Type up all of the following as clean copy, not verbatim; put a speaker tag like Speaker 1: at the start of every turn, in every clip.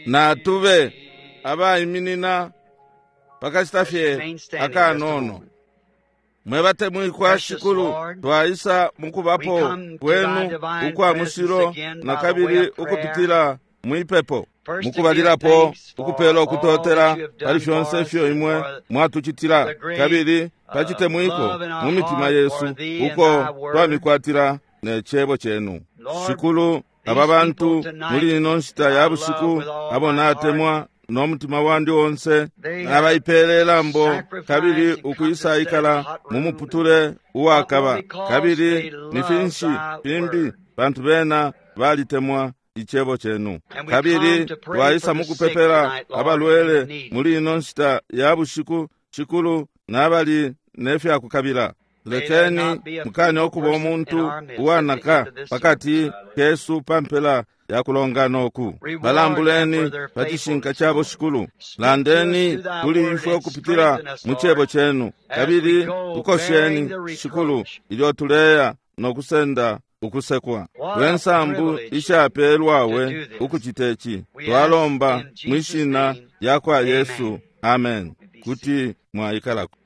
Speaker 1: Natube abaiminina pakashita
Speaker 2: Let's
Speaker 1: fye
Speaker 2: remain standing just a
Speaker 1: akanono.
Speaker 2: moment.
Speaker 1: Mwe batemwikwa
Speaker 2: Precious
Speaker 1: Shikulu,
Speaker 2: Lord,
Speaker 1: twaisa
Speaker 2: we
Speaker 1: mukubapo
Speaker 2: come to thy
Speaker 1: kwenu
Speaker 2: divine
Speaker 1: ukwa
Speaker 2: presence
Speaker 1: mushilo
Speaker 2: again
Speaker 1: na
Speaker 2: by the way
Speaker 1: kabili
Speaker 2: of prayer.
Speaker 1: ukupitila mwipepo.
Speaker 2: First to give
Speaker 1: Mukubalilapo
Speaker 2: thanks for
Speaker 1: ukupela
Speaker 2: all
Speaker 1: ukutotela
Speaker 2: that you have
Speaker 1: pali
Speaker 2: done
Speaker 1: fyonse
Speaker 2: for us
Speaker 1: ifyo
Speaker 2: and
Speaker 1: imwe
Speaker 2: for
Speaker 1: mwatucitila
Speaker 2: the great
Speaker 1: kabili pachitemwiko
Speaker 2: love in our
Speaker 1: mu mitima
Speaker 2: heart
Speaker 1: yesu
Speaker 2: for thee and
Speaker 1: uko
Speaker 2: thy word.
Speaker 1: twamikwatila ne cebo chenu.
Speaker 2: Lord,
Speaker 1: Shikulu,
Speaker 2: these
Speaker 1: aba bantu
Speaker 2: people tonight
Speaker 1: muli ino nshita
Speaker 2: that
Speaker 1: ya
Speaker 2: I love
Speaker 1: bushiku
Speaker 2: with all
Speaker 1: abo
Speaker 2: my heart,
Speaker 1: natemwa no mutima wandi onse
Speaker 2: they have
Speaker 1: nabaipele lambo kabili
Speaker 2: sacrificed and come to
Speaker 1: ukwisa
Speaker 2: sit in a
Speaker 1: ikala
Speaker 2: hot
Speaker 1: mu
Speaker 2: room and
Speaker 1: muputule
Speaker 2: but more
Speaker 1: uwakaba
Speaker 2: because
Speaker 1: kabili
Speaker 2: they
Speaker 1: ni
Speaker 2: love
Speaker 1: finshi
Speaker 2: thy
Speaker 1: fimbi
Speaker 2: word.
Speaker 1: bantu bena balitemwa icebo chenu.
Speaker 2: And we come
Speaker 1: Kabili
Speaker 2: to pray for
Speaker 1: twaisa
Speaker 2: the sick
Speaker 1: mukupepela
Speaker 2: tonight, Lord, and the
Speaker 1: abalwele
Speaker 2: needy.
Speaker 1: muli ino nshita ya bushiku Shikulu nabali nefyakukabila.
Speaker 2: May there
Speaker 1: Lekeni
Speaker 2: not be a
Speaker 1: mukane
Speaker 2: feeble
Speaker 1: okuba
Speaker 2: person in
Speaker 1: omuntu
Speaker 2: our midst at the end
Speaker 1: uwanaka
Speaker 2: of this service.
Speaker 1: pakati kesu pampela ya kulongana oku.
Speaker 2: Reward them for
Speaker 1: Balambuleni
Speaker 2: their
Speaker 1: pa cishinka
Speaker 2: faithfulness,
Speaker 1: chabo
Speaker 2: Lord.
Speaker 1: Shikulu.
Speaker 2: Speak to us
Speaker 1: Landeni
Speaker 2: through thy
Speaker 1: kuli
Speaker 2: word
Speaker 1: ifwe
Speaker 2: and
Speaker 1: ukupitila
Speaker 2: strengthen us,
Speaker 1: mu cebo
Speaker 2: Lord,
Speaker 1: chenu
Speaker 2: as we
Speaker 1: kabili
Speaker 2: go bearing
Speaker 1: tukosheni
Speaker 2: the
Speaker 1: Shikulu
Speaker 2: reproach.
Speaker 1: ilyo tuleya nokusenda ukusekwa.
Speaker 2: What a
Speaker 1: Lwensambu
Speaker 2: privilege to
Speaker 1: ishapelwawe
Speaker 2: do this.
Speaker 1: ukucita ici.
Speaker 2: We ask
Speaker 1: Twalomba
Speaker 2: in Jesus'
Speaker 1: mwishina
Speaker 2: name,
Speaker 1: lya kwa
Speaker 2: amen.
Speaker 1: Yesu. Amen.
Speaker 2: Be seated.
Speaker 1: Kuti mwaikalako.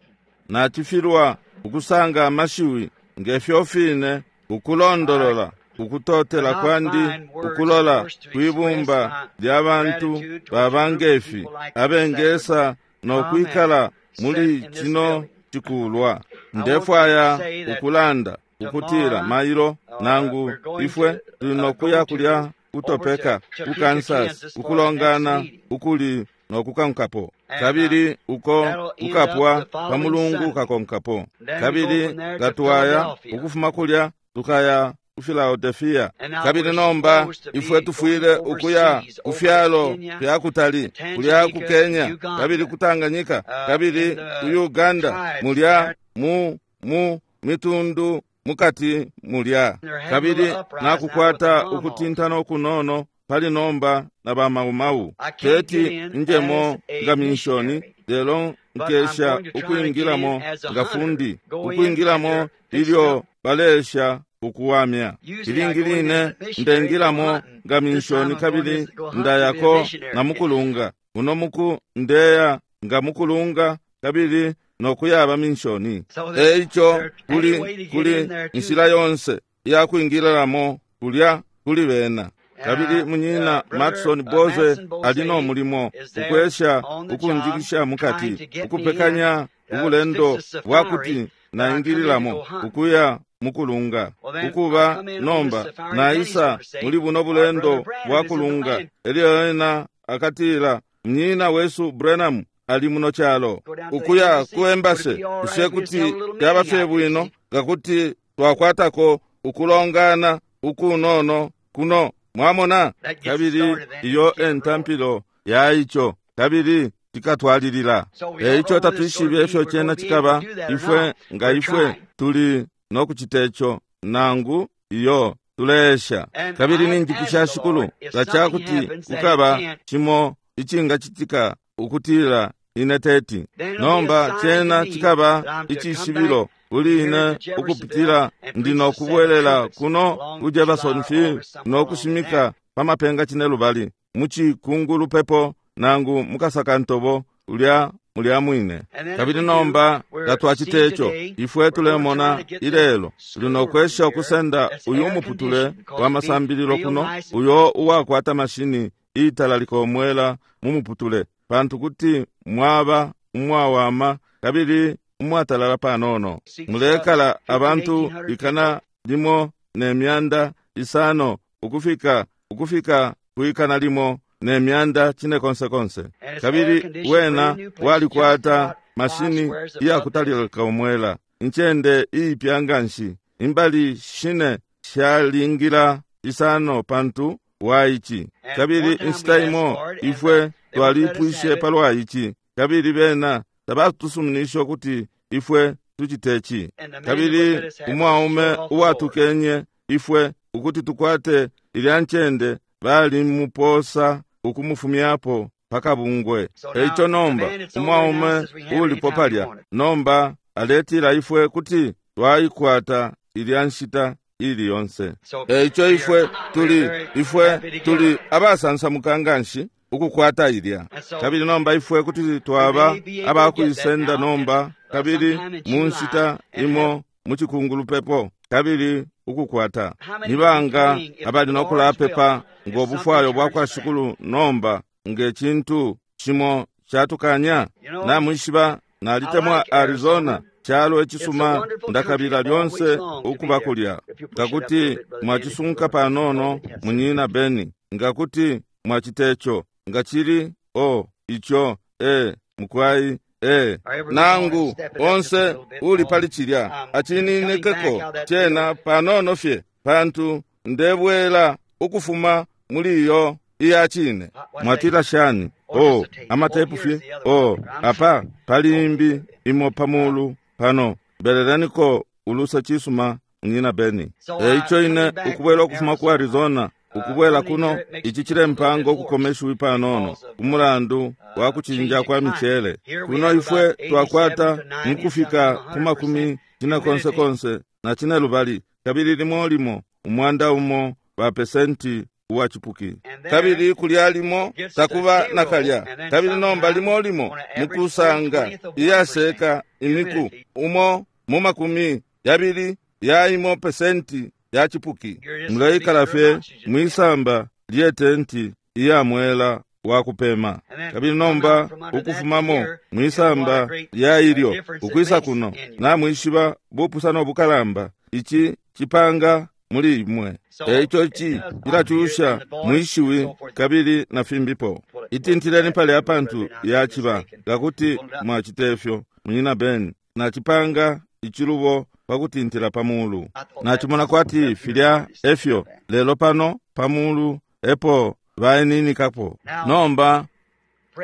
Speaker 1: Nachifilwa ukusanga amashiwi ngefyo fine ukulondolola
Speaker 2: I
Speaker 1: ukutotela
Speaker 2: cannot
Speaker 1: kwandi
Speaker 2: find words, of
Speaker 1: ukulola
Speaker 2: course, to express
Speaker 1: kwibumba
Speaker 2: my
Speaker 1: lya bantu
Speaker 2: gratitude towards a group of
Speaker 1: babangefi
Speaker 2: people like this that would
Speaker 1: abengesa
Speaker 2: come and
Speaker 1: nokwikala
Speaker 2: sit
Speaker 1: muli
Speaker 2: in this
Speaker 1: chino
Speaker 2: building.
Speaker 1: chikulwa.
Speaker 2: I want to
Speaker 1: Ndefwaya
Speaker 2: say that
Speaker 1: ukulanda ukutila
Speaker 2: tomorrow
Speaker 1: mailo nangu
Speaker 2: we're going
Speaker 1: ifwe
Speaker 2: to
Speaker 1: tuli
Speaker 2: go
Speaker 1: nokuya
Speaker 2: to
Speaker 1: kulya
Speaker 2: over to
Speaker 1: kutopeka ku
Speaker 2: Topeka,
Speaker 1: Kansas
Speaker 2: Kansas for the next
Speaker 1: ukulongana
Speaker 2: meeting.
Speaker 1: ukuli nokukankapo
Speaker 2: And
Speaker 1: kabili uko
Speaker 2: that'll end up
Speaker 1: kukapwa
Speaker 2: the
Speaker 1: pa
Speaker 2: following
Speaker 1: mulungu
Speaker 2: Sunday.
Speaker 1: kakonkapo.
Speaker 2: Then we go
Speaker 1: Kabili
Speaker 2: from there to
Speaker 1: ngatwaya
Speaker 2: Philadelphia.
Speaker 1: ukufuma kulya tukaya ku Philadelphia.
Speaker 2: And now
Speaker 1: Kabili
Speaker 2: we're
Speaker 1: nomba
Speaker 2: supposed to
Speaker 1: ifwe
Speaker 2: be going
Speaker 1: tufwile ukuya
Speaker 2: overseas,
Speaker 1: ku
Speaker 2: over to
Speaker 1: fyalo
Speaker 2: Kenya,
Speaker 1: fya kutali kulya ku
Speaker 2: Tanganyika,
Speaker 1: Kenya kabili
Speaker 2: Uganda,
Speaker 1: ku Tanganyika
Speaker 2: in
Speaker 1: kabili ku
Speaker 2: the
Speaker 1: Uganda
Speaker 2: tribes
Speaker 1: mulya
Speaker 2: there.
Speaker 1: mu mu mitundu mukati mulya.
Speaker 2: They're having a little
Speaker 1: Kabili
Speaker 2: uprise now with the
Speaker 1: nakukwata
Speaker 2: Mamos.
Speaker 1: ukutintana okunono pali nomba na bamaumawu.
Speaker 2: I can't get
Speaker 1: Teti
Speaker 2: in as
Speaker 1: njemo
Speaker 2: a
Speaker 1: nga minshoni
Speaker 2: missionary,
Speaker 1: lelo
Speaker 2: but I'm
Speaker 1: nkesha
Speaker 2: going to try to get in
Speaker 1: ukwingilamo
Speaker 2: as a
Speaker 1: nga
Speaker 2: hunter.
Speaker 1: fundi
Speaker 2: Go in and
Speaker 1: ukwingilamo
Speaker 2: they're fixing
Speaker 1: ilyo
Speaker 2: up.
Speaker 1: balesha ukuwamya.
Speaker 2: Usually I
Speaker 1: Ilingi
Speaker 2: go in as
Speaker 1: line
Speaker 2: a missionary to go
Speaker 1: ndengilamo
Speaker 2: hunting.
Speaker 1: nga
Speaker 2: This time
Speaker 1: minshoni
Speaker 2: I'm going
Speaker 1: kabili
Speaker 2: as to go hunt to be a
Speaker 1: ndayako na
Speaker 2: missionary.
Speaker 1: mukulunga. Uno muku ndeya nga mukulunga kabili nokuyaba minshoni.
Speaker 2: So there's
Speaker 1: Eico
Speaker 2: there any
Speaker 1: kuli
Speaker 2: way to get in
Speaker 1: kuli
Speaker 2: there too.
Speaker 1: inshila yonse iyakwingililamo kulya kuli bena. Kabili munyina
Speaker 2: Brother
Speaker 1: Matson Boze
Speaker 2: Matson Bose
Speaker 1: ali no mulimo
Speaker 2: is there
Speaker 1: ukwesha
Speaker 2: on the job
Speaker 1: ukunjikisha
Speaker 2: trying
Speaker 1: mukati
Speaker 2: to get me in
Speaker 1: ukupekanya
Speaker 2: to
Speaker 1: ubulendo
Speaker 2: fix a
Speaker 1: bwa
Speaker 2: safari
Speaker 1: kuti
Speaker 2: that I come in to go
Speaker 1: naingililamo
Speaker 2: hunt.
Speaker 1: ukuya mukulunga.
Speaker 2: Well, then I
Speaker 1: Ukuba
Speaker 2: come in on this
Speaker 1: nomba
Speaker 2: safari. Then he's
Speaker 1: naisa
Speaker 2: going to say,
Speaker 1: muli buno
Speaker 2: Our brother
Speaker 1: bulendo bwa
Speaker 2: Branham is in the
Speaker 1: kulunga.
Speaker 2: land.
Speaker 1: Elyo ena akatila mnyina wesu Branham ali muno chalo
Speaker 2: Go down to the
Speaker 1: ukuya
Speaker 2: embassy.
Speaker 1: ku
Speaker 2: Would it
Speaker 1: embassy
Speaker 2: be all right
Speaker 1: kushe
Speaker 2: if we just
Speaker 1: kuti
Speaker 2: held a little
Speaker 1: fyaba
Speaker 2: meeting
Speaker 1: fye
Speaker 2: out here,
Speaker 1: bwino
Speaker 2: see?
Speaker 1: ngakuti twakwatako ukulongana ukunono kuno mwamona.
Speaker 2: That gets it
Speaker 1: Kabili
Speaker 2: started then and
Speaker 1: iyo
Speaker 2: keep it rolling.
Speaker 1: entampilo ya ico kabili tikatwalilila.
Speaker 2: So we don't
Speaker 1: Eico
Speaker 2: know whether it's going
Speaker 1: tatwishibe
Speaker 2: to be
Speaker 1: ifyo
Speaker 2: we're going
Speaker 1: chena
Speaker 2: to be able
Speaker 1: chikaba
Speaker 2: to do that or
Speaker 1: ifwe
Speaker 2: not.
Speaker 1: nga
Speaker 2: We're
Speaker 1: ifwe
Speaker 2: trying.
Speaker 1: tuli nokucita ico nangu iyo tuleesha.
Speaker 2: And
Speaker 1: Kabili
Speaker 2: I've
Speaker 1: ninjipusha
Speaker 2: asked the
Speaker 1: Shikulu
Speaker 2: Lord if
Speaker 1: nga
Speaker 2: something
Speaker 1: cakuti
Speaker 2: happens that he
Speaker 1: kukaba
Speaker 2: can't,
Speaker 1: chimo icingacitika ukutila ine teti.
Speaker 2: then it'll be a
Speaker 1: Nomba
Speaker 2: sign to
Speaker 1: chena
Speaker 2: me that
Speaker 1: chikaba
Speaker 2: I'm to come back
Speaker 1: icishibilo kuli
Speaker 2: here
Speaker 1: ine
Speaker 2: to Jeffersonville
Speaker 1: ukupitila
Speaker 2: and
Speaker 1: ndi
Speaker 2: preach the seven
Speaker 1: nokubwelela
Speaker 2: trumpets
Speaker 1: kuno
Speaker 2: along
Speaker 1: ku
Speaker 2: July or
Speaker 1: Jeffersonville
Speaker 2: August, somewhere along there.
Speaker 1: nokushimika pamapenga cine lubali muchikungulu pepo nangu mukasakantobo ulya mulya mwine.
Speaker 2: And then if
Speaker 1: Kabili
Speaker 2: we do,
Speaker 1: nomba nga
Speaker 2: we're
Speaker 1: twacita
Speaker 2: seeing
Speaker 1: ico
Speaker 2: today,
Speaker 1: ifwe
Speaker 2: we're going to try
Speaker 1: tulemona
Speaker 2: to get the
Speaker 1: ilelo tuli
Speaker 2: schoolroom
Speaker 1: nokwesha
Speaker 2: here
Speaker 1: ukusenda
Speaker 2: that's
Speaker 1: uyu
Speaker 2: air
Speaker 1: muputule
Speaker 2: conditioned because
Speaker 1: wa
Speaker 2: it'd be
Speaker 1: masambililo
Speaker 2: real
Speaker 1: kuno
Speaker 2: nice and
Speaker 1: uyo uwakwata mashini iitalalika omwela mu muputule pantu kuti mwaba umwawama kabili umwatalala panono.
Speaker 2: seats
Speaker 1: Mulekala
Speaker 2: 15
Speaker 1: abantu
Speaker 2: 1800 people.
Speaker 1: ikana limo ne myanda isano ukufika ukufika kuikana limo ne myanda cine konse konse.
Speaker 2: And it's air
Speaker 1: Kabili
Speaker 2: conditioned,
Speaker 1: wena
Speaker 2: brand new place, just
Speaker 1: walikwata
Speaker 2: about 5
Speaker 1: mashini
Speaker 2: squares above this.
Speaker 1: iyakutalika omwela incende iipya nganshi imbali shine shalingila isano pantu wa ici.
Speaker 2: And one
Speaker 1: Kabili
Speaker 2: time we
Speaker 1: inshita
Speaker 2: asked
Speaker 1: imo
Speaker 2: for it, and
Speaker 1: ifwe
Speaker 2: they wouldn't let us
Speaker 1: twalipwishe
Speaker 2: have it.
Speaker 1: palwa ici kabili bena tabatusuminishe ukuti ifwe tucite ici.
Speaker 2: And the man that wouldn't let
Speaker 1: Kabili
Speaker 2: us have it was
Speaker 1: umwaume
Speaker 2: thrown off the board.
Speaker 1: uwatukenye ifwe ukuti tukwate ilya ncende balimuposa ukumufumyapo pakabungwe.
Speaker 2: So now
Speaker 1: Eico
Speaker 2: the
Speaker 1: nomba
Speaker 2: man that's on there now
Speaker 1: umwaume
Speaker 2: says we can have it
Speaker 1: ulipo
Speaker 2: anytime we
Speaker 1: palya
Speaker 2: want it.
Speaker 1: nomba aletila ifwe kuti twaikwata ilya nshita ili yonse.
Speaker 2: So
Speaker 1: Eico
Speaker 2: we are
Speaker 1: ifwe
Speaker 2: we are
Speaker 1: tuli
Speaker 2: very
Speaker 1: ifwe
Speaker 2: happy to get
Speaker 1: tuli
Speaker 2: it.
Speaker 1: abasansamuka nganshi ukukwata ilya. Kabili nomba ifwe kuti twaba abakuisenda nomba, kabili mu nshita imo mu cikungulupepo, kabili ukukwata. Nibanga abali no kulapepa ngo bufwayo bwa kwa Shikulu nomba nge cintu cimo catukanya? Namwishiba, nalitemwa Arizona, calo icisuma, ndakabila lyonse ukuba kulya. Ngakuti mwacisunka panono, munyina Beni, ngakuti mwaciteco, ngacili o ico e mukwai e nangu onse uli pali cilya acininekeko cena panono fye, pantu ndebwela ukufuma muli iyo iya cine. Mwatila shani? O amatepu fye o apa pali imbi imo pamulu pano, beleleniko ulusa cisuma munyina Beni. Eico ine ukubwela ukufuma ku Arizona ukubwela kuno, ici cilempanga ukukomeshiwi panono umulandu wa kucinja kwa michele. Kuno ifwe twakwata mukufika ku makumi cine konse konse na cine lubali, kabili limo limo umwanda umo ba pesenti uwa chipuki, kabili kulya limo takuba nakalya. Kabili nomba limo limo mukusanga iyaseka imiku umo mu makumi yabili ya imo pesenti ya chipuki. Muleikala fye mwisamba lye tenti iya mwela wa kupema. Kabili nomba ukufumamo mwisamba lya ilyo ukwisa kuno, namwishiba bupusano bukalamba ici cipanga muli imwe. Eico ici cilacusha mwishiwi kabili na fimbipo. Itintileni pali apantu yaciba ngakuti mwacitefyo munyina Beni, nacipanga icilubo pakutintila pamulu. Nacimona kwati filya efyo, lelo pano pamulu epo baeninikapo. Nomba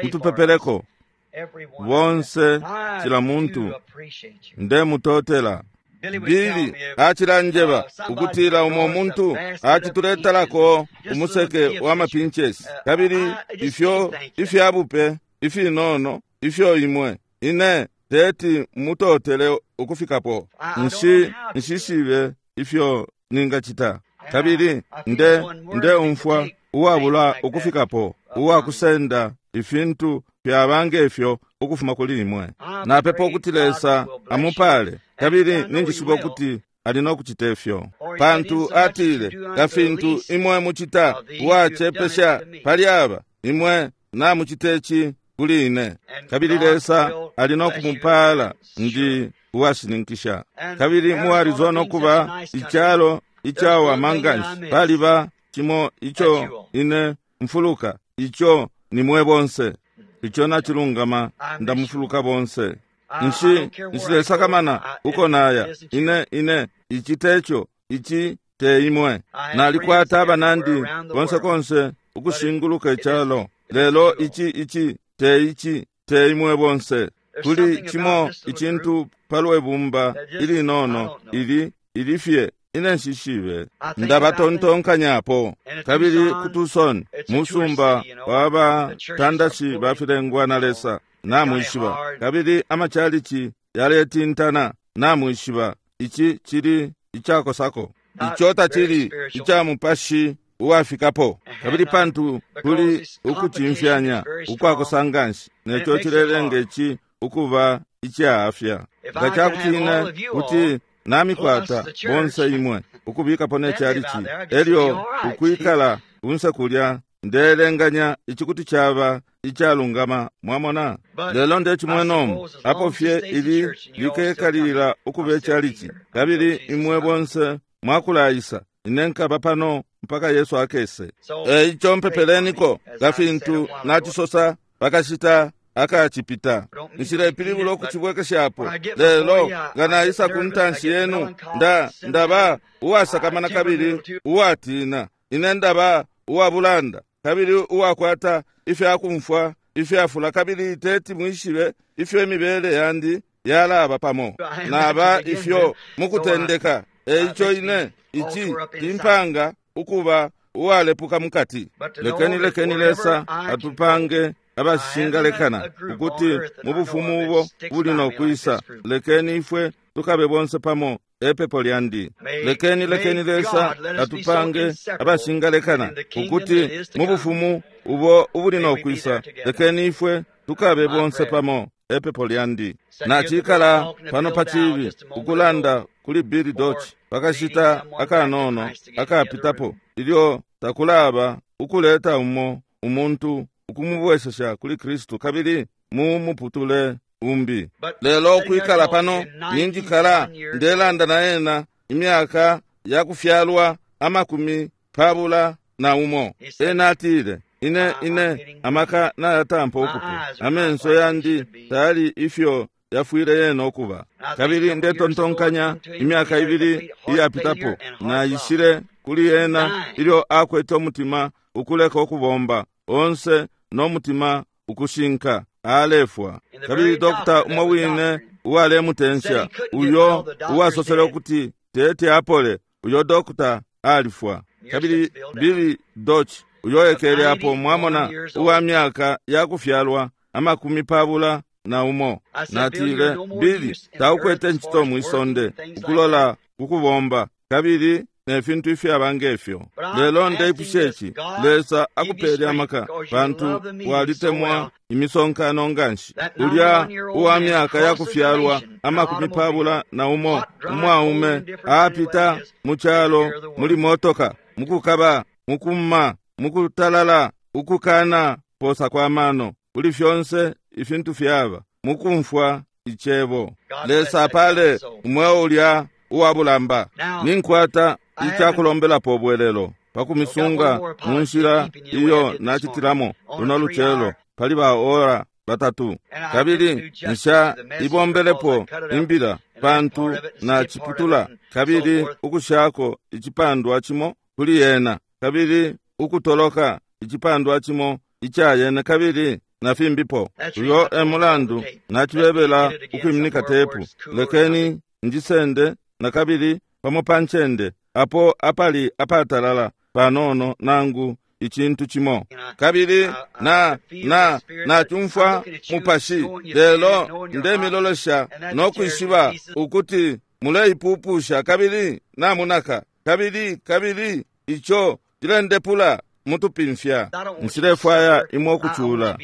Speaker 1: mutupepeleko bonse, cila muntu. Ndemutotela. Bili acilanjeba ukutila umo muntu acituletalako umuseke wa mapinchesi, kabili ifyo ifyabupe ifinono ifyo imwe ine teti mutotele ukufikapo. Nshishibe ifyo ningacita, kabili ndeumfwa uwabula ukufikapo uwakusenda ifintu fyaba ngefyo ukufuma kuli imwe. Napepa ukuti Lesa amupale, kabili ninjishiba ukuti ali no kucita ifyo, pantu atile nga fintu imwe mucita uwacepesha pali aba, imwe namucita ici kuli ine. Kabili Lesa ali no kumupala, ndi uwashininkisha. Kabili mu Arizona kuba icalo icawama nganshi, paliba cimo ico ine mfuluka, ico ni mwe bonse. Ico nacilungama, ndamufuluka bonse. Nshilesakamana uko naya, ine ici teco, ici te imwe. Nalikwata abanandi konse konse ukushinguluka icalo, lelo ici ici te ici te imwe bonse. Kuli cimo icintu palwe bumba ilinono ili ilifye ine nshishibe, ndabatontonkanyapo. Kabili ku Tucson, musumba wabatandashi bafilengwa na Lesa, namwishiba, kabili amachalichi yaletintana, namwishiba, ici cili icakosako, ico tacili ica mupashi uwafikapo. Kabili pantu kuli ukucimfyanya ukwakosa nganshi, neco cilelenga ici ukuba icaafya. Nga cakuti ine kuti namikwata bonse imwe ukubikapo ne chalichi, elyo ukwikala unse kulya, ndelenganya ici kuti caba icalungama, mwamona. Lelo ndecimwenomu apo fye ili likekalilila ukuba icalichi, kabili imwe bonse mwakulayisa, ine nkaba pano mpaka Yesu akese. Eico mpepeleniko nga fintu nacisosa pakashita akacipita. Nshilepilibula ukucibwekeshapo, lelo nga naisa ku ntanshi yenu, ndaba uwasakamana kabili uwatina. Ine ndaba uwabulanda kabili uwakwata ifyakumfwa ifyafula, kabili teti mwishibe ifyo imibele yandi yalaba pamo naba ifyo mukutendeka. Eico ine ici timpanga ukuba uwalepuka mukati. Lekeni Lesa atupange abashingalekana ukuti mu bufumu ubo buli no kwisa, lekeni ifwe tukabe bonse pamo, epepo lyandi. Lekeni, lekeni Lesa atupange abashingalekana ukuti mu bufumu ubo ubuli no kwisa, lekeni ifwe tukabe bonse pamo, epepo lyandi. Nacikala pano pa cibi ukulanda kuli Billy Dodge pakashita akanono akapitapo, ilyo takulaba ukuleta umo umuntu ukumubwesesha kuli Kristu kabili mu muputule umbi. Lelo ukwikala pano ninjikala ndelanda na ena imyaka yakufyalwa 21. Ena atile, ine ine amaka nayatampa ukupwa, amenso yandi tayali ifyo yafwile yena ukuba. Kabili ndetontonkanya imyaka 2 iyapitapo naishile kuli ena ilyo akwete umutima ukuleka ukubomba onse no mutima ukushinka, alefwa. Kabili dokta umo wine uwalemutensha, uyo uwasosele ukuti tete apole, uyo dokta alifwa. Kabili Billy Dodge uyo ekele apo, mwamona, uwa myaka yakufyalwa 21. Natile, Billy, taukwete ncito mwisonde ukulola kukubomba kabili ne fintu ifyaba ngefyo. Lelo ndeipusha ici, Lesa akupele amaka, pantu walitemwa imisonkano nganshi. Ulya uwa myaka yakufyalwa 21, umwaume apita mu calo muli motoka, mukukaba, mukumma, mukutalala, ukukana posa kwa mano, kuli fyonse ifintu fyaba, mukumfwa icebo. Lesa apale umweo ulya uwa bulamba. Ninkwata icakulombelapo ubwelelo pakumisunga mu nshila iyo nacitilamo luno lucelo pali ba ora 3. Kabili nsha ibombelepo imbila pantu naciputula kabili ukushako icipandwa cimo kuli yena, kabili ukutoloka icipandwa cimo ica yena, kabili na fimbipo. Uyo e mulandu nacibebela ukwiminika tepu. Lekeni njisende na kabili pamo pa ncende apo apali apatalala panono nangu icintu cimo. Kabili na na nacumfwa mupashi, lelo ndemilolesha no kwishiba ukuti muleipupusha kabili namunaka, kabili kabili ico cilendepula mutupimfya. Nshilefwaya imwe ukucula,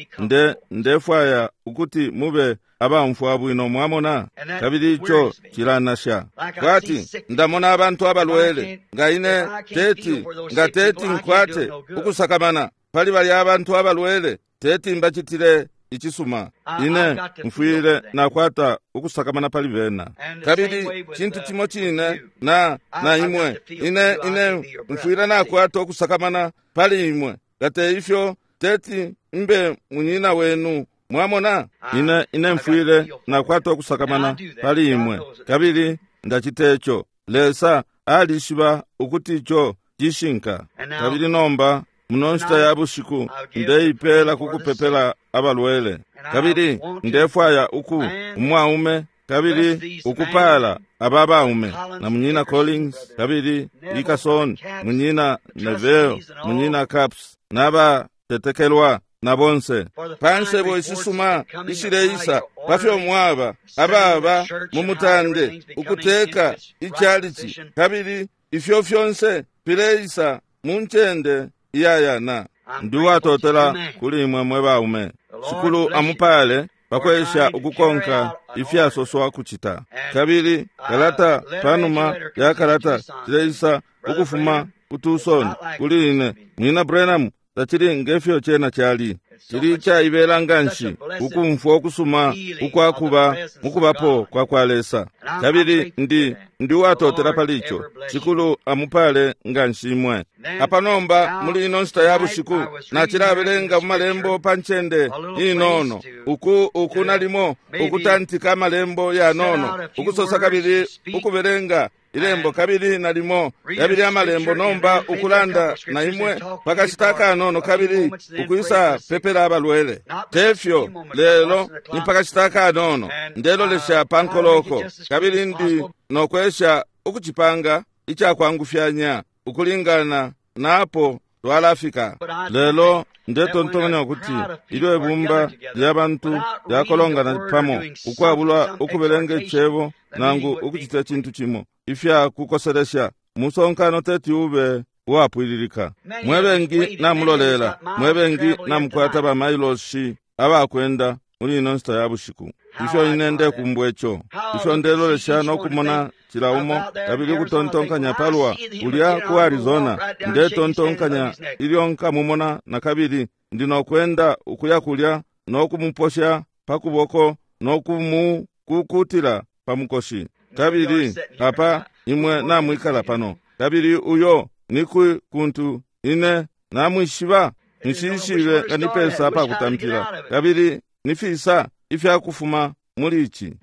Speaker 1: ndefwaya ukuti mube abamfwa bwino, mwamona. Kabili ico cilanasha kwati ndamona abantu abalwele, nga ine teti, nga teti nkwate ukusakamana pali balya abantu abalwele, teti mbacitile icisuma. Ine mfwile nakwata ukusakamana pali bena. Kabili cintu cimo cine na na imwe, ine ine mfwile nakwata ukusakamana pali imwe, ngate ifyo teti mbe munyina wenu, mwamona. Ine ine mfwile nakwata ukusakamana pali imwe, kabili ndaciteco. Lesa alishiba ukuti ico cishinka. Kabili nomba muno nshita ya bushiku ndeipela kukupepela abalwele, kabili ndefwaya uku umwaume kabili ukupala aba baume na munyina Collins kabili Ikason, munyina Neville, munyina Caps n'abatetekelwa na bonse. Pa nsebo ishisuma ishileisa pafyo mwaba ababa mu mutande ukuteka icalici, kabili ifyo fyonse fileisa mu ncende iyayana. Ndi uwatotela kuli imwe mwe baume. Shikulu amupale pakwesha ukukonka ifyasoswa kucita. Kabili kalata panuma ya kalata cileisa ukufuma ku Tucson kuli ine. Mwina Branham, tacili ngefyo cena cali. Cili caibela nganshi ukumfwa ukusuma ukwakuba mukubapo kwa kwa Lesa. Kabili ndi ndi uwatotela pali ico. Shikulu amupale nganshi imwe. Apa nomba muli ino nshita ya bushiku nacilabelenga mu malembo pa ncende inono, uku uku nalimo ukutantika amalembo yanono, ukusosa kabili ukubelenga ilembo kabili nalimo yabili amalembo, nomba ukulanda na imwe pakashita kanono kabili ukwisa pepela abalwele. Tefyo lelo ni pakashita kanono ndelolesha pa nkoloko, kabili ndi nokwesha ukucipanga icakwangufyanya ukulingana napo Twalafika. Lelo ndetontonkanya ukuti ilyo ibumba lya bantu lyakolongana pamo ukwabula ukubelenga icebo nangu ukucita cintu cimo ifya kukoselesha, musonkano teti ube uwapwililika. Mwe bengi namulolela, mwe bengi namukwata bamailoshi abakwenda muli ino nshita ya bushiku. Ifyo ine ndekumbwa ico, ifyo ndelolesha nokumona cila umo, kabili ukutontonkanya palwa ulya ku Arizona. Ndetontonkanya ilyo nkamumona nakabili, ndi nokwenda ukuya kulya nokumuposha pa kuboko nokumukukutila pa mukoshi. Kabili apa imwe namwikala pano, kabili uyo nikwi kuntu ine namwishiba? Nshishibe nga nipesa apakutampila, kabili nifisa ifyakufuma muli ici.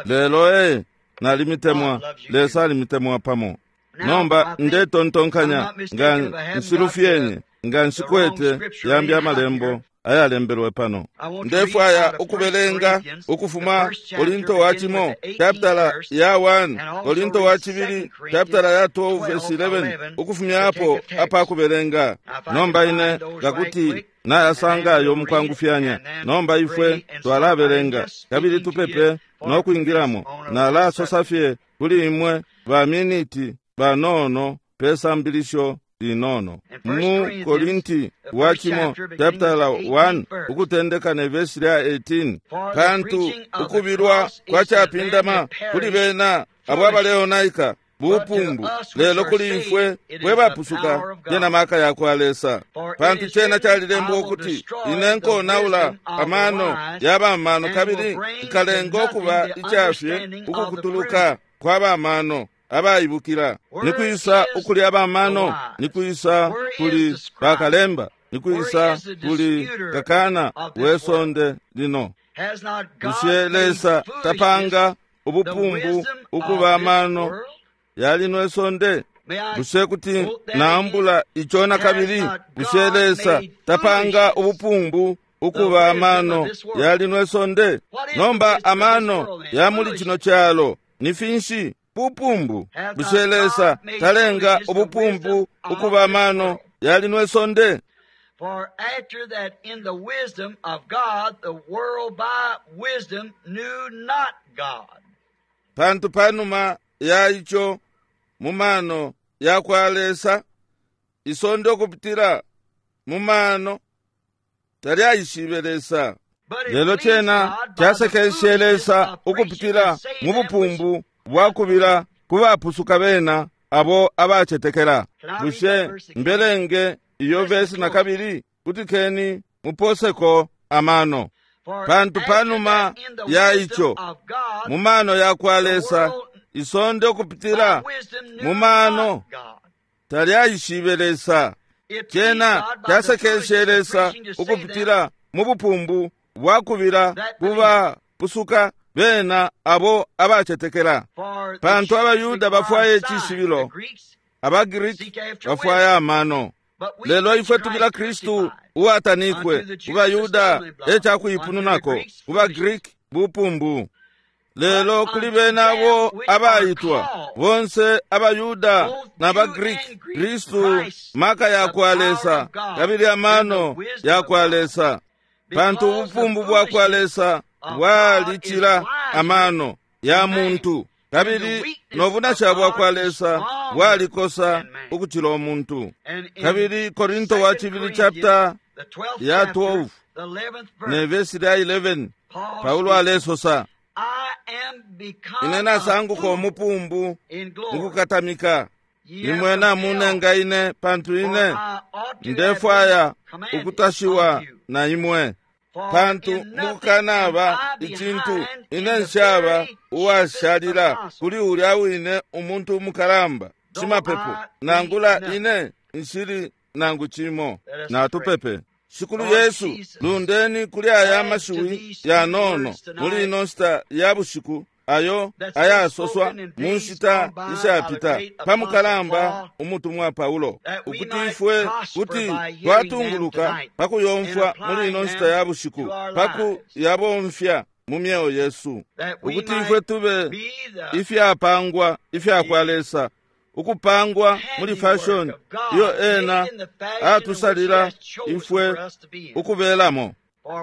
Speaker 1: Lelo nalimitemwa, Lesa alimitemwa pamo. Nomba ndetontonkanya nga nshilufyenye, nga nshikwete yambi amalembo ayalembelwe pano. Ndefwaya ukubelenga ukufuma Korinto wa cimo chapitala ya 1, Korinto wa cibili chapitala ya 12 verse 11, ukufumyapo apakubelenga. Nomba ine ngakuti nayasangayo mukwangufyanya. Nomba ifwe twalabelenga kabili tupepe nokwingilamo. Nalasosa fye kuli imwe ba miniti banono pe sambilisho linono. Mu Korinti wa cimo chapitala 1 ukutendeka ne vesi lya 18, pantu ukubilwa kwa capindama kuli bena abo abaleonaika bupumbu, lelo kuli ifwe fwe bapusuka lyena maka ya kwa Lesa. Pantu cena calilembwa ukuti, ine nkonaula amano ya bamano, kabili nkalenga ukuba icafye ukukutuluka kwa bamano abaibukila. Nikwisa ukuli abamano? Nikwisa kuli bakalemba? Nikwisa kuli kakana we sonde lino? Bushe Lesa tapanga ubupumbu ukuba amano yalino isonde? Bushe kuti naambula ico nakabili? Bushe Lesa tapanga ubupumbu ukuba amano yalino isonde? Nomba amano ya muli cino calo ni finshi? Bupumbu. Bushe Lesa talenga ubupumbu ukuba amano yalino isonde?
Speaker 2: For after that in the wisdom of God, the world by wisdom knew not God.
Speaker 1: Pantu panuma ya ico mu mano ya kwa Lesa, isonde ukupitila mu mano talyaishibe Lesa. Lelo cena casekeshe Lesa ukupitila mu bupumbu bwakubila ku bapusuka bena abo abacetekela. Bushe mbelenge iyo vesi nakabili? Kutikeni muposeko amano. Pantu panuma ya ico mu mano ya kwa Lesa, isonde ukupitila mu mano talyaishibe Lesa. Cena casekeshe Lesa ukupitila mu bupumbu bwakubila ku bapusuka bena abo abacetekela. Pantu abaYuda bafwaya icishibilo, abaGriki bafwaya amano. Lelo ifwe tubila Kristu uwatanikwe, ku baYuda e cakuipununako, ku baGriki bupumbu. Lelo kuli bena abo abaitwa, bonse abaYuda na baGriki, Kristu maka ya kwa Lesa kabili amano ya kwa Lesa. Pantu ubupumbu bwa kwa Lesa bwalicila amano ya muntu, kabili nobunasha bwa kwa Lesa bwalikosa ukucila umuntu. Kabili Korinto wa cibili chapter ya 12 ne vesi lya 11, Paulo alesosa, ine nasanguka umupumbu mukukatamika, imwe namunenga ine, pantu ine ndefwaya ukutashiwa na imwe. Pantu mukukanaba icintu ine nshaba uwashalila kuli ulya wine umuntu umukalamba shimapepo, nangula ine nshili nangu cimo. Natupepe. Shikulu Yesu, lundeni kuli aya mashiwi yanono muli ino nshita ya bushiku ayo ayasoswa mu nshita ishapita pa mukalamba umutumwa Paulo, ukuti ifwe kuti twatunguluka pa kuyomfwa muli ino nshita ya bushiku, pa kuyabomfya mu myeo yesu, ukuti ifwe tube ifyapangwa ifya kwa Lesa, ukupangwa muli fashion iyo ena atusalila ifwe ukubelamo.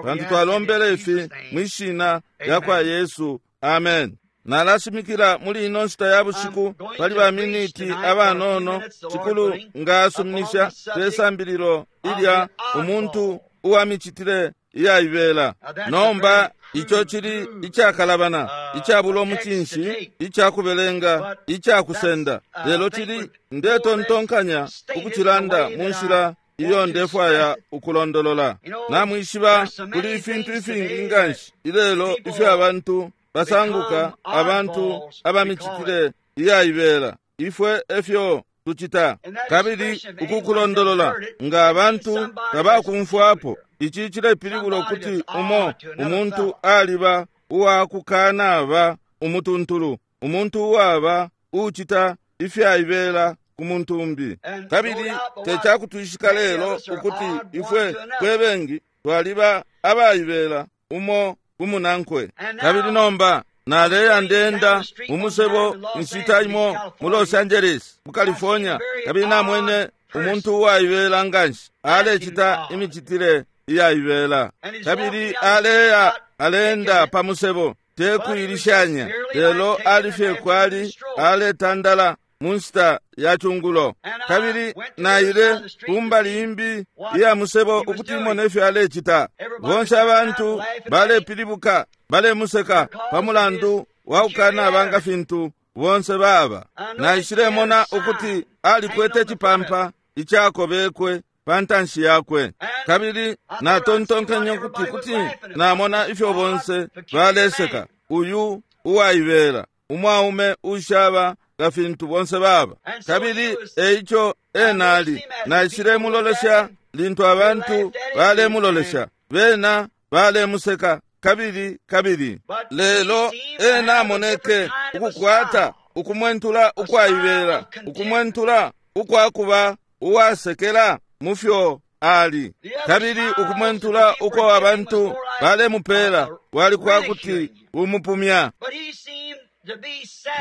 Speaker 1: Pantu twalombele ifi mwishina lya kwa Yesu, amen. Nalashimikila muli ino nshita ya bushiku pali ba miniti abanono, cikulu ngasuminisha pe sambililo ilya umuntu uwa micitile iyaibela. Nomba ico cili icakalabana, icabula umucinshi, icakubelenga, icakusenda, lelo cili ndetontonkanya ukucilanda mu nshila iyo ndefwaya ukulondolola. Namwishiba kuli ifintu ifingi nganshi ilelo ifyo abantu basanguka abantu abamicitile iyaibela. Ifwe efyo tucita. Kabili ukukulondolola nga abantu tabakumfwapo, ici cilepilibula ukuti umo umuntu aliba uwakukanaba umutuntulu, umuntu uwaba ucita ifyaibela ku muntu umbi. Kabili tecakutwishika lelo ukuti ifwe fwe bengi twaliba abaibela umo kumunankwe. Kabili nomba naleya ndenda umusebo nshita imo mu Los Angeles mu California, kabili namwene umuntu uwaibela nganshi alecita imicitile iyaibela, kabili aleya alenda pa musebo tekuilishanya, lelo alifye kwali aletandala mu nshita ya cungulo. Kabili naile kumbali imbi iya musebo ukuti imone ifyo alecita. Bonse abantu balepilibuka balemuseka pa mulandu wa kukanaba nga fintu bonse baba. Naishilemona ukuti alikwete cipampa icakobekwe pa ntanshi yakwe, kabili natontonkenye ukuti kuti namona ifyo bonse baleseka uyu uwaibela umwaume ushaba nga fintu bonse baba. Kabili eico ena ali, naishilemulolesha lintu abantu balemulolesha, bena balemuseka kabili kabili. Lelo ena amoneke ukukwata ukumwentula ukwaibela, ukumwentula ukwakuba uwasekela mufyo ali, kabili ukumwentula uko abantu balemupela kwali kwakuti umupumya.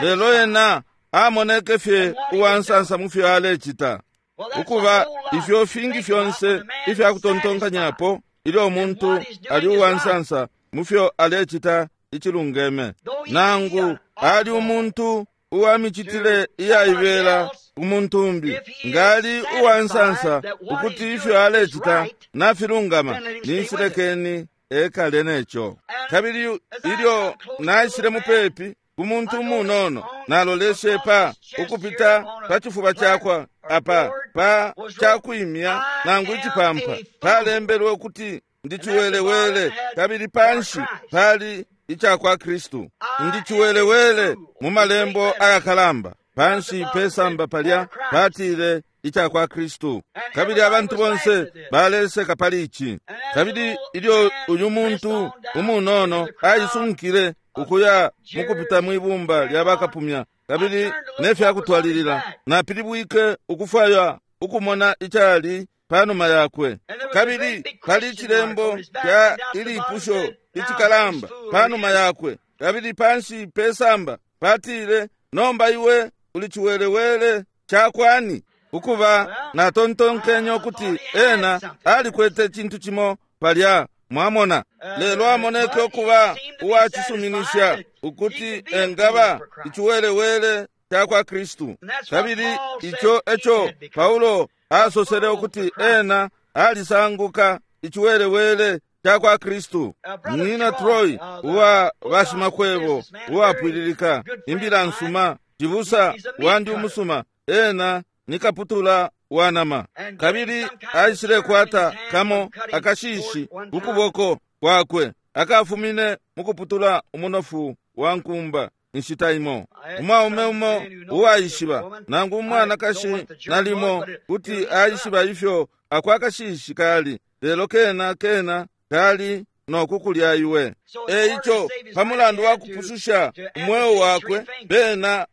Speaker 1: Lelo ena amoneke fye uwansansa mufyo alecita. Ukuba ifyo fingi fyonse ifya kutontonkanyapo ilyo umuntu ali uwansansa mufyo alecita icilungeme, nangu ali umuntu uwa micitile iyaibela umuntu umbi, ngali uwansansa ukuti ifyo alecita nafilungama, ninshilekeni ekale neco. Kabili ilyo naishile mupepi ku muntu umunono, naloleshe pa ukupita pa cifuba cakwa apa pa cakwimya nangu icipampa palembelwe ukuti ndi ciwelewele, kabili panshi pali icakwa Kristu. Ndi ciwelewele mu malembo ayakalamba, panshi pesamba palya patile icakwa Kristu. Kabili abantu bonse baleseka pali ici. Kabili ilyo uyu muntu umunono aisunkile ukuya mukupita mwibumba lya bakapumya kabili nefyakutwalilila, napilibwike ukufwaya ukumona icali panuma yakwe. Kabili pali icilembo kya ilipusho icikalamba panuma yakwe, kabili panshi pesamba patile, nomba iwe uli ciwelewele cakwani? Ukuba natontonkenye ukuti ena alikwete cintu cimo palya, mwamona. Lelo amoneke ukuba uwacisuminisha ukuti engaba iciwelewele cakwa Kristu. Kabili ico eco Paulo asosele ukuti ena alisanguka iciwelewele cakwa Kristu. Nina Troy uwa bashimakwebo uwapwililika imbila nsuma, cibusa wandi umusuma, ena ni kaputula wa nama, kabili aishilekwata kamo akashishi kukuboko kwakwe akafumine mukuputula umunofu wa nkumba inshita imo. Umwaume umo uwaishiba nangu umwanakashi nalimo kuti aishiba ifyo ako akashishi kali, lelo kena kena kali nokukulya iwe. Eico pamulandu wa kupususha umweo wakwe, bena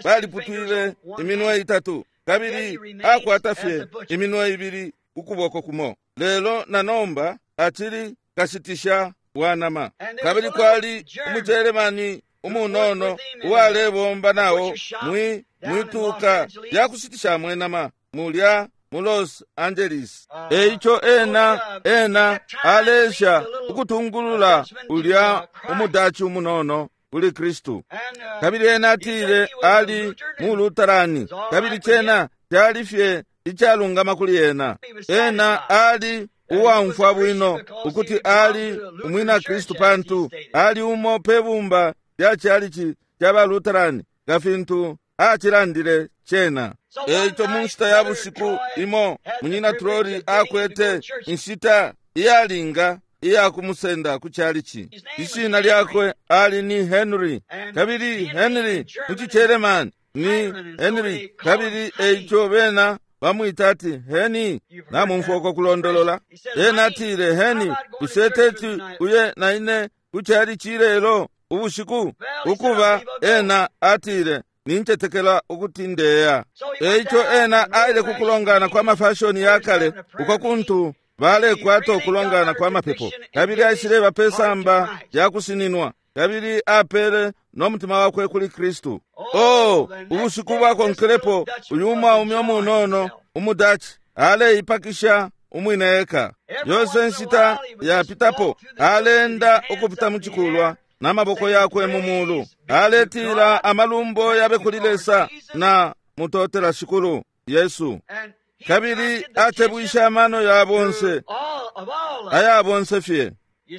Speaker 1: baliputwile iminwe itatu, kabili akwata fye iminwe ibili kukuboko kumo, lelo na nomba acili kashitisha wa nama. Kabili kwali umujeremani umunono uwalebomba nao mwi mwituka lya kushitishamo inama mulya mu Los Angeles. Eico ena ena alesha ukutungulula ulya umudachi umunono kuli Kristu. Kabili ena atile ali mu Lutarani, kabili cena cali fye icalungama kuli ena. Ena ali uwaumfwa bwino ukuti ali umwina Kristu pantu ali umo pe bumba lya chalichi cha ba Lutarani nga fintu acilandile cena. Eico mu nshita ya bushiku imo munyina Troli akwete inshita iyalinga iya kumusenda ku chalichi. Ishina lyakwe ali ni Henry, kabili Henry mu ciCheremani ni Henry, kabili eico bena bamwita ati Heni. Namumfwa uko kulondolola. Ena atile, Heni, bushe teti uye na ine ku chalichi lelo ubushiku? Ukuba ena atile, nincetekela ukuti ndeya. Eico ena aile kukulongana kwa mafashoni ya kale uko kuntu balekwata ukulongana kwa mapepo, kabili aishileba pe samba lya kusininwa, kabili apele no mutima wakwe kuli Kristu. Oh, ubushiku bwakonkelepo uyu mwaume umunono umudachi aleipakisha umwine eka. Yonse nshita yapitapo alenda ukupita mu cikulwa n'amaboko yakwe mu mulu, aletila amalumbo yabe kuli Lesa na mutotela Shikulu Yesu. Kabili atebwisha amano ya bonse aya bonse fye.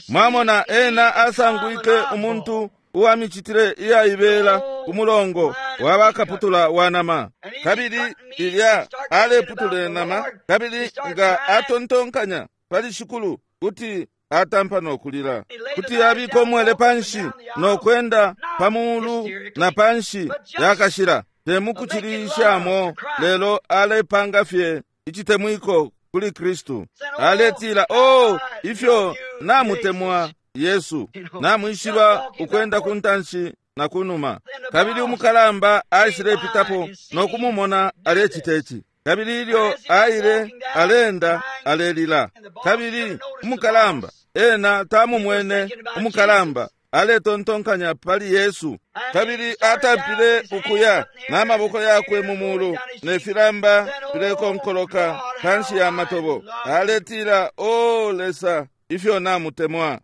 Speaker 1: Mwamona ena asangwike umuntu uwamicitile iyaibela ku mulongo wa bakaputula wa nama, kabili ilya aleputula inama, kabili nga atontonkanya pali Shikulu kuti atampa no kulila, kuti abika umwele panshi no kwenda pa mulu na panshi yakashila, temukucilishamo, lelo alepanga fye icitemwiko kuli Kristu. Aletila, oh, ifyo namutemwa Yesu, namwishiba ukwenda ku ntanshi na kunuma. Kabili umukalamba aishilepitapo no kumumona alecita ici, kabili ilyo aile alenda alelila. Kabili umukalamba ena tamumwene umukalamba aletontonkanya pali Yesu, kabili atampile ukuya n'amaboko yakwe mu mulu ne filamba filekonkoloka panshi ya matobo. Aletila, o Lesa, ifyo namutemwa.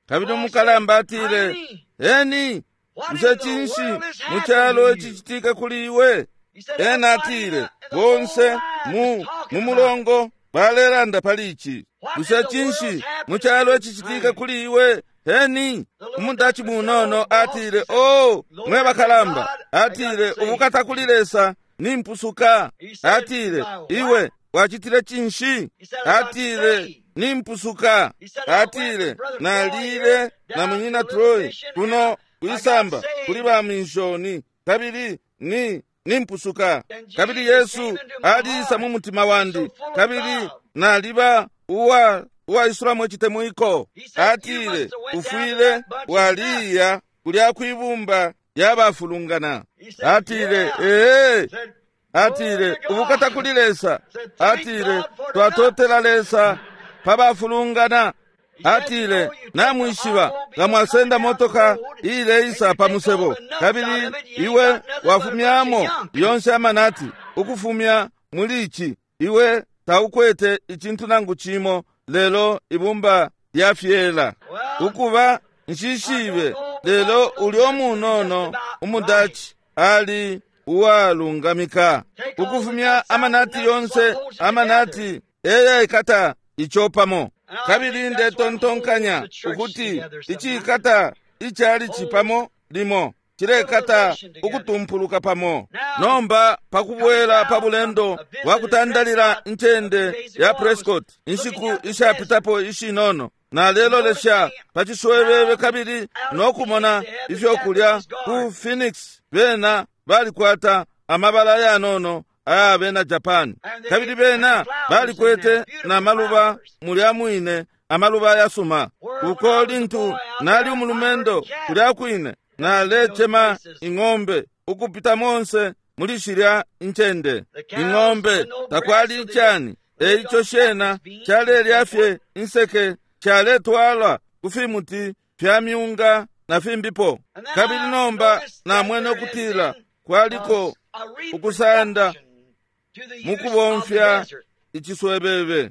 Speaker 1: Kabili umukalamba atile, Eni, bushe cinshi mu calo icicitika kuli iwe? Ena atile, bonse mu mulongo balelanda pali ici. Bushe cinshi mu calo icicitika kuli iwe? Heni, umudachi munono atile, oh, mwe bakalamba, atile, ubukata kuli Lesa, nimpusuka. Atile, iwe wacitile cinshi? Atile, nimpusuka. Atile, nalile na munyina Troy kuno kwisamba kuli ba minshoni, kabili ni nimpusuka. Kabili Yesu aliisa mu mutima wandi, kabili naliba uwa uwaisulamo icitemwiko. Atile, ufwile waliya kulya kwibumba lyabafulungana. Atile, ee. Atile, ubukata kuli Lesa. Atile, twatotela Lesa pa bafulungana. Atile, namwishiba nga mwasenda motoka iileisa pa musebo, kabili iwe wafumyamo yonse amanati ukufumya muli ici, iwe taukwete icintu nangu cimo lelo ibumba lya fyela. Ukuba nshishibe, lelo ulyo munono umudachi ali uwalungamika ukufumya amanati yonse, amanati eyaikata ico pamo. Kabili ndetontonkanya ukuti icikata icalici pamo limo cilekata ukutumpuluka pamo. Nomba pakubwela pa bulendo bwa kutandalila ncende ya Prescott inshiku ishapitapo ishinono, nalelolesha pa ciswebebe kabili nokumona ifyo kulya ku Phoenix. Bena balikwata amabala yanono aya bena Japan, kabili bena balikwete na maluba mulya mwine, amaluba yasuma. Uko lintu nali umulumendo kulya kwine nalecema ing'ombe ukupita monse muli shilya ncende. Ing'ombe takwali icani, eico shena calelya fye inseke, caletwalwa ku fimuti fya myunga na fimbipo. Kabili nomba namwene ukutila kwaliko ukusanda mukubomfya iciswebebe.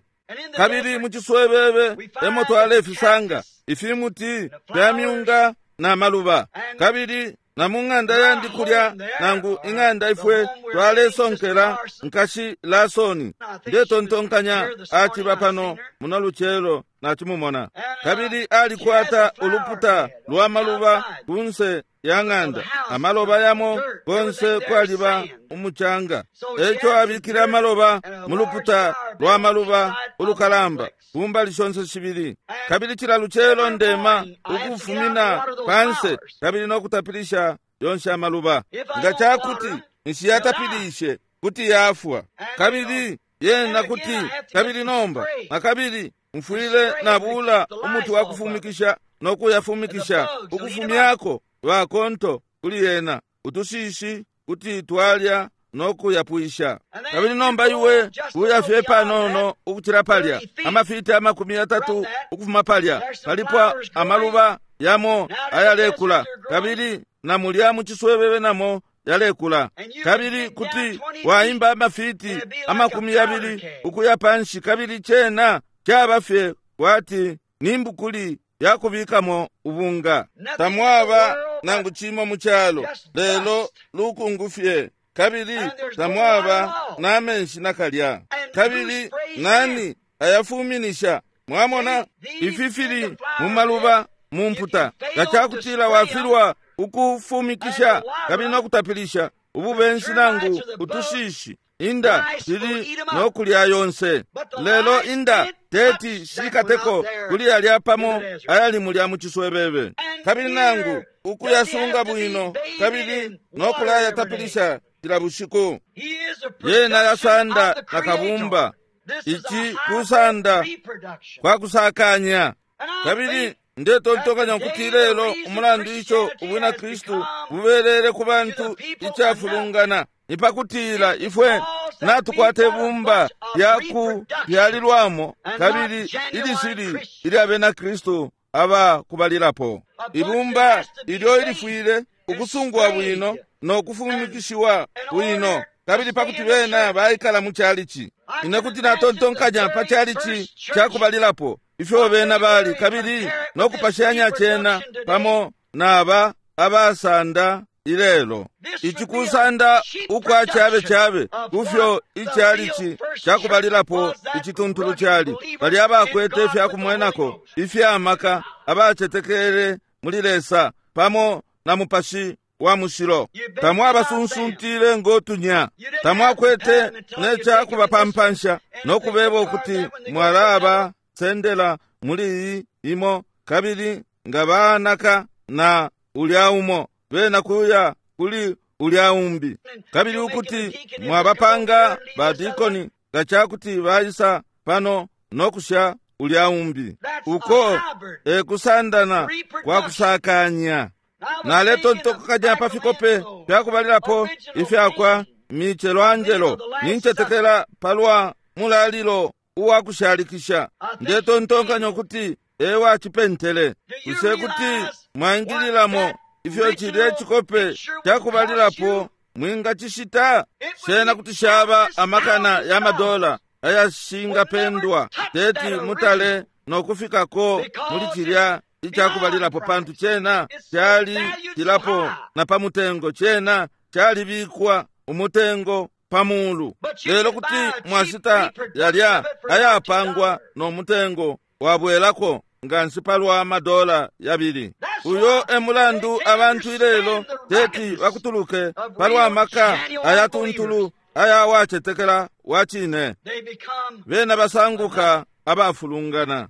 Speaker 1: Kabili mu ciswebebe emo twalefisanga ifimuti fya myunga na maluba. Kabili na mu ng'anda yandi kulya, nangu ing'anda ifwe twalesonkela nkashi Lasoni, ndetontonkanya aciba pano muno lucelo nacimumona. Kabili alikwata uluputa lwa maluba kunse ya ng'anda, amaloba yamo konse kwaliba umucanga. Eco abikile amaloba mu luputa lwa maluba ulukalamba kumbali shonse shibili. Kabili cila lucelo ndema ukufumina panse kabili nokutapilisha yonse amaluba. Nga cakuti nshiyatapilishe kuti yafwa, kabili yena kuti kabili nomba nakabili mfwile nabula umuti wa kufumikisha nokuyafumikisha ukufumyako bakonto kuli yena, utushishi kuti twalya nokuyapwisha. Kabili nomba iwe uya fye panono ukucila palya amafiti 30 ukufuma palya palipo amaluba yamo ayalekula, kabili na mulya mu ciswebebe namo yalekula. Kabili kuti waimba amafiti 20 ukuya panshi, kabili cena caba fye kwati nimbukuli yakubikamo ubunga. Tamwaba nangu cimo mu calo lelo lukungu fye, kabili tamwaba na menshi nakalya. Kabili nani ayafuminisha? Mwamona ifi fili mu maluba mu mputa. Nga cakutila wafilwa ukufumikisha kabili nokutapilisha ububenshi nangu utushishi, inda shili nokulya yonse. Lelo inda teti shikateko kuli yalya pamo ayali mulya mu ciswebebe. Kabili nangu ukuyasunga bwino kabili nokulayatapilisha cila bushiku. Yena yasanda na kabumba. Ici kusanda kwa kusakanya. Kabili ndetontokanya ukuti lelo umulandu ico ubwina Kristu bubelele ku bantu icafulungana ni pakutila ifwe natukwata ibumba lya kupyalilwamo kabili ilishili ilya bena Kristu aba kubalilapo. Ibumba ilyo ilifwile ukusungwa bwino no kufumikishiwa bwino, kabili pakuti bena baikala mu chalichi. Ine kuti natontonkanya pa chalichi cakubalilapo ifyo bena bali, kabili no kupashanya cena pamo naba abasanda ilelo. Ici kusanda ukwa chabe chabe kufyo ichalichi cakubalilapo icituntulu cali. Bali abakwete ifyakumwenako ifyamaka, abacetekele muli Lesa pamo na Mupashi wa Mushilo. Tamwabasunsuntile ngotunya, tamwakwete necakubapampansha nokubeba ukuti mwalaba sendela muli iyi imo, kabili nga banaka na ulya umo bena kuya kuli ulya umbi, kabili ukuti mwabapanga badikoni nga cakuti baisa pano nokusha ulya umbi. Uko ekusandana kwa kusakanya. Naletontokanya pa fikope fyakubalilapo ifyakwa Michelangelo, nincetekela palwa mulalilo uwakushalikisha. Ndetontonkanya ukuti ewacipentele. Bushe kuti mwaingililamo ifyo cilye cikope cakubalilapo mwingacishita? Cena kuti shaba amakana ya madola ayashingapendwa teti mutale nokufikako muli cilya icakubalilapo, pantu cena cali cilapo na pa mutengo, cena calibikwa umutengo pa mulu. Lelo kuti mwashita yalya ayapangwa no mutengo wabwelako nga nsi palwa madola 2. Uyo e mulandu abantu ilelo teti bakutuluke palwa maka ayatuntulu aya wacetekela wa cine. Bena basanguka abafulungana.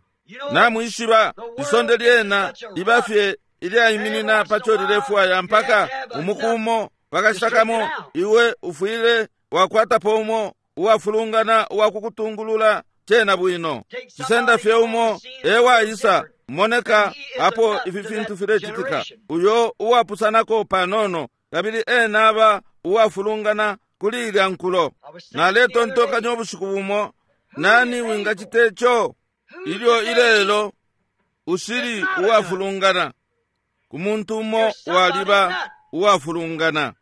Speaker 1: Namwishiba isonde lyena liba fye ilyaiminina paco lilefwaya mpaka umukumo pakashita kamo iwe ufwile wakwatapo umo uwafulungana uwakukutungulula cena bwino. Cisenda fye umo ewaisa moneka apo ifi fintu filecitika, uyo uwapusanako panono, kabili ena aba uwafulungana kuli ilya nkulo. Naletontokanya ubushiku bumo, nani wingacita ico? Ilyo ilelo ushili uwafulungana. Ku muntu umo waliba uwafulungana.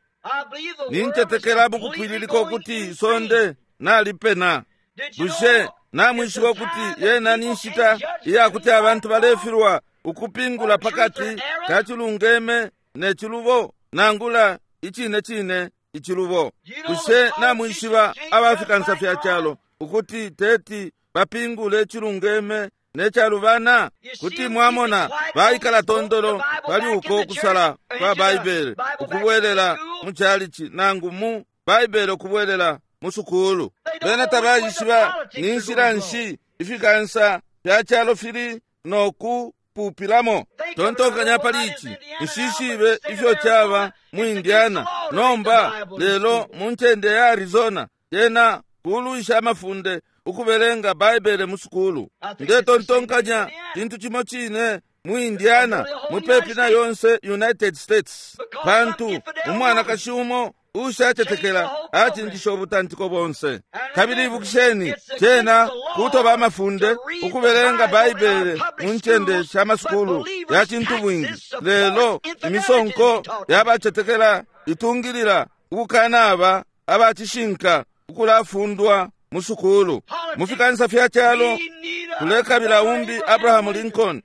Speaker 1: Nintetekela mukupwililika ukuti isonde nalipena. Bushe namwishiba ukuti yena ni nshita iyakuti abantu balefilwa ukupingula pakati ka cilungeme ne cilubo nangula icine cine icilubo? Bushe namwishiba abafikansa fya calo ukuti teti bapingule icilungeme ne calubana? Kuti mwamona baikala tondolo pali uko kusala kwa Baibele ukubwelela mu chalichi nangu mu Baibele ukubwelela mu sukulu. Bena tabaishiba ni nshila nshi ifikansa fya calo fili no kupupilamo. Tontonkanya pali ici, nshishibe ifyo caba mu Indiana nomba, lelo mu ncende ya Arizona yena kulwisha amafunde ukubelenga Baibele mu sukulu. Ndetontonkanya cintu cimo cine mu Indiana mupepi na yonse United States, pantu umwanakashi umo ushacetekela acinjisha ubutantiko bonse. Kabili ibukisheni, cena kutoba amafunde ukubelenga Baibele mu ncende sha masukulu ya cintu bwingi, lelo imisonko yabacetekela itungilila ukukanaba abacishinka ukulafundwa mu sukulu. Mu fikansa fya calo tulekabila umbi Abraham Lincoln,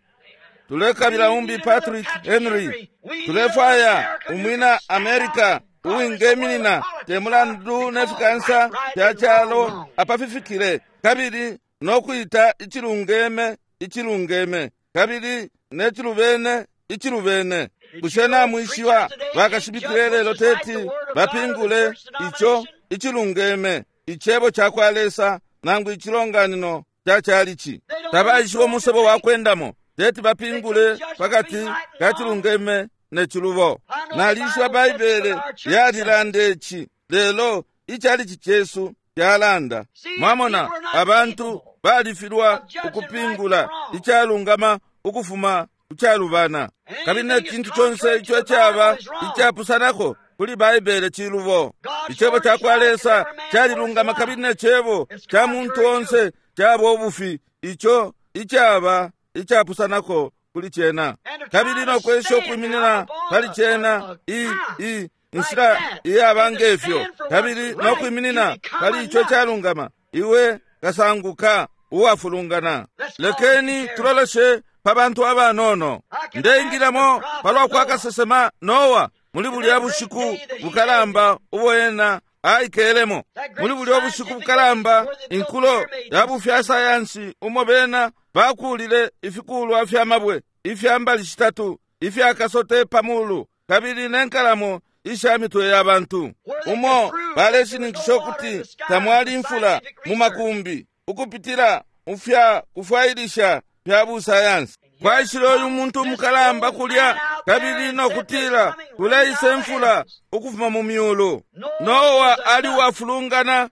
Speaker 1: tulekabila umbi Patrick Henry, tulefwaya umwina America uwingeminina te mulandu ne fikansa fya calo apafifikile, kabili nokwita icilungeme icilungeme kabili ne cilubene icilubene. Bushe namwishiba bakashibikile lelo teti bapingule ico icilungeme icebo ca kwa Lesa nangu icilonganino ca chalichi? Tabaishiba umusebo wa kwendamo, teti bapingule pakati ka cilungeme ne cilubo. Nalishiba Baibele yalilanda ici, lelo ichalichi cesu kyalanda. Mwamona, abantu balifilwa ukupingula icalungama ukufuma kucalubana, kabili ne cintu conse ico icaba icapusanako kuli Baibele cilubo. Icebo ca kwa Lesa calilungama, kabili ne cebo ca muntu onse caba ubufi, ico icaba icapusanako kuli cena. Kabili nokwesha ukwiminina pali cena i inshila iyaba ngefyo, kabili nokwiminina pali ico calungama, iwe kasanguka uwafulungana. Lekeni tuloleshe pa bantu abanono. Ndeingilamo palwa kwa kasesema Noa muli bulya bushiku bukalamba ubo ena aikelemo. Muli bulya bushiku bukalamba, inkulo ya bufya sayansi umo bena bakulile ifikulwa fya mabwe ifya mbali shitatu ifya kasote pamulu, kabili ne nkalamo isha mitwe ya bantu, umo baleshininkisha ukuti tamwali imfula mu makumbi ukupitila mu fya kufwailisha fya busayansi. Kwaishile uyu muntu umukalamba kulya, kabili nokutila kuleisa imfula ukufuma mu myulu. Noa ali uwafulungana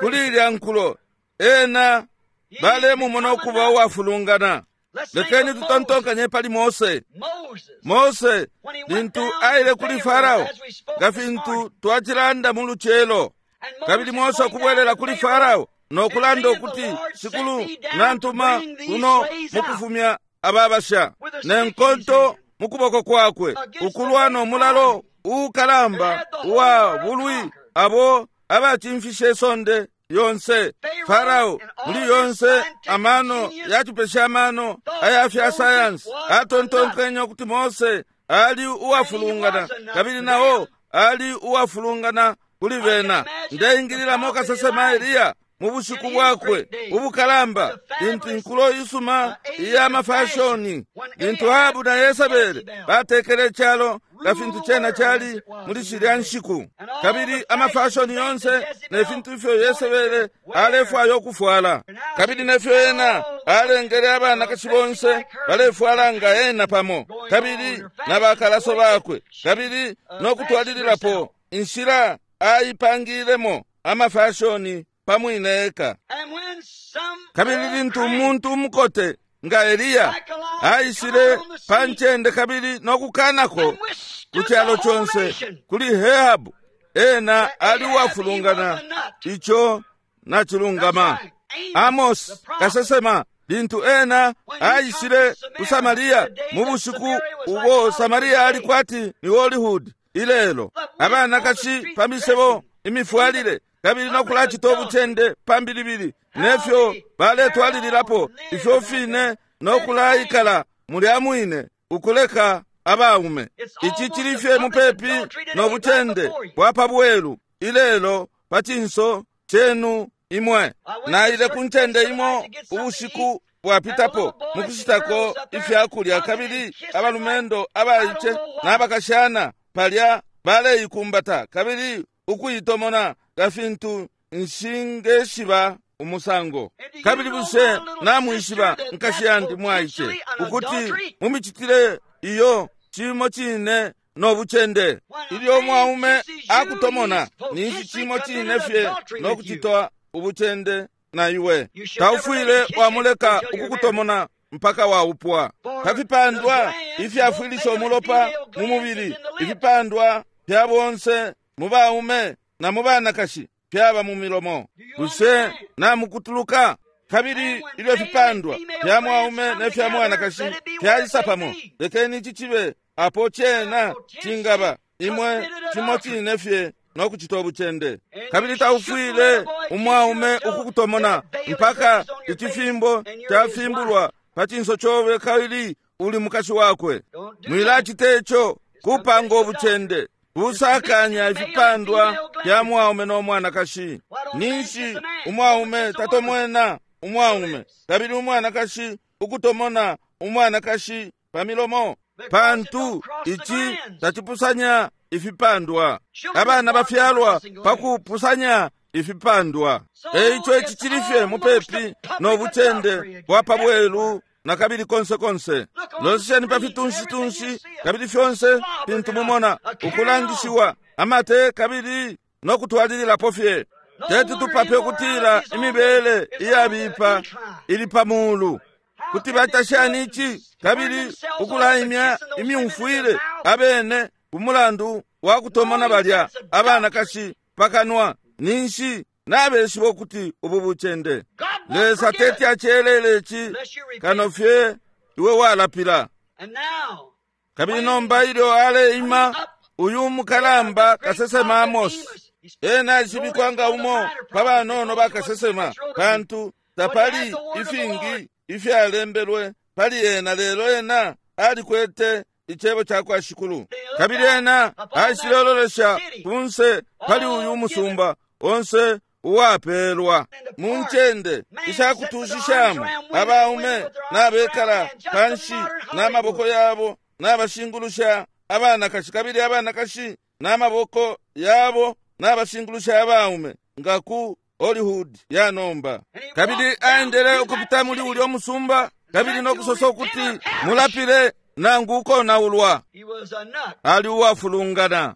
Speaker 1: kuli ilya nkulo, ena balemumona ukuba uwafulungana. Lekeni tutontonkanye pali Mose. Mose lintu aile kuli Farao, nga fintu twacilanda mu lucelo, kabili Mose okubwelela kuli Farao nokulanda ukuti, Shikulu nantuma kuno mukufumya ababasha ne nkonto mu kuboko kwakwe, ukulwa no mulalo uukalamba uwa bulwi abo abacimfishe isonde yonse. Farao muli yonse amano yacipesha amano aya fya sayansi atontonkenye ukuti Mose ali uwafulungana, kabili nao ali uwafulungana kuli bena. Ndeingililamo kasesema Eliya mu bushiku bwakwe ubukalamba, lintu inkulo isuma iya mafashoni, lintu Ahabu na Yesebele batekele icalo nga fintu cena cali muli shilya nshiku, kabili amafashoni yonse ne fintu ifyo Yesebele alefwaya ukufwala, kabili nefyo ena alengele abanakashi bonse balefwala nga ena pamo, kabili na bakalaso bakwe, kabili nokutwalililapo inshila aipangilemo amafashoni pamwine eka. Kabili lintu umuntu umukote nga Eliya aishile pa ncende kabili nokukanako ku calo conse kuli Ahabu, ena ali uwafulungana. Ico nacilungama. Amos kasesema Lintu ena aishile ku Samaria mu bushiku ubo Samaria ali kwati ni Hollywood ilelo, abanakashi pa misebo, imifwalile, kabili nokulacita ubucende pambilibili, nefyo baletwalililapo ifyo fine nokulaikala mulya mwine ukuleka abaume. Ici cili fye mupepi no bucende bwa pa bwelu ilelo pa cinso cenu imwe. Naile ku ncende imo ubushiku bwapitapo mukushitako ifyakulya, kabili abalumendo abaice n'abakashana palya baleikumbata kabili ukuitomona nga fintu nshingeshiba umusango. Kabili bushe namwishiba, nkashi yandi mwaice, ukuti mu micitile iyo cimo cine no bucende? Ilyo umwaume akutomona, ninshi cimo cine fye no kucitwa ubucende na iwe. Taufwile wamuleka ukukutomona mpaka waupwa. Pafipandwa ifyafwilisha umulopa mu mubili, ifipandwa fya bonse mu baume na mu banakashi fyaba mu milomo. Bushe namukutuluka? Kabili ilyo fipandwa fya mwaume ne fya mwanakashi fyaisa pamo, lekeni ici cibe apo cena cingaba imwe cimo cine fye no kucita ubucende. Kabili taufwile umwaume ukukutomona mpaka icifimbo cafimbulwa pa cinso cobe kabili uli mukashi wakwe. Mwilacita ico, kupanga ubucende busakanya ifipandwa fya mwaume no mwanakashi. Ninshi umwaume tatomwena umwaume, kabili umwanakashi ukutomona umwanakashi pa milomo, pantu ici tacipusanya ifipandwa. Abana bafyalwa pakupusanya ifipandwa. Eico ici cili fye mupepi no bucende bwa pa bwelu na kabili konse konse. Lolesheni pa fitunshi-tunshi kabili fyonse fintu mumona ukulangishiwa amate kabili no kutwalililapo fye. Teti tupape ukutila imibele iyabipa ili pa mulu. Kuti batashani ici kabili ukulaimya imyumfwile abene ku mulandu wa kutomona balya abanakashi pakanwa, ninshi nabeshiba ukuti ubu bucende. Lesa teti acelele ici kano fye iwe walapila. Kabili nomba ilyo aleima uyu mukalamba kasesema Amosi, ena aishibikwa nga umo pa banono bakasesema, pantu tapali ifingi ifyalembelwe pali ena, lelo ena alikwete icebo ca kwa Shikulu. Kabili ena aishilelolesha kunse pali uyu musumba onse uwapelwa mu ncende ishakutushishamo, abaume nabekala panshi n'amaboko yabo n'abashingulusha abanakashi, kabili abanakashi n'amaboko yabo n'abashingulusha abaume, nga ku Hollywood ya nomba. Kabili aendele ukupita muli ulya musumba kabili nokusosa ukuti mulapile nangu ukonaulwa. Ali uwafulungana.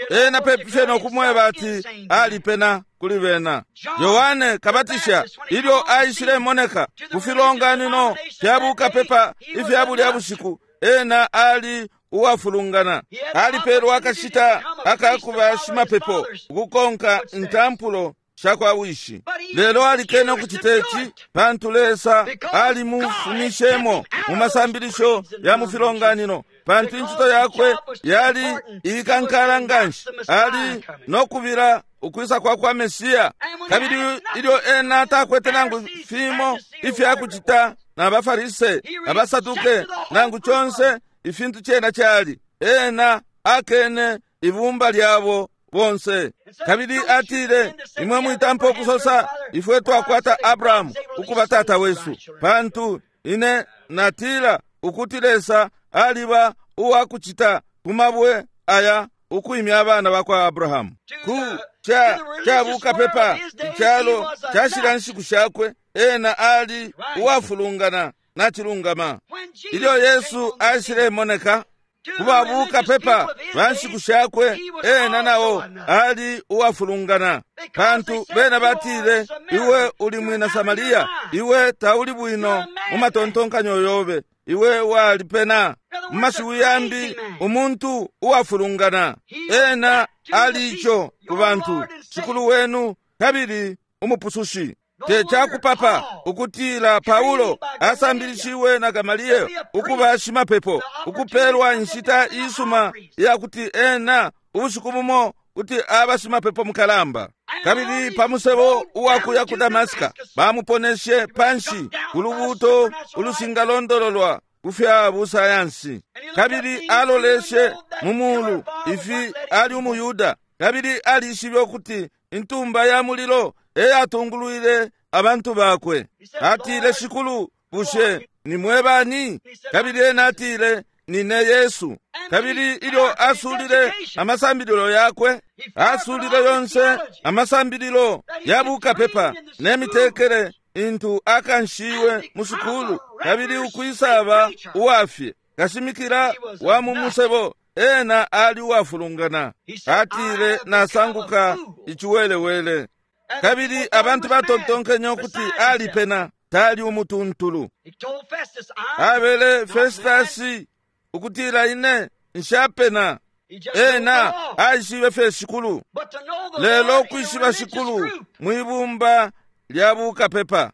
Speaker 1: Ena pepi nokumweba ati alipena kuli bena. Yohane Kabatisha ilyo aishilemoneka ku filonganino fya bukapepa ifya bulya bushiku, ena ali uwafulungana. Alipelwa akashita akakuba shimapepo ukukonka intampulo sha kwa wishi, lelo alikene ukucita ici pantu Lesa alimufumishemo mu masambilisho ya mu filonganino, pantu incito yakwe yali ikankala nganshi. Ali nokubila ukwisa kwa kwa Mesiya. Kabili ilyo ena takwete nangu fimo ifya kucita na baFarise, abaSaduke, nangu conse ifintu cena cali, ena akene ibumba lyabo bonse. Kabili atile, imwe mwitampa ukusosa ifwe twakwata Abrahamu ukuba tata wesu, pantu ine natila ukuti Lesa aliba uwakucita ku mabwe aya ukwimya abana bakwa Abrahamu. Ku ca bukapepa icalo cashila nshiku shakwe, ena ali uwafulungana nacilungama. Ilyo Yesu aishilemoneka ku babukapepa ba nshiku shakwe, ena nao ali uwafulungana, pantu bena batile, iwe uli mwina Samaria, iwe tauli bwino mu matontonkanyo yobe, iwe walipena. Mu mashiwi yambi, umuntu uwafulungana. Ena ali ico ku bantu, Shikulu wenu kabili Umupusushi. Te cakupapa ukutila Paulo asambilishiwe na Gamaliel ukuba shimapepo, ukupelwa inshita isuma iyakuti ena ubushiku bumo kuti aba shimapepo mukalamba. Kabili pa musebo uwakuya ku Damasika bamuponeshe panshi ku lubuuto ulushingalondololwa ku fya busayansi. Kabili aloleshe mu mulu ifi ali umuYuda, kabili alishibe ukuti intumba ya mulilo eyatungulwile abantu bakwe. Atile, Shikulu, bushe ni mwe bani? Kabili ena atile, Nine Yesu. Kabili ilyo asulile amasambililo yakwe, asulile yonse amasambililo ya bukapepa ne mitekele intu akanshiwe mu sukulu, kabili ukwisaba uwafye kashimikila wa mu musebo, ena ali uwafulungana. Atile, Nasanguka iciwelewele. Kabili abantu batontonkenye ukuti alipena, tali umutuntulu. Abele Festasi ukutila, Ine nshapena. Ena aishibe fye Shikulu, lelo ukwishiba Shikulu mwibumba lya bukapepa.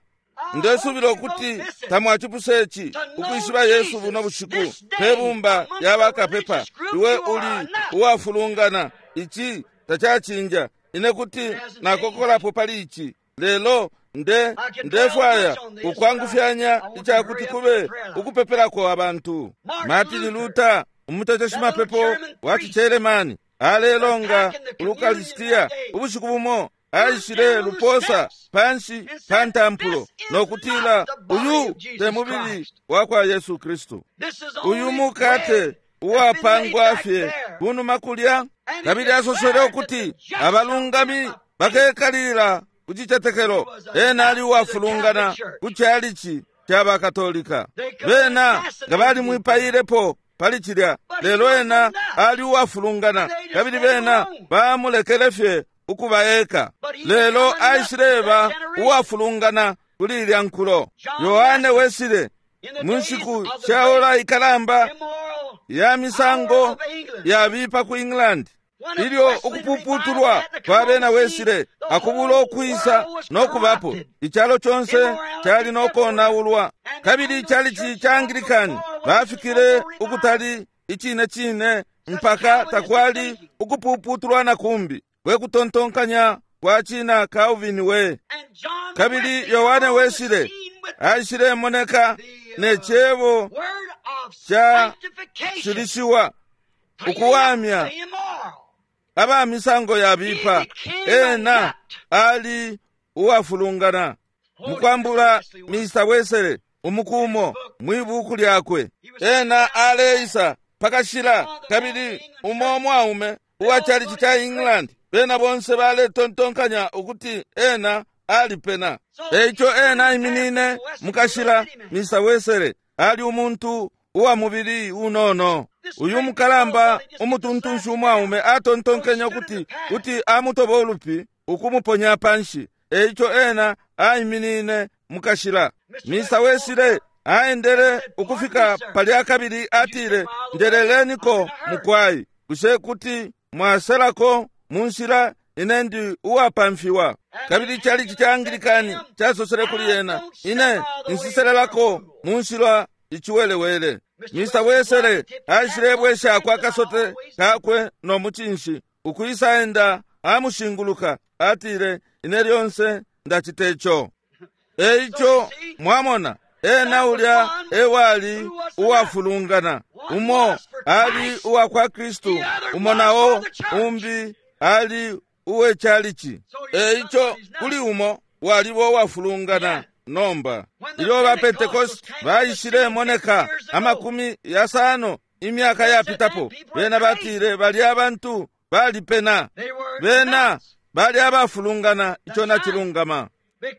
Speaker 1: Ndesubila ukuti tamwacipuse ici, ukwishiba Yesu buno bushiku pe bumba lya bakapepa. Iwe uli uwafulungana, ici tacacinja. Ine kuti nakokolapo pali ici, lelo ndefwaya ukwangufyanya icakuti kube ukupepelako abantu. Martin Luther, umuteteshi mapepo wa ciCelemani, alelonga ulukalisitiya ubushiku bumo aishile luposa panshi pa ntampulo no kutila, Uyu te mubili wa kwa Yesu Kristu, uyu mukate uwapangwa fye kunuma kulya. Kabili asosele ukuti abalungami bakekalilila ku cicetekelo. Ena ali uwafulungana ku calici ca bakatolika, bena nga balimwipailepo pali cilya, lelo ena ali uwafulungana, kabili bena bamulekele fye ukuba eka. Lelo aishileba uwafulungana kuli ilya nkulo. Yohane Wesile, mu nshiku sha ora ikalamba ya misango yabipa ku England, ilyo ukupuputulwa kwa bena Wesile akubula ukwisa no kubapo, icalo conse cali no konaulwa. Kabili icalici ca Anglikani bafikile ukutali icine cine mpaka takwali ukupuputulwa na kumbi. We kutontonkanya kwa cina Calvin we. Kabili Yohane Wesile aishilemoneka ne cebo ca shilishiwa ukuwamya aba misango yabipa. Ena ali uwafulungana. Mukwambula Mr. Wesele umukumo mwibuku lyakwe, ena aleisa pakashila, kabili umo mwaume uwa chalichi ca England, bena bonse baletontonkanya ukuti ena alipena. Eico ena aiminine mukashila. Mr. Wesele ali umuntu uwa mubili unono. Uyu mukalamba umutuntunshi umwaume atontonkenye ukuti kuti amutoba ulupi ukumuponya panshi. Eico ena aiminine mukashila. Mr. Wesile aendele ukufika palya kabili atile, Njeleleniko mukwai, bushe kuti mwaselako mu nshila? Ine ndi uwapamfiwa. Kabili chalichi ca Anglikani casosele kuli ena, Ine nsiselelako mu nshila iciwelewele. Mr. Wesele aishilebweshako akasote kakwe no mucinshi ukwisa enda amushinguluka, atile, Ine lyonse ndacita ico. Eico mwamona, ena ulya ewali uwafulungana. Umo ali uwa kwa Kristu, umo nao umbi ali uwe chalichi. Eico kuli umo walibo uwafulungana. Nomba ilyo ba Pentecost baishilemoneka 50 imyaka yapitapo, bena batile bali abantu balipena, bena bali abafulungana. Ico nacilungama,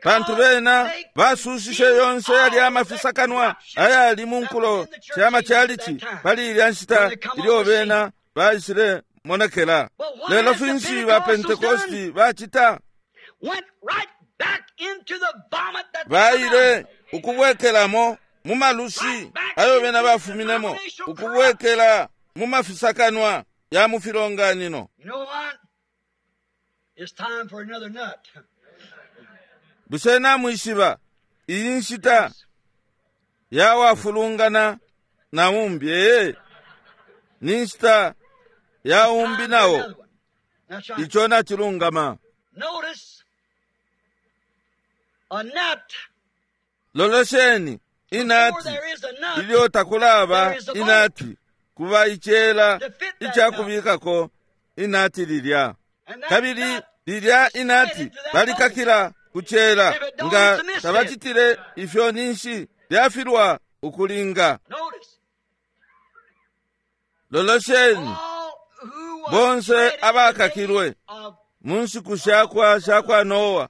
Speaker 1: pantu bena basushishe yonse yali amafisakanwa ayali mu nkulo sha machalichi pali ilya nshita ilyo bena baishile monekela. Lelo finshi ba Pentecosti bacita? Baile ukubwekelamo mu malushi ayo bena bafuminemo, ukubwekela mu mafisakanwa ya mu filonganino. Bushe namwishiba iyi nshita yawafulungana na umbi? Ee, ni nshita ya umbi nawo. Ico nacilungama. Lolesheni inati ilyo takulaba inati kuba icela icakubikako inati lilya, kabili lilya inati balikakila kucela. Nga tabacitile ifyo, ninshi lyafilwa ukulinga. Lolesheni bonse abakakilwe mu nshiku shakwa Noa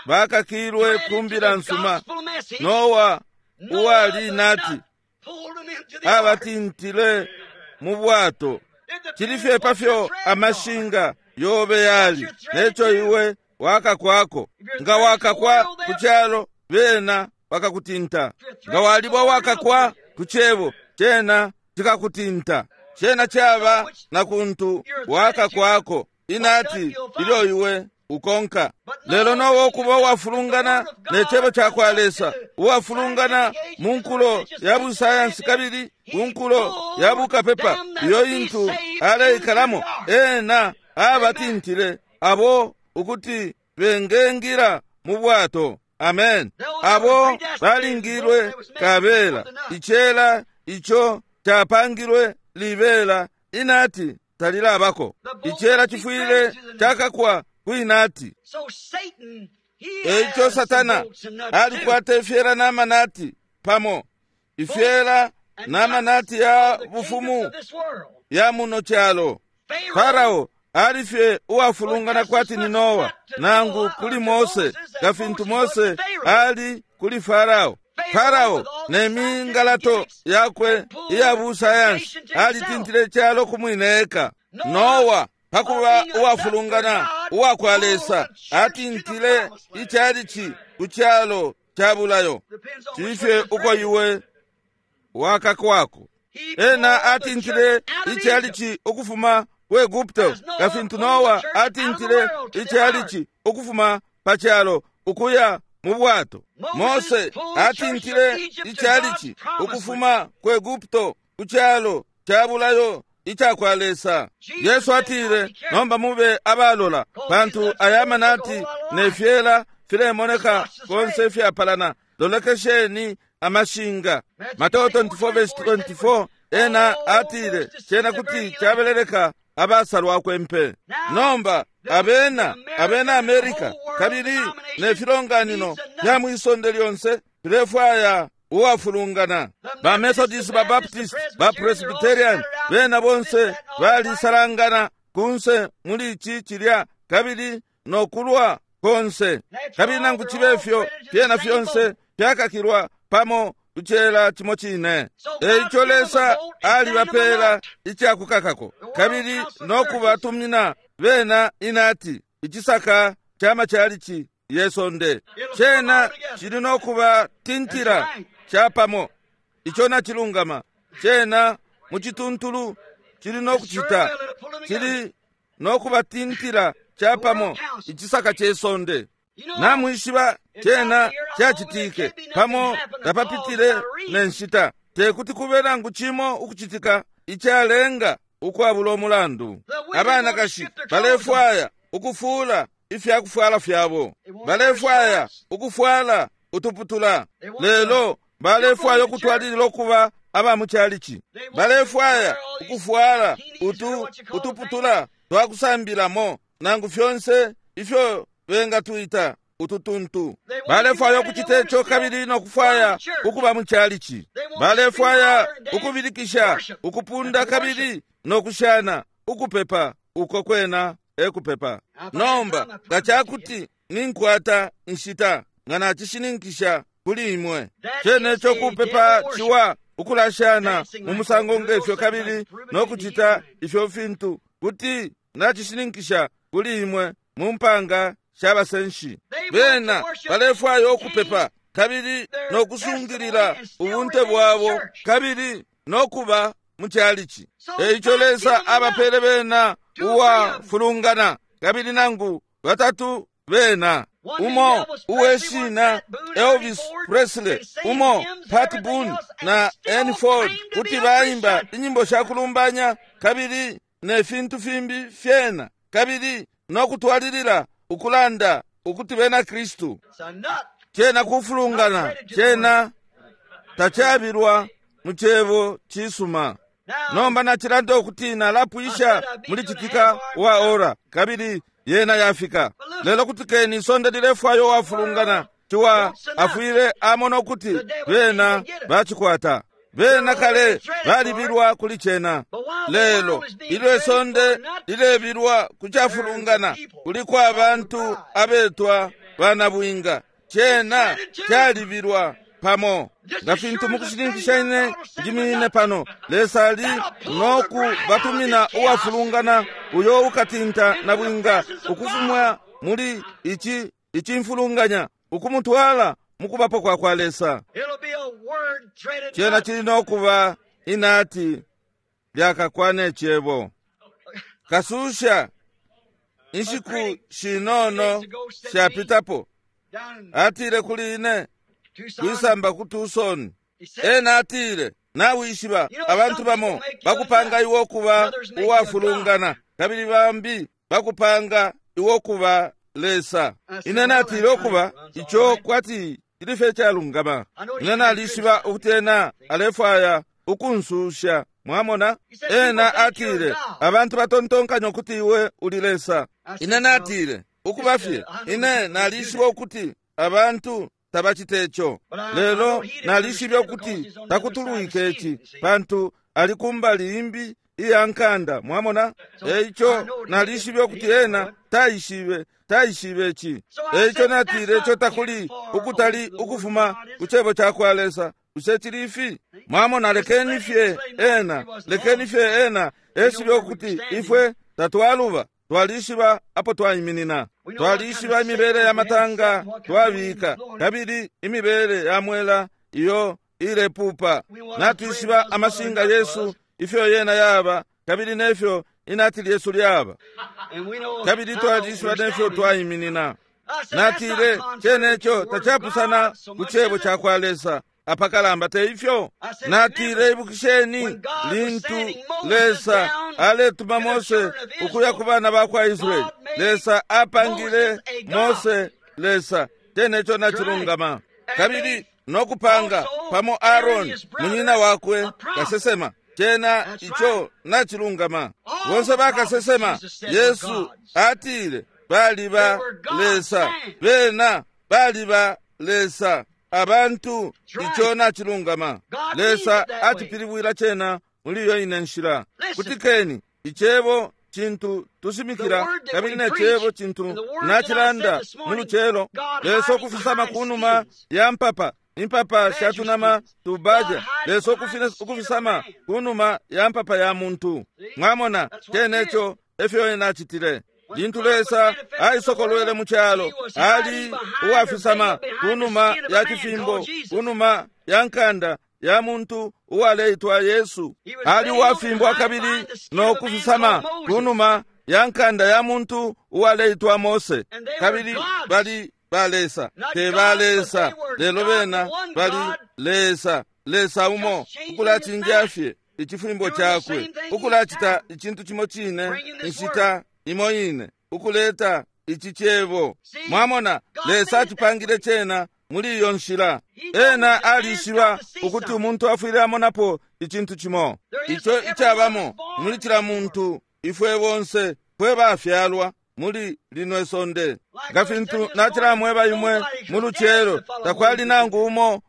Speaker 1: bakakilwe kumbila nsuma. Noa uwali inati abatintile mu bwato. Cilifye pafyo amashinga yobe yali neco iwe wakakwako. Nga wakakwa ku calo, bena bakakutinta. Nga walibwa wakakwa ku cebo, cena cikakutinta. Cena caba na kuntu wakakwako inati ilyo iwe ukonka. Lelo nowo kuba uwafulungana ne cebo cakwa Lesa, uwafulungana mu nkulo ya busayansi kabili ku nkulo ya bukapepa iyo intu aleikalamo, ena abatintile abo ukuti bengengira mu bwato. Amen. Abo balingilwe kabela icela ico capangilwe libela inati talilabako. Icela cifwile cakakwa kuinati. Eico Satana alikwata ifyela n'amanati pamo, ifyela n'amanati ya bufumu ya muno calo. Farao alifye uwafulungana kwati ni Noa nangu kuli Mose, nga fintu Mose ali kuli Farao. Farao ne mingalato yakwe iya busayansi alitintile calo kumwine eka. Noa pakuba uwafulungana uwakwa Lesa atintile icalici ku calo ca bulayo. Cilifye uko iwe wakakwako. Ena atintile icalici ukufuma ku Egupto, nga fintu Noa atintile icalici ukufuma pa calo ukuya mu bwato. Mose atintile icalici ukufuma ku Egupto ku calo ca bulayo icakwa Lesa. Yesu atile, nomba mube abalola, pantu aya manati ne fyela filemoneka konse fyapalana. Lolekesheni amashinga. Mateo 24:24 ena atile cena kuti cabeleleka abasalwa kwempe. Nomba abena Amerika kabili ne filonganino fya mwisonde lyonse filefwaya uwafulungana. Ba Methodist, ba Baptist, ba Presbyterian, bena bonse balisalangana kunse muli ici cilya kabili nokulwa konse. Kabili nangu cibe fyo fyena fyonse fyakakilwa pamo kucela cimo cine. Eico Lesa alibapela icakukakako kabili nokubatumina bena inati icisaka ca macalici yesonde. Cena cili nokubatintila capamo. Ico nacilungama. Cena mucituntulu cili nokucita, cili nokubatintila capamo icisaka cesonde. Namwishiba cena cacitike pamo tapapitile ne nshita, tekuti kube nangu cimo ukucitika icalenga ukwabula umulandu. Abanakashi balefwaya ukufula ifyakufwala fyabo, balefwaya ukufwala utuputula, lelo balefwaya ukutwalilila ukuba aba mucalici. Balefwaya ukufwala utuputula twakusambilamo nangu fyonse ifyo bengatwita ututuntu. Balefwaya ukucita ico kabili nokufwaya ukuba mucalici. Balefwaya ukubilikisha, ukupunda kabili nokushana, ukupepa. Uko kwena ekupepa. Nomba nga cakuti ninkwata inshita, nga nacishininkisha kuli imwe cene ico kupepa ciwa ukulashana mu musango ngefyo kabili nokucita ifyo fintu, kuti nacishininkisha kuli imwe mu mpanga shabasenshi. Bena balefwaya ukupepa kabili nokusungilila ubunte bwabo kabili nokuba mucalici. Eico Lesa abapele bena uwafulungana kabili nangu batatu bena. Umo uweshina Elvis Presley, umo Pat Boone na Ann Ford, kuti baimba inyimbo shakulumbanya kabili ne fintu fimbi fyena, kabili no kutwalilila ukulanda ukuti bena Kristu. Cena kufulungana, cena tachabilwa mu cebo cisuma. Nomba nachilanda ukuti nalapwisha muli citika wa ora, kabili yena yafika. Lelo kutikeni isonde lilefwayo wafulungana, ciwa afwile amona ukuti bena bacikwata. Bena kale balibilwa kuli cena. Lelo ilyo isonde lilebilwa kucafulungana, kuliko abantu abetwa banabwinga. Cena calibilwa pamo. Nga fintu mukushininkisha ine njiminine pano, Lesa ali noku batumina uwafulungana uyo ukatinta na bwinga ukufumwa muli ichi icimfulunganya ukumutwala mukubapo kwa kwa Lesa. Cena chili nokuba inati lyakakwana icebo. Kasusha inshiku shinono shapitapo atile kuli ine kwisamba ku Tucson. Ena atile, nawishiba abantu bamo bakupanga iwe okuba uwafulungana, kabili bambi bakupanga iwe okuba Lesa. Ine natile okuba ico kwati cili fye calungama. Ine nalishiba ukuti ena alefwaya ukunsusha. Mwamona? Ena atile, abantu batontonkanya ukuti iwe uli Lesa. Ine natile, ukuba fye ine nalishiba ukuti abantu tabacite ico, lelo nalishibe ukuti takutulwike ici, pantu ali kumbali imbi iya nkanda. Mwamona? Eico nalishibe ukuti ena taishibe ici. Eico natile ico takuli ukutali ukufuma ku cebo ca kwa Lesa. Bushe cili ifi? Mwamona, lekeni fye ena, lekeni fye ena eshibe ukuti ifwe tatwaluba. Twalishiba apo twaiminina, twalishiba imibele ya matanga twabika, kabili imibele ya mwela iyo ilepupa. Natwishiba amashinga yesu ifyo yena yaba, kabili nefyo inati lyesu lyaba, kabili twalishiba nefyo twaiminina. Natile ceneco tacapusana ku cebo ca kwa Lesa apakalamba, te ifyo? Natile, ibukisheni lintu Lesa aletuma Mose ukuya ku bana ba kwa Israeli, Lesa apangile Mose Lesa, teneco nacilungama. Kabili nokupanga pamo Aaroni munyina wakwe kasesema, cena ico nacilungama. Bonse bakasesema, Yesu atile baliba Lesa, bena baliba Lesa. Abantu ico nacilungama. Lesa atipilibwila cena muli iyo ine nshila. Kutikeni icebo cintu tushimikila, kabili ne cebo cintu nacilanda mu lucelo. Lesa ukufisama kunuma ya mpapa, impapa shatunama tubaja. Lesa ukufisama kunuma ya mpapa ya muntu. Mwamona, ceneco efyo ena acitile. Lintu Lesa aisokolwele mu calo, ali uwafisama kunuma ya cifimbo, kunuma ya nkanda ya muntu uwaleitwa Yesu. Ali uwafimbwa kabili no kufisama kunuma ya nkanda ya muntu uwaleitwa Mose. Kabili bali ba Lesa, te ba Lesa, lelo bena bali Lesa, Lesa umo, ukulacinja fye icifimbo cakwe, ukulacita icintu cimo cine inshita imo ine, ukuleta ici cebo. Mwamona, Lesa atipangile cena muli iyo nshila. Ena alishiba ukuti umuntu afwile amonapo icintu cimo ico icabamo muli cila muntu. Ifwe bonse fwe bafyalwa muli lino isonde. Nga fintu nacilamweba imwe mu lucelo, takwali nangu umo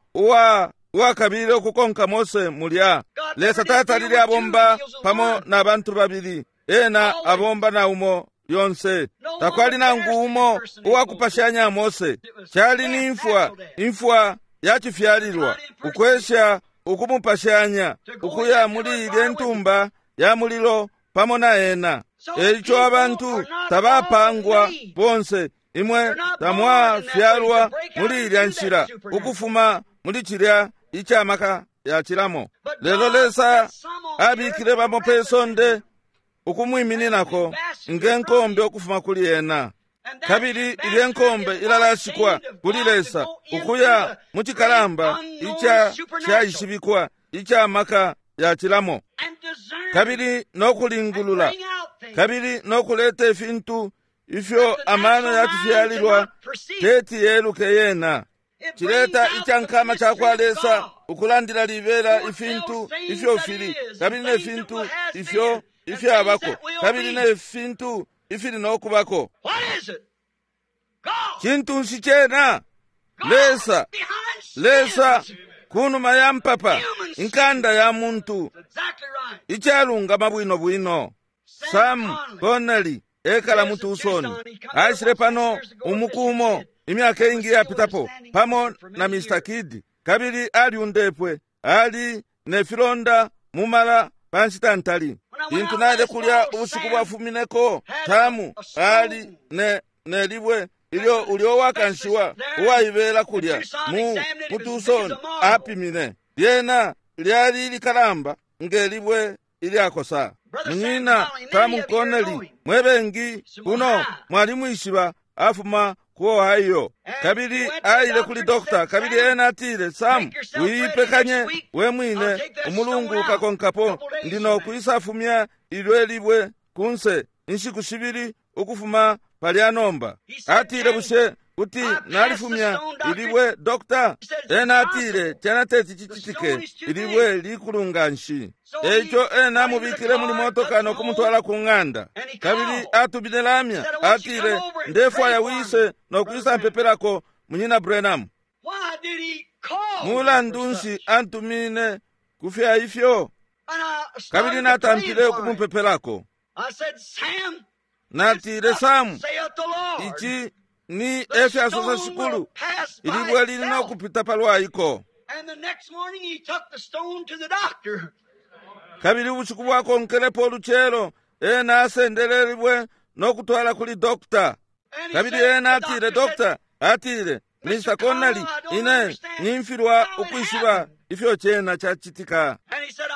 Speaker 1: uwakabile ukukonka Mose mulya. Lesa tatalile abomba pamo na bantu babili, ena abomba na umo lyonse. Takwali nangu umo uwakupashanya Mose. Cali ni imfwa, imfwa yacifyalilwa, ukwesha ukumupashanya ukuya muli ilye ntumba ya mulilo pamo na ena. Eico abantu tabapangwa bonse, imwe tamwafyalwa muli ilya nshila ukufuma muli cilya icamaka yacilamo. Lelo Lesa abikile bamo pe sonde ukumwimininako nge nkombe ukufuma kuli ena. Kabili ilye nkombe ilalashikwa kuli Lesa ukuya mu cikalamba ica shaishibikwa ica maka yacilamo, kabili no kulingulula, kabili no kuleta ifintu ifyo amano yacifyalilwa teti yeluke yena. Cileta icankama cakwa Lesa ukulandila libela ifintu ifyo fili, kabili ne fintu ifyo ifyabako, kabili ne fintu ifili no kubako. Cintu nshi cena? Lesa, Lesa kunuma ya mpapa, inkanda ya muntu, icalungama bwino bwino. Sam Connelly ekala mu Tucson, aishile pano umuku umo imyaka ingi yapitapo pamo na Mr. Kidd, kabili aliundepwe, ali ne filonda mumala pa nshita ntali. Lintu naile kulya ubushiku bwafumineko, Tamu ali ne libwe ilyo ulyo wakanshiwa uwaibela kulya mu Tucson apimine. Lyena lyali likalamba nge libwe ilyakosa. Munyina Sam Connelly, mwebengi kuno mwalimwishiba, afuma ku Ohio, kabili aile kuli dokta, kabili ena atile, Sam, uipekanye we mwine, umulungu ukakonkapo ndi no kwisafumya ilyo libwe kunse inshiku shibili ukufuma palya nomba. Atile, bushe kuti nalifumya ilibwe, dokta? Ena atile, cena teti cicitike, ilibwe likulu nganshi. Eico ena amubikile muli motoka no kumutwala ku ng'anda, kabili atumine lamya, atile, ndefwaya wise no kwisa mpepelako munyina Branham. Mulandu nshi antumine kufya ifyo? Kabili natampile ukumupepelako. Natile, Sam, ici ni efyasosa Shikulu, ilibwe lili no kupita palwaiko. Kabili ubushiku bwakonkelepo ulucelo, ena asendele libwe no kutwala kuli dokta. Kabili ena atile, dokta atile, Mr. Connelly, ine nimfilwa ukwishiba ifyo cena cacitika.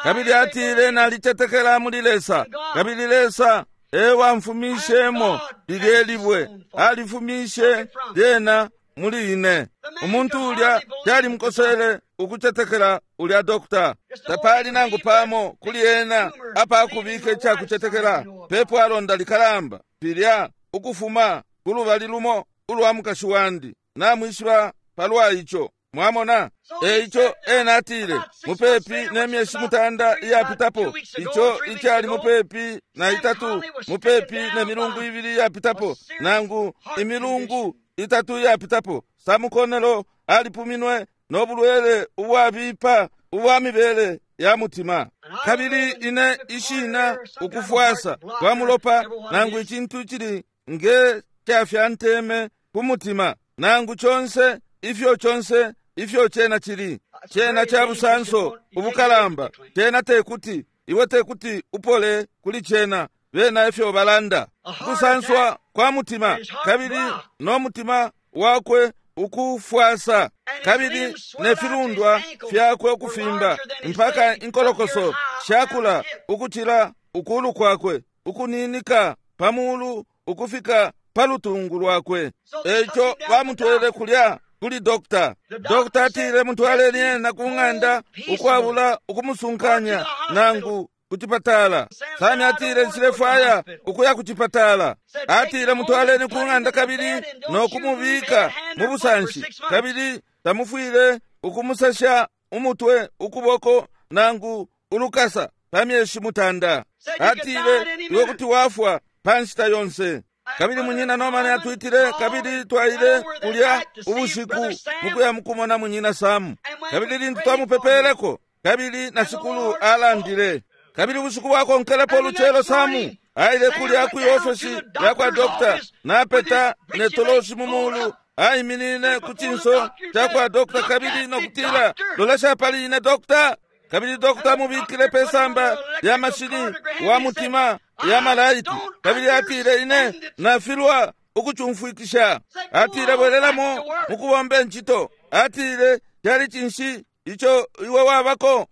Speaker 1: Kabili atile, nalicetekela muli Lesa, kabili Lesa ewamfumishemo lilye libwe, alifumishe lyena muli ine. Umuntu ulya calimukosele ukucetekela ulya dokta. Tapali nangu pamo kuli ena apakubika icakucetekela. Pepo alonda likalamba filya ukufuma kulubali lumo ulwa mukashi wandi, namwishiba palwa ico. Mwamona? Eico ena atile, mupepi ne myeshi mutanda iyapitapo, ico icali mupepi na itatu, mupepi ne milungu ibili iyapitapo, nangu imilungu itatu iyapitapo, Sam Connelly alipuminwe no bulwele ubwabipa ubwa mibele ya mutima. Kabili ine ishina ukufwasa kwa mulopa, nangu icintu cili nge cafyanteme ku mutima, nangu conse ifyo conse ifyo cena cili, cena ca busanso ubukalamba, cena tekuti iwe tekuti upole kuli cena, bena ifyo balanda. Ukusanswa kwa mutima, kabili no mutima wakwe ukufwasa, kabili ne filundwa fyakwe ukufimba, mpaka inkolokoso shakula ukucila ukulu kwakwe, ukuninika pamulu ukufika palutungu lwakwe. Eico bamutwele kulya kuli dokta. Dokta atile, mutwaleni ena ku ng'anda ukwabula ukumusunkanya nangu kucipatala. Sami atile, nshilefwaya ukuya kucipatala. Atile, mutwaleni ku ng'anda kabili no kumubika mu busanshi, kabili tamufwile ukumusasha umutwe, ukuboko nangu ulukasa pa myeshi mutanda. Atile, iwe kuti wafwa pa nshita yonse. Kabili munyina Norman atwitile, kabili twaile kulya ubushiku mukuya mukumona munyina Sam. Kabili lintu twamupepeleko, kabili na Shikulu alandile. Kabili ubushiku bwakonkelepo ulucelo, Samu aile kulya kwi ofesi ya kwa dokta, napeta ne toloshi mu mulu, aiminine ku cinso ca kwa dokta, kabili nokutila, lolesha pali ine dokta. Kabili dokta amubikile pe samba lya mashini wa mutima ya malaiti, kabili atile, ine nafilwa ukucumfwikisha. Atile, bwelelamo mukubomba incito. Atile, cali cinshi ico iwe wabako?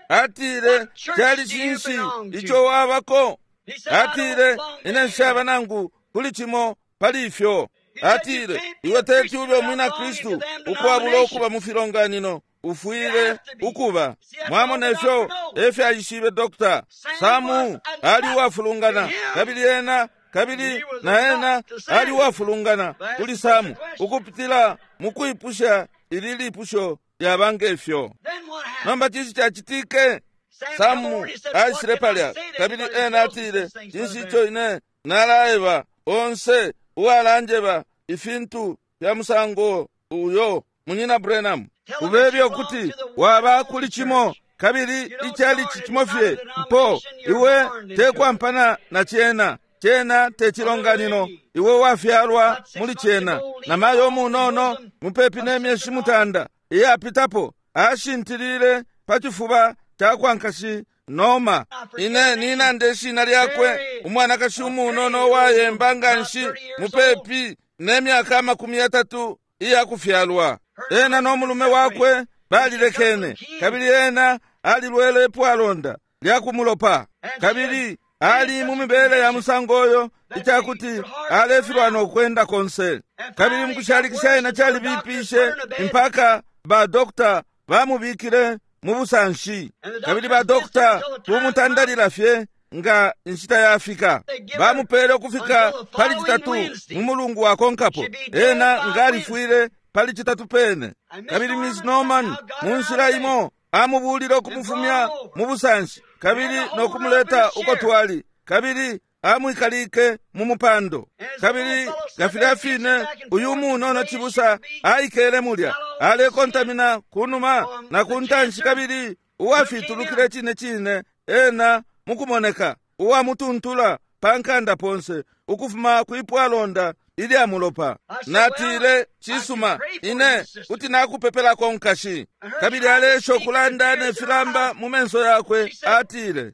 Speaker 1: Atile, cali cinshi ico wabako? Atile, ine nshaba nangu kuli cimo. pali ifyo. Atile, iwe teti ube umwina Kristu ukwabula ukuba mu filonganino, ufwile ukuba. Mwamona ifyo efyaishibe Dr. Samu ali uwafulungana, kabili ena kabili na ena ali uwafulungana kuli Samu ukupitila mukwipusha ili lipusho lyaba ngefyo. Nomba cinshi cacitike? Samu aishile palya, kabili ena atile, cinshi ico ine nalaeba onse uwalanjeba ifintu fya musango uyo, Munyina Branham, ubebye ukuti waba kuli cimo kabili icali cimo fye mpo iwe tekwampana na cena, cena te cilonganino, iwe wafyalwa muli cena. Na mayo munono mupepi ne myeshi 9 iyapitapo ashintilile pa cifuba cakwa nkashi Noma. Ine ninande ishina lyakwe, umwanakashi umunono uwayemba nganshi mupepi ne myaka 30 iyakufyalwa. Ena no mulume wakwe balilekene, kabili ena alilwele ipwalonda lyakumulopa, kabili ali mu mibele ya musango oyo icakuti alefilwa no kwenda konse. Kabili mukushalikisha ena calibipishe mpaka ba dokta bamubikile mu busanshi, kabili ba dokta bumutandalila fye nga inshita yafika. Bamupele ukufika pali citatu mu mulungu wakonkapo, ena nga alifwile pali citatu pene. Kabili Miss Norman mu nshila imo amubulile ukumufumya mu busanshi kabili no kumuleta uko twali, kabili amwikalike mu mupando. Kabili nga filya fine uyu munono cibusa aikele mulya alekontamina kunuma na kuntanshi, kabili uwafitulukile cine cine ena mukumoneka uwamutuntula pa nkanda ponse ukufuma kwipwalonda ilya mulopa. Natile, cisuma, ine kuti nakupepelako nkashi. Kabili alesha ukulanda ne filamba mu menso yakwe. Atile,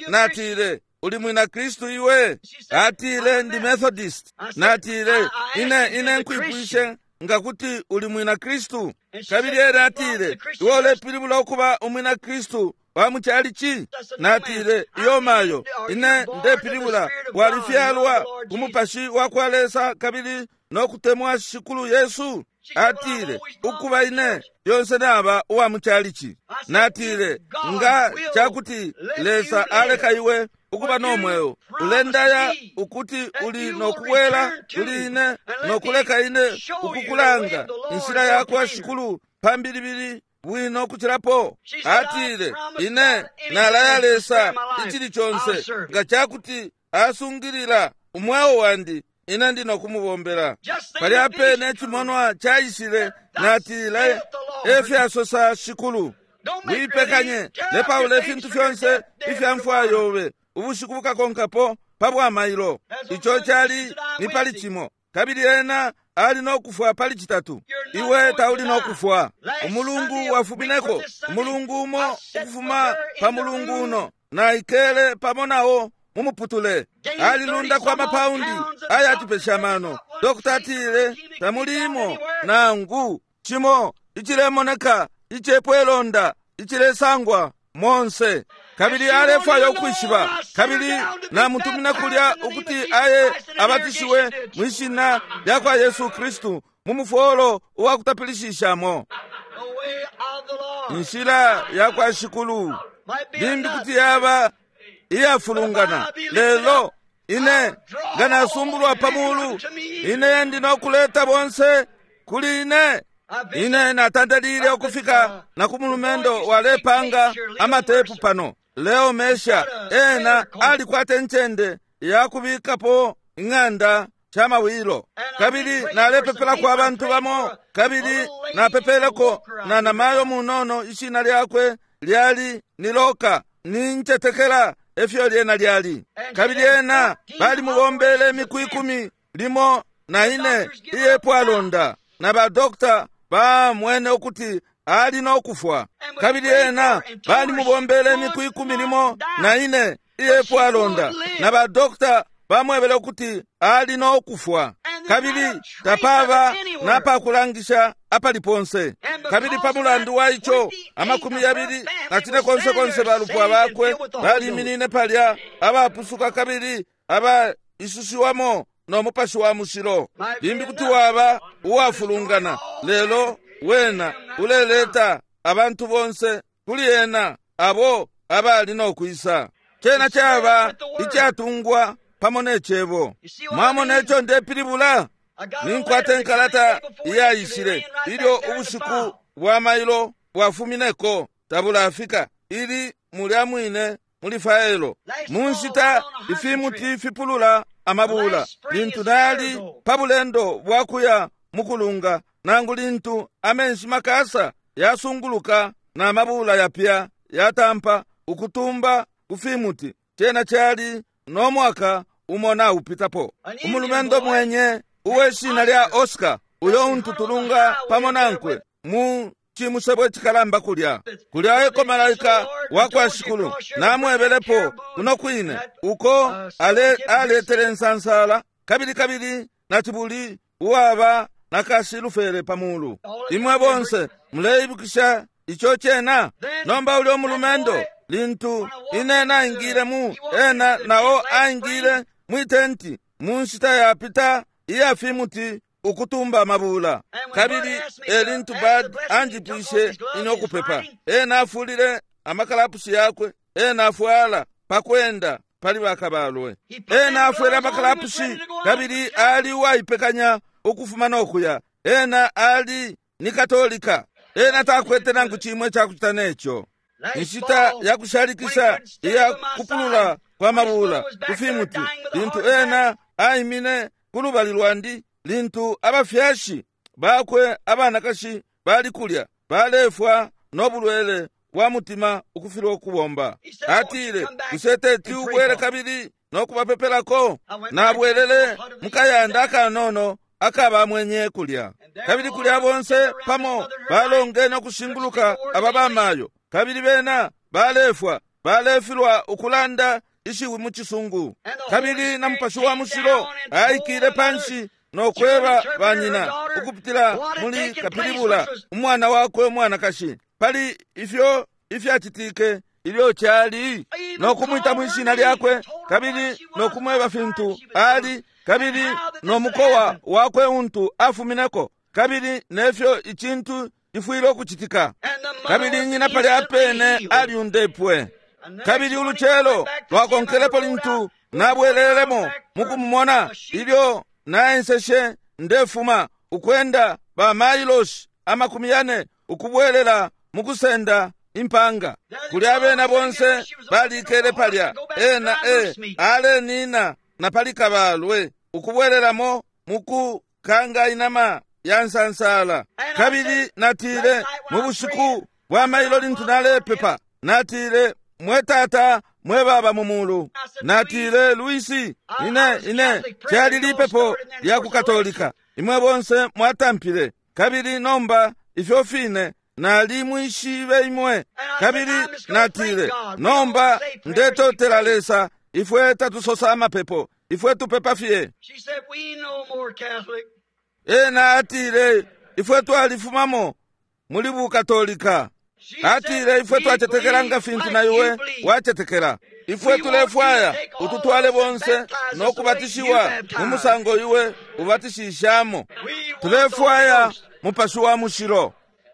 Speaker 1: natile, uli mwina Kristu iwe? Atile, ndi Methodist. Natile, ine nkwipwishe nga kuti uli mwina Kristu. Kabili ena atile, iwe ulepilibula ukuba umwina Kristu wa muchalichi? Natile, iyo mayo, ine ndepilibula walifyalwa ku mupashi wa kwa Lesa kabili no kutemwa Shikulu Yesu. Atile, ukuba ine lyonse naba uwa muchalichi. Natile, nga cakuti Lesa aleka iwe ukuba no mweo, ulendaya ukuti uli nokubwela kuli ine nokuleka ine ukukulanga inshila yakwa Shikulu pambilibili bwino kucilapo. Atile, ine nalaya Lesa icili conse nga cakuti asungilila umweo wandi, ine ndi nokumubombela. Palya pene cimonwa caishile. Natile, efyasosa Shikulu, wipekanye lepaula ifintu fyonse ifya mfwa yobe ubushiku bukakonkapo pa bwamailo. Ico cali ni pali cimo, kabili ena ali nokufwa pali citatu. Iwe tauli nokufwa. Umulungu wafumineko umulungu umo ukufuma pa mulungu uno, naikele pamo nawo mumuputule. Alilundako amapaundi ayatupesha mano. Dokta atile tamulimo nangu cimo icilemoneka icepwelonda icilesangwa monse. Kabili alefwaya ukwishiba, kabili namutumina kulya ukuti aye abatishiwe mwishina lya kwa Yesu Kristu mu mufolo uwakutapilishishamo. Inshila ya kwa Shikulu limbi kuti yaba iyafulungana, lelo ine nga nasumbulwa pa mulu, ine ndi nokuleta bonse kuli ine. Ine natandalile ukufika na ku mulumendo walepanga amatepu pano, Leo Mesha. Ena alikwata incende yakubikapo ing'anda chamawilo, kabili nalepepelako abantu bamo, kabili napepeleko na namayo munono, ishina lyakwe lyali ni Loka, nincetekela efyo lyena lyali. Kabili ena balimubombele imiku 10 limo na ine iyepwalonda, na ba dokta bamwene ukuti ali nokufwa. Kabili ena balimubombele imiku 10 limo na ine iyepwalonda, na ba dokta bamwebele ukuti ali nokufwa. Kabili tapaba napakulangisha apali ponse. Kabili pa mulandu wa ico 29 konse konse balupwa bakwe baliminine palya abapusuka kabili aba isushiwamo no Mupashi wa Mushilo. Limbi kuti waba uwafulungana, lelo wena uleleta abantu bonse kuli ena abo abali no kwisa. Cena caba icatungwa pamo ne Cebo. Mwamona ico ndepilibula? Ninkwata inkalata iyaishile ilyo ubushiku bwa mailo bwafumineko tabulafika, ili mulya mwine muli faelo. Mu nshita ifimuti fipulula amabula, lintu nali pa bulendo bwa kuya mukulunga, nangu lintu amenshi makasa yasunguluka na mabula yapya yatampa ukutumba ku fimuti, cena cali no mwaka umo naupitapo. Umulumendo mwenye uwe shina lya Oscar, uyo untu tulunga pamo nankwe mu cimusebo icikalamba kulya. Kulya eko malaika wa kwa Shikulu namwebelepo kuno kwine uko aletele nsansala kabili kabili na cibuli uwaba na kashilufele pa mulu. Imwe bonse muleibukisha ico cena? Nomba ulyo mulumendo lintu ine naingile mu ena nao aingile mwitenti mu nshita yapita iya fimuti ukutumba amabula. Kabili elintu Bad anjipwishe ine ukupepa, ena afulile amakalapushi yakwe, ena afwala pakwenda pali bakabalwe. Ena afwele amakalapushi kabili ali uwaipekanya ukufuma nokuya. Ena ali ni Katolika, ena takwete nangu chimwe chakuchita necho. Inshita yakushalikisha iya kupulula kwa mabula kufimuti, lintu ena aimine kulubali lwandi, lintu abafyashi bakwe abanakashi bali kulya balefwa no bulwele bwa mutima ukufilwa ukubomba. Atile, bushe teti ubwele kabili no kubapepelako? Nabwelele mukayanda akanono akabamwenye kulya. Kabili kulya bonse pamo balongene ukushinguluka aba bamayo, kabili bena balefwa balefilwa ukulanda ishiwi mu cisungu. Kabili na Mupashi wa Mushilo aikile panshi no kweba banyina ukupitila muli kapilibula umwana wakwe umwanakashi pali ifyo ifyacitike ilyo cali, no kumwita mwishina lyakwe kabili no kumweba fintu ali kabili no mukowa wakwe untu afumineko kabili nefyo icintu cifwile ukucitika. Kabili nyina pali apene aliundepwe. Kabili ulucelo lwakonkelepo lintu nabwelelemo mukumumona ilyo naenseshe ndefuma ukwenda ba mailoshi 40 ukubwelela mukusenda impanga. Kuli abena bonse balikele palya, ena alenina na pali kabalwe ukubwelelamo mukukanga inama ya nsansala. Kabili natile mu bushiku bwa mailo lintu nalepepa, natile, mwe tata mwe baba mu mulu, natile, Luisi, ine cali lipepo lya ku Katolika, imwe bonse mwatampile, kabili nomba ifyo fine nalimwishibe imwe. Kabili natile, nomba ndetotela Lesa, ifwe tatusosa amapepo, ifwe tupepa fye. Ena atile, ifwe twalifumamo muli bukatolika. Atile, ifwe twacetekela nga fintu na iwe wacetekela. Ifwe tulefwaya ututwale bonse no kubatishiwa mu musango iwe ubatishishamo. Tulefwaya Mupashi wa Mushilo.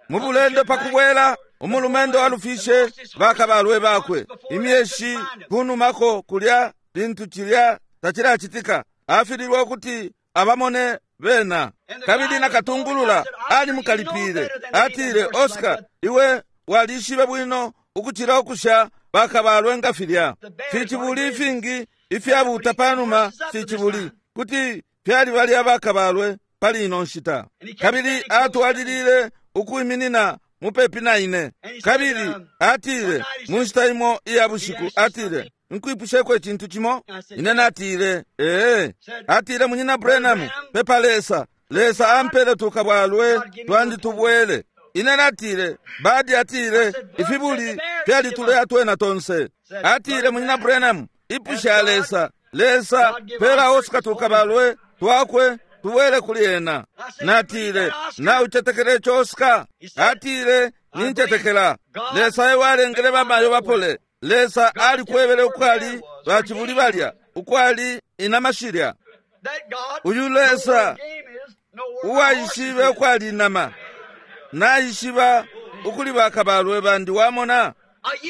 Speaker 1: Mu bulendo pakubwela umulumendo alufishe bakabalwe bakwe imyeshi kunumako kulya lintu cilya tacilacitika, afililwe ukuti abamone bena. Kabili nakatungulula alimukalipile, atile, Oscar, iwe walishibe bwino ukucila ukusha bakabalwe nga filya. Ficibuli ifingi ifyabuta panuma ficibuli kuti fyali balya bakabalwe pali ino nshita. Kabili atwalilile ukuiminina mupepi na ine. Kabili atile mu nshita imo iya bushiku, atile, nkwipusheko icintu cimo. Ine natile, ee. Atile, munyina Branham, pepa Lesa, Lesa ampele tukabwalwe twandi tubwele. Ine natile, Badi atile, ifibuli fyalitulea twena tonse. Atile, munyina Branham, ipusha Lesa, Lesa pela Oscar tukabalwe twakwe tubwele kuli ena. Natile, naucetekele ico Oscar? Atile, nincetekela. Lesa ewalengele bamayo bapole. Lesa alikwebele ukwali bacibuli balya, ukwali inamashilya. Uyu Lesa uwaishibe ukwali inama naishiba ukuli bakabalwe bandi wamona.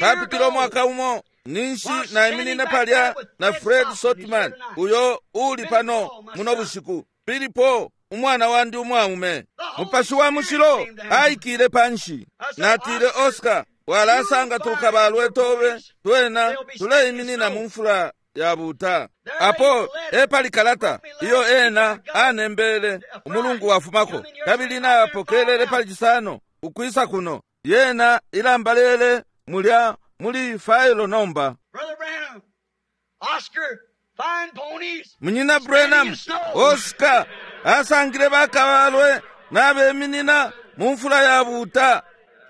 Speaker 1: Papitile umwaka umo ninshi naiminine palya na Fred Sotman uyo uli pano muno bushiku, Pilipo umwana wandi umwaume. Mupashi wa Mushilo aikile panshi. Natile, Oscar, walasanga tukabalwe tobe twena tuleiminina mu mfula ya buta. Apo epali kalata iyo ena anembele umulungu wafumako, kabili napokelele pali Cisano ukwisa kuno. Yena ilambalele mulya muli failo nomba. Munyina Branham, Oscar asangile bakabalwe nabeminina mu mfula ya buta.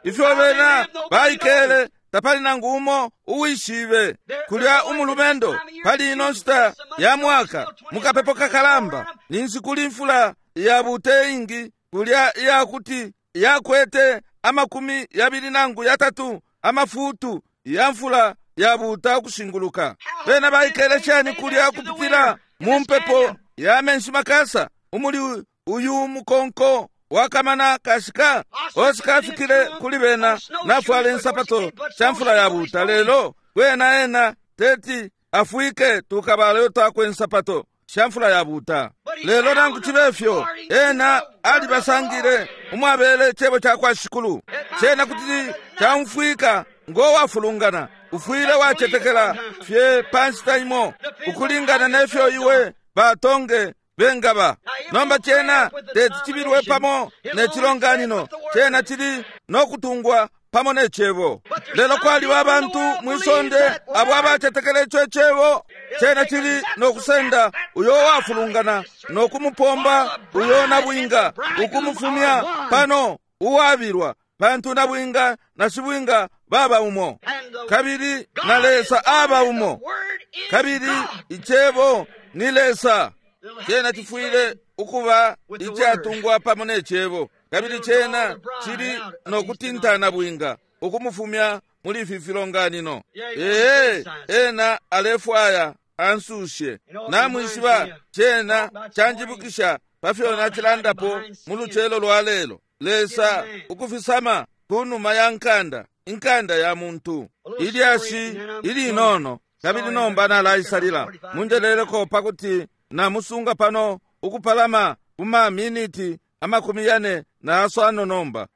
Speaker 1: Ifyo bena baikele tapali nangu umo uwishibe. Kulya umulumendo pali ino nshita ya mwaka mukapepo kakalamba, ninshi kuli mfula ya buta ingi kulya iyakuti yakwete 23 amafutu ya mfula ya buta ukushinguluka. Bena baikele shani kulya kupitila mu mpepo ya menshi makasa umuli uyu mukonko wakamana kashika. Oscar afikile kuli bena nafwala insapato sha mfula ya buta, lelo kwena ena teti afwike tukabaleyo twakwe insapato sha mfula ya buta. Lelo nangu chibe fyo ena alibasangile umwabele chebo cha kwa Shikulu. Chena kuti chaumfwika ngo wafulungana, ufwile wachetekela fye panshita imo ukulingana nefyo iwe batonge bengaba. Nomba chena teti chibilwe pamo ne chilonganino, chena chili nokutungwa pamo ne chebo. Lelo kwaliba abantu mwisonde abo abachetekela icho chebo. Chena chili nokusenda uyo wafulungana nokumupomba uyo nabwinga ukumufumya pano uwabilwa, pantu nabwinga na shibwinga baba umo, kabili na Lesa aba umo, kabili ichebo ni Lesa. Chena chifwile ukuba ichatungwa pamo ne chebo, kabili chena chili nokutintana bwinga ukumufumya muli ifi filonganino. Ee, ena alefwaya ansushe. Namwishiba chena chanjibukisha pafyo nachilandapo mu lucelo lwa lelo. Lesa ukufisama kunuma ya nkanda, inkanda ya muntu. Ilyashi ilinono, kabili nomba nalaisalila. Munjeleleko pakuti namusunga pano ukupalama kuma miniti 45 nomba.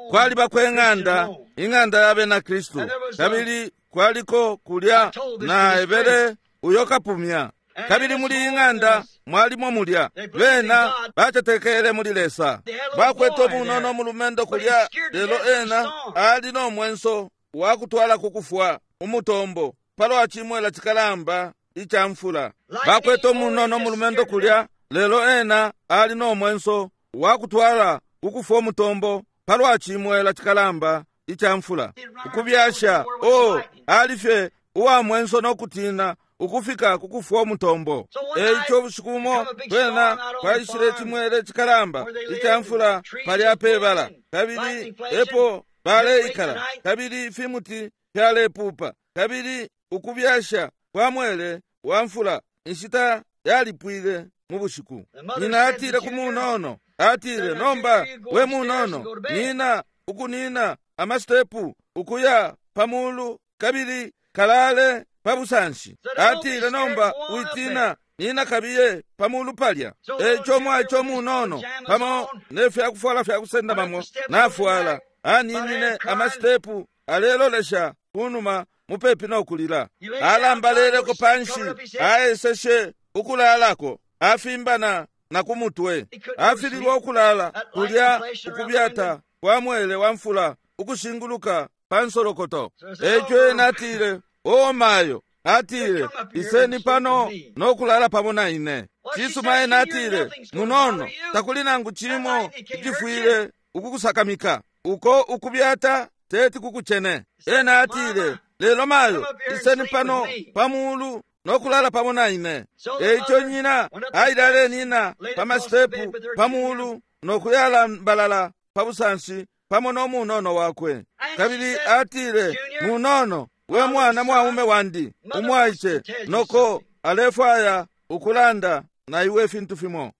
Speaker 1: Kwaliba kwe ng'anda, ing'anda ya bena Kristu, kabili kwaliko kulya na ebele uyo kapumya. Kabili muli ing'anda mwalimo mulya bena bachetekele muli Lesa. Bakwete omunono mulumendo kulya, lelo ena ali no mwenso wakutwala kukufwa umutombo palwa chimwela chikalamba icha mfula. Bakwete omunono mulumendo kulya, lelo ena ali no mwenso wakutwala kukufwa umutombo palwa chimwela chikalamba icha mfula. Ukubyasha o alifye uwa mwenso nokutina ukufika kukufwa umutombo. Eico ubushiku bumo kwena kwaishile chimwele chikalamba icha mfula palya pebala, kabili epo baleikala, kabili fimuti fyalepupa, kabili ukubyasha kwa mwele wa mfula inshita yalipwile mu bushiku. Nyina atile ku munono, atile, nomba we munono, nina ukunina amastepu ukuya pamulu kabili kalale pabusanshi. Atile, nomba witina, nina kabiye pamulu palya. Eico mwaico munono pamo nefyakufwala fyakusendamamo nafwala, aninine amastepu alelolesha kunuma mupepi nokulila. Alambaleleko panshi, aeseshe ukulalako, afimbana na kumutwe. Afililwa ukulala kulya ukubyata kwa mwele wa mfula ukushinguluka pansolokoto. Eico ena atile, o mayo, atile, iseni pano nokulala pamo na ine. Cisuma ena atile, munono, takuli nangu chimo ichifwile ukukusakamika, uko ukubyata teti kukuchene. Ena atile, lelo mayo, iseni pano pamulu nokulala pamo na ine. Eico nyina aile alenina pamastepu pamulu nokuyalambalala pabusanshi pamo nomunono wakwe. Kabili atile, munono, we mwana mwaume wandi umwaice, noko alefwaya ukulanda na iwe ifintu fimo.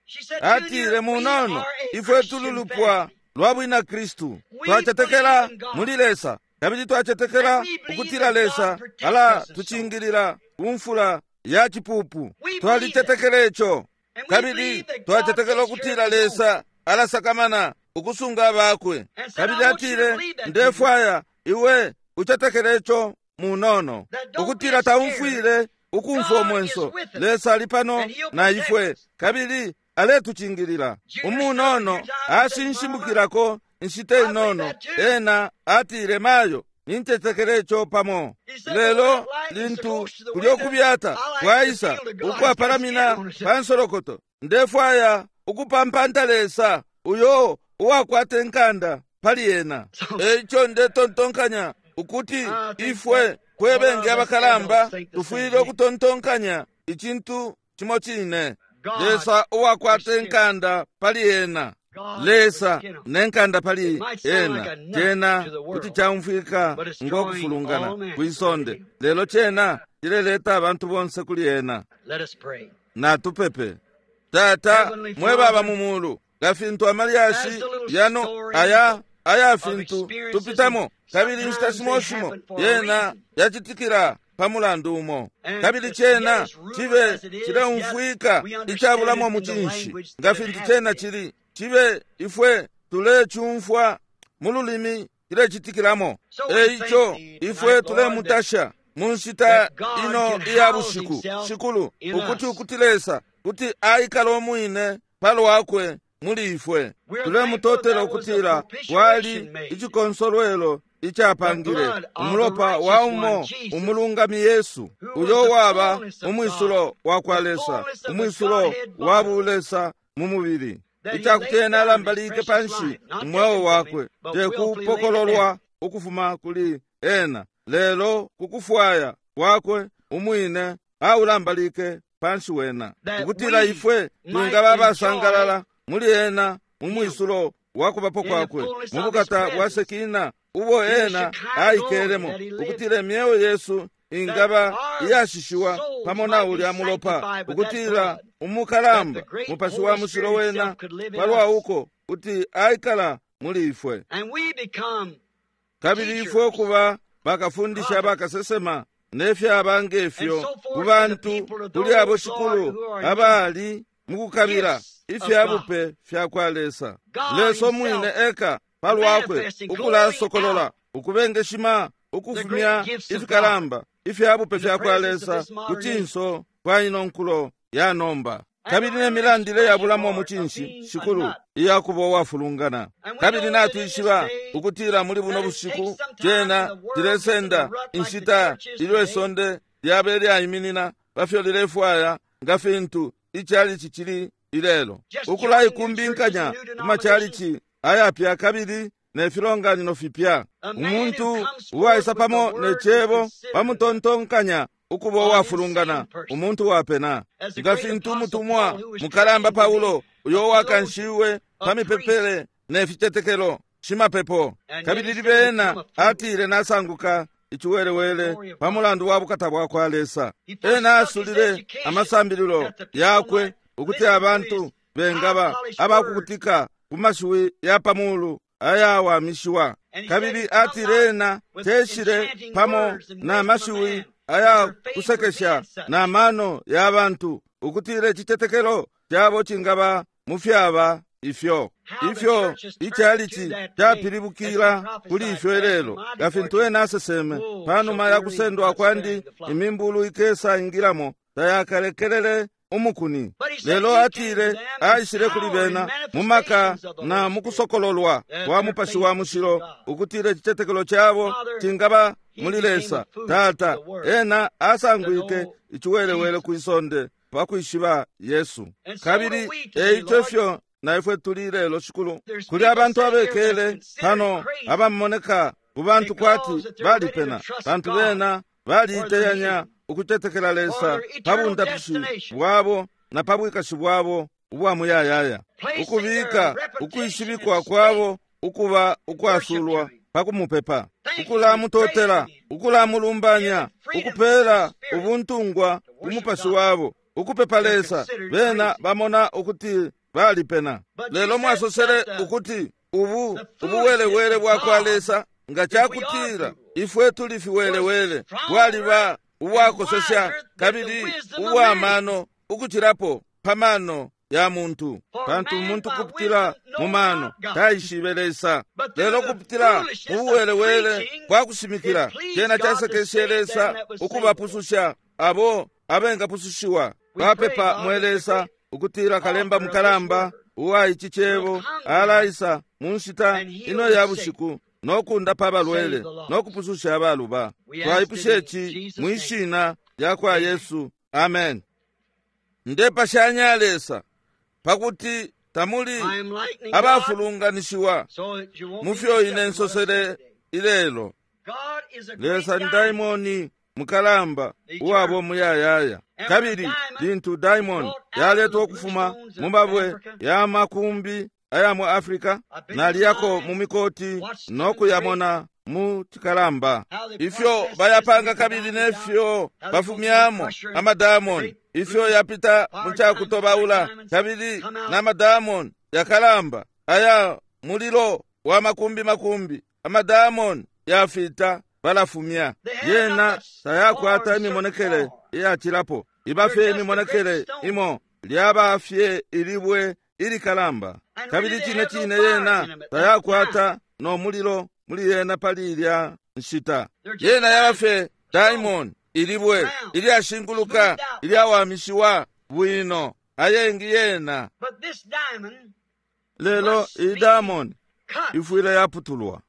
Speaker 1: Atile, munono, ifwe tuli lupwa lwa bwina Kristu, twacetekela muli Lesa, kabili twacetekela ukutila Lesa ala tucingilila kumfula ya cipupu. Twalicetekela ico, kabili twacetekela ukutila Lesa alasakamana ukusunga abakwe. Kabili atile, ndefwaya iwe ucetekele ico, munono, ukutila taumfwile ukumfwa umwenso. Lesa ali pano na ifwe, kabili aletucingilila. Umunono ashinshimukilako inshita inono. Ena atile, mayo, nincetekele ico pamo. Lelo lintu kulyo kubyata kwaisa ukwapalamina pa nsolokoto, ndefwaya ukupampanta Lesa uyo uwakwata inkanda pali ena. Eico ndetontonkanya ukuti ifwe kwebenge abakalamba tufwile ukutontonkanya icintu cimo cine. Lesa uwakwata inkanda pali ena, Lesa nenkanda pali ena, cena kuti caumfwika ngo kufulungana kwisonde, lelo cena cileleta abantu bonse kuli ena. Natupepe. Tata mwe baba mu mulu, nga fintu amalyashi yano aya fintu tupitamo, kabili inshita shimo shimo yena yacitikila pa mulandu umo, kabili cena cibe cileumfwika icabulamo mucinshi nga fintu cena cili, cibe ifwe tulecumfwa mu lulimi cilecitikilamo. Eico ifwe tulemutasha mu nshita ino iya bushiku, Shikulu, ukuti Lesa kuti aikala umwine palwakwe muli ifwe. Tulemutotela ukutila kwali icikonsolwelo icapangile umulopa wa umo umulungami Yesu, uyo waba umwisulo wa kwa Lesa, umwisulo wa bulesa mu mubili, icakuti ena alambalike panshi umweo wakwe, tekupokololwa ukufuma kuli ena, lelo kukufwaya kwakwe umwine aulambalike panshi wena, ukutila ifwe twingaba abasangalala muli ena mu mwisulo wa kubapo kwakwe, mu bukata bwa Sekina ubo ena aikelemo, ukutila imyeo yesu ingaba iyashishiwa pamo na ulya mulopa, ukutila umukalamba mupashi wa mushilo wena palwa uko kuti aikala muli ifwe, kabili ifwe ukuba bakafundisha bakasesema nefyaba ngefyo ku bantu kuli abo Shikulu abali mukukabila ifya bupe fya kwa Lesa. Lesa umwine eka palwakwe ukulasokolola, ukubengeshima, ukufumya ifikalamba ifya bupe fya kwa Lesa ku cinso kwa ino nkulo ya nomba, kabili ne milandile yabulamo mucinshi, Shikulu, iyakuba uwafulungana. Kabili natwishiba ukutila muli buno bushiku cena cilesenda inshita ilyo isonde lyabe lyaiminina pafyo lilefwaya nga fintu icalici cili ilelo, ukulaikumbinkanya ku macalici ayapya kabili ne filonganino fipya. Umuntu uwaisa pamo ne cebo bamutontonkanya ukuba uwafulungana, umuntu wapena, nga fintu umutumwa mukalamba Paulo uyo wakanshiwe pa mipepele ne ficetekelo shimapepo, kabili libena atile nasanguka iciwelewele pa mulandu wa bukata bwa kwa Lesa. Ena asulile amasambililo yakwe ukuti abantu bengaba abakukutika ku mashiwi ya pamulu ayawamishiwa, kabili atile ena teshile pamo na mashiwi aya kusekesha na mano ya bantu, ukutila icitetekelo cabo cingaba mu fyaba ifyo ifyo icalici capilibukila kuli ifyo ilelo, nga fintu ena aseseme panuma ya kusendwa kwandi, imimbulu ikesa ingilamo tayakalekelele umukuni. Lelo atile aishile kuli bena mu maka na mukusokololwa kwa mupashi wa mushilo, ukutila icitetekelo cabo cingaba muli Lesa. Tata, ena asangwike iciwelewele kwisonde pakwishiba Yesu. Kabili eico ifyo na ifwe tuli lelo, Shikulu. Kuli abantu abekele pano abamoneka ku bantu kwati balipena, pantu bena baliiteyanya ukutetekela Lesa pa bundapishi bwabo na pa bwikashi bwabo ubwa muyayaya, ukubika ukwishibikwa kwabo ukuba ukwasulwa pa kumupepa, ukulamutotela, ukulamulumbanya, ukupela ubuntungwa ku mupashi wabo Ukupepa Lesa, bena bamona ukuti balipena. Lelo mwasosele ukuti ubu ubuwelewele bwakwa Lesa, nga cakutila ifwe tuli fiwelewele, bwaliba ubwakosesha kabili ubwamano ukucilapo pa mano ya muntu. Pantu umuntu kupitila mu mano taishibe Lesa, lelo kupitila mu buwelewele bwa kushimikila cena casekeshe Lesa ukubapususha abo abengapusushiwa. Bapepa mwe Lesa ukutila kalemba mukalamba uwa ici cebo alaisa mu nshita ino ya bushiku no kundapa abalwele no kupususha abaluba. Twaipusha ici mwi shina lya kwa Yesu, amen. Ndepashanya Lesa pakuti tamuli abafulunganishiwa mu fyo ine nsosele ilelo. Lesa ni daimoni mukalamba uwabo muyayaya. Kabili lintu daimoni yaletwa ukufuma mu mabwe ya makumbi aya mu Afrika, naliyako mu mikoti no kuyamona mu cikalamba ifyo bayapanga kabili nefyo bafumyamo amadamoni, ifyo yapita mu cakutobaula kabili n'amadamoni yakalamba aya mulilo wa makumbi makumbi, amadamoni yafita balafumya. Yena tayakwata imimonekele iyacilapo, iba fye imimonekele imo, lyaba fye ilibwe ilikalamba. Kabili cine cine yena tayakwata no mulilo muli yena pali ilya nshita. Yena yaba fye diamond, ilibwe ilyashinguluka ilyawamishiwa bwino, ayengi yena. Lelo iyi diamond ifwile yaputulwa.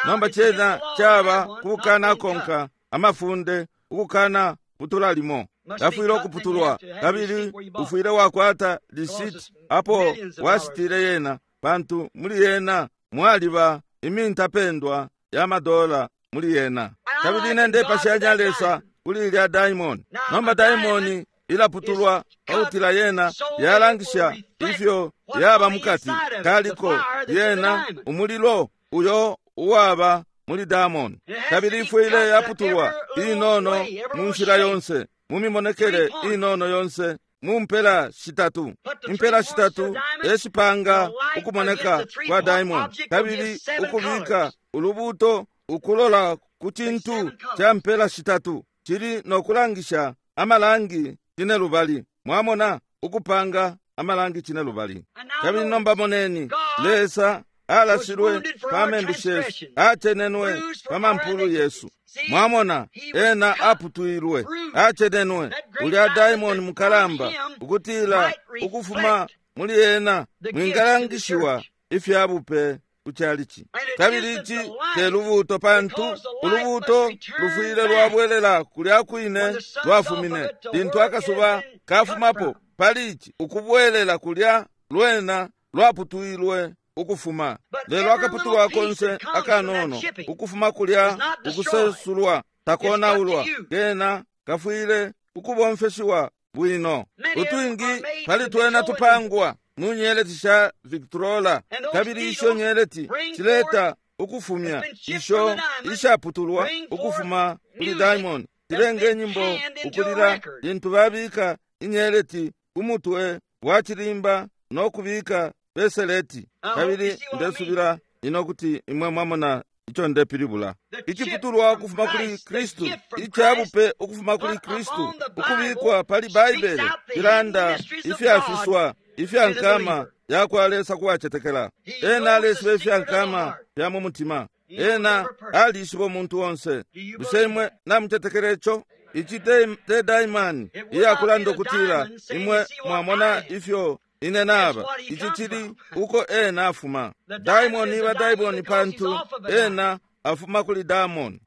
Speaker 1: Nomba cena caba kukanakonka amafunde, ukukana putula limo. Yafwile ukuputulwa, kabili ufwile wakwata lisiti apo washitile yena, pantu muli yena mwaliba imintapendwa ya madola muli yena. Kabili ine ndepashanya Lesa kuli ilya diamond. Nomba diamond ilaputulwa pakutila yena yalangisha ifyo yaba mukati kaliko yena umulilo uyo uwaba muli diamond. Kabili ifwile yaputulwa inono mu nshila yonse, mu mimonekele inono yonse, mu mpela shitatu. Impela shitatu eshipanga ukumoneka kwa diamond, kabili ukubika ulubuto ukulola ku cintu ca mpela shitatu cili no kulangisha amalangi cine lubali. Mwamona, ukupanga amalangi cine lubali. Kabili nomba moneni, Lesa alashilwe pa membu shesu, acenenwe pa mampulu yesu. Mwamona, ena aputwilwe, acenenwe ulya diamond mukalamba, ukutila ukufuma muli ena mwingalangishiwa ifya bupe kuchalichi. Kabili ici te lubuto, pantu ulubuto lufwile lwabwelela kulya kwine lwafumine. Lintu akasuba kafumapo pali ici, ukubwelela kulya lwena lwaputwilwe ukufuma. Lelo akaputulwa konse akanono ukufuma kulya ukusesulwa takonaulwa, kena kafwile ukubomfeshiwa bwino. Utwingi pali twena tupangwa mu nyeleti sha Victrola, kabili isho nyeleti cileta ukufumya isho ishaputulwa ukufuma kuli diamond, cilenge nyimbo ukulila lintu babika inyeleti ku mutwe wa cilimba no kubika peseleti. Kabili ndesubila ino kuti imwe mwamona ico ndepilibula. Iciputulwa ukufuma kuli Kristu, icabupe ukufuma kuli Kristu, ukubikwa pali Baibele, cilanda ifyafiswa ifya nkama ya kwa Lesa kuwacetekela. Ena aleshiba ifya nkama fya mu mutima. Ena alishiba umuntu onse. Bushe imwe namucetekela ico? Ici te daimani iyakulanda ukutila imwe mwamona ifyo ine naba. Ici cili uko ena afuma. Daimoni iba daimoni pantu ena afuma kuli daimoni.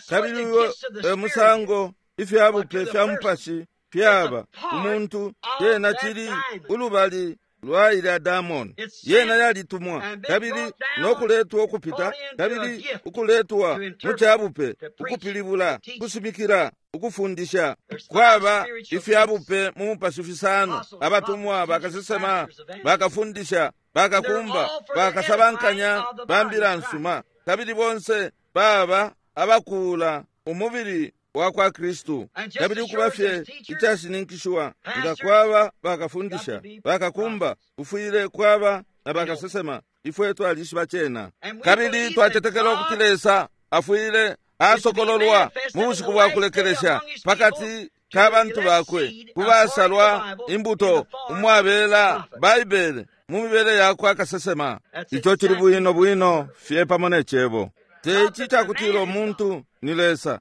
Speaker 1: Kabili uyo e musango ifyabupe fya mupashi fyaba umuntu, yena cili ulubali lwa ilya daimoni. Yena yalitumwa kabili nokuletwa ukupita, kabili ukuletwa mu cabupe, ukupilibula, ukushimikila, ukufundisha. Kwaba ifyabupe mu mupashi fisano: abatumwa, bakasesema, bakafundisha, bakakumba, bakasabankanya ba mbila nsuma. Kabili bonse baba abakuula umubili wakwa Kristu. Kabili ukuba fye icashininkishiwa nga kwaba bakafundisha, bakakumba, kufwile kwaba na bakasesema. Ifwe twalishiba cena. Kabili twacetekela ukuti Lesa afwile asokololwa mu bushiku bwa kulekelesha pakati ka bantu bakwe, ku basalwa imbuto umwabela Baibele mu mibele yakwa kasesema. Ico cili bwino bwino fye pamo ne Cebo. Te ici icakutila umuntu ni Lesa,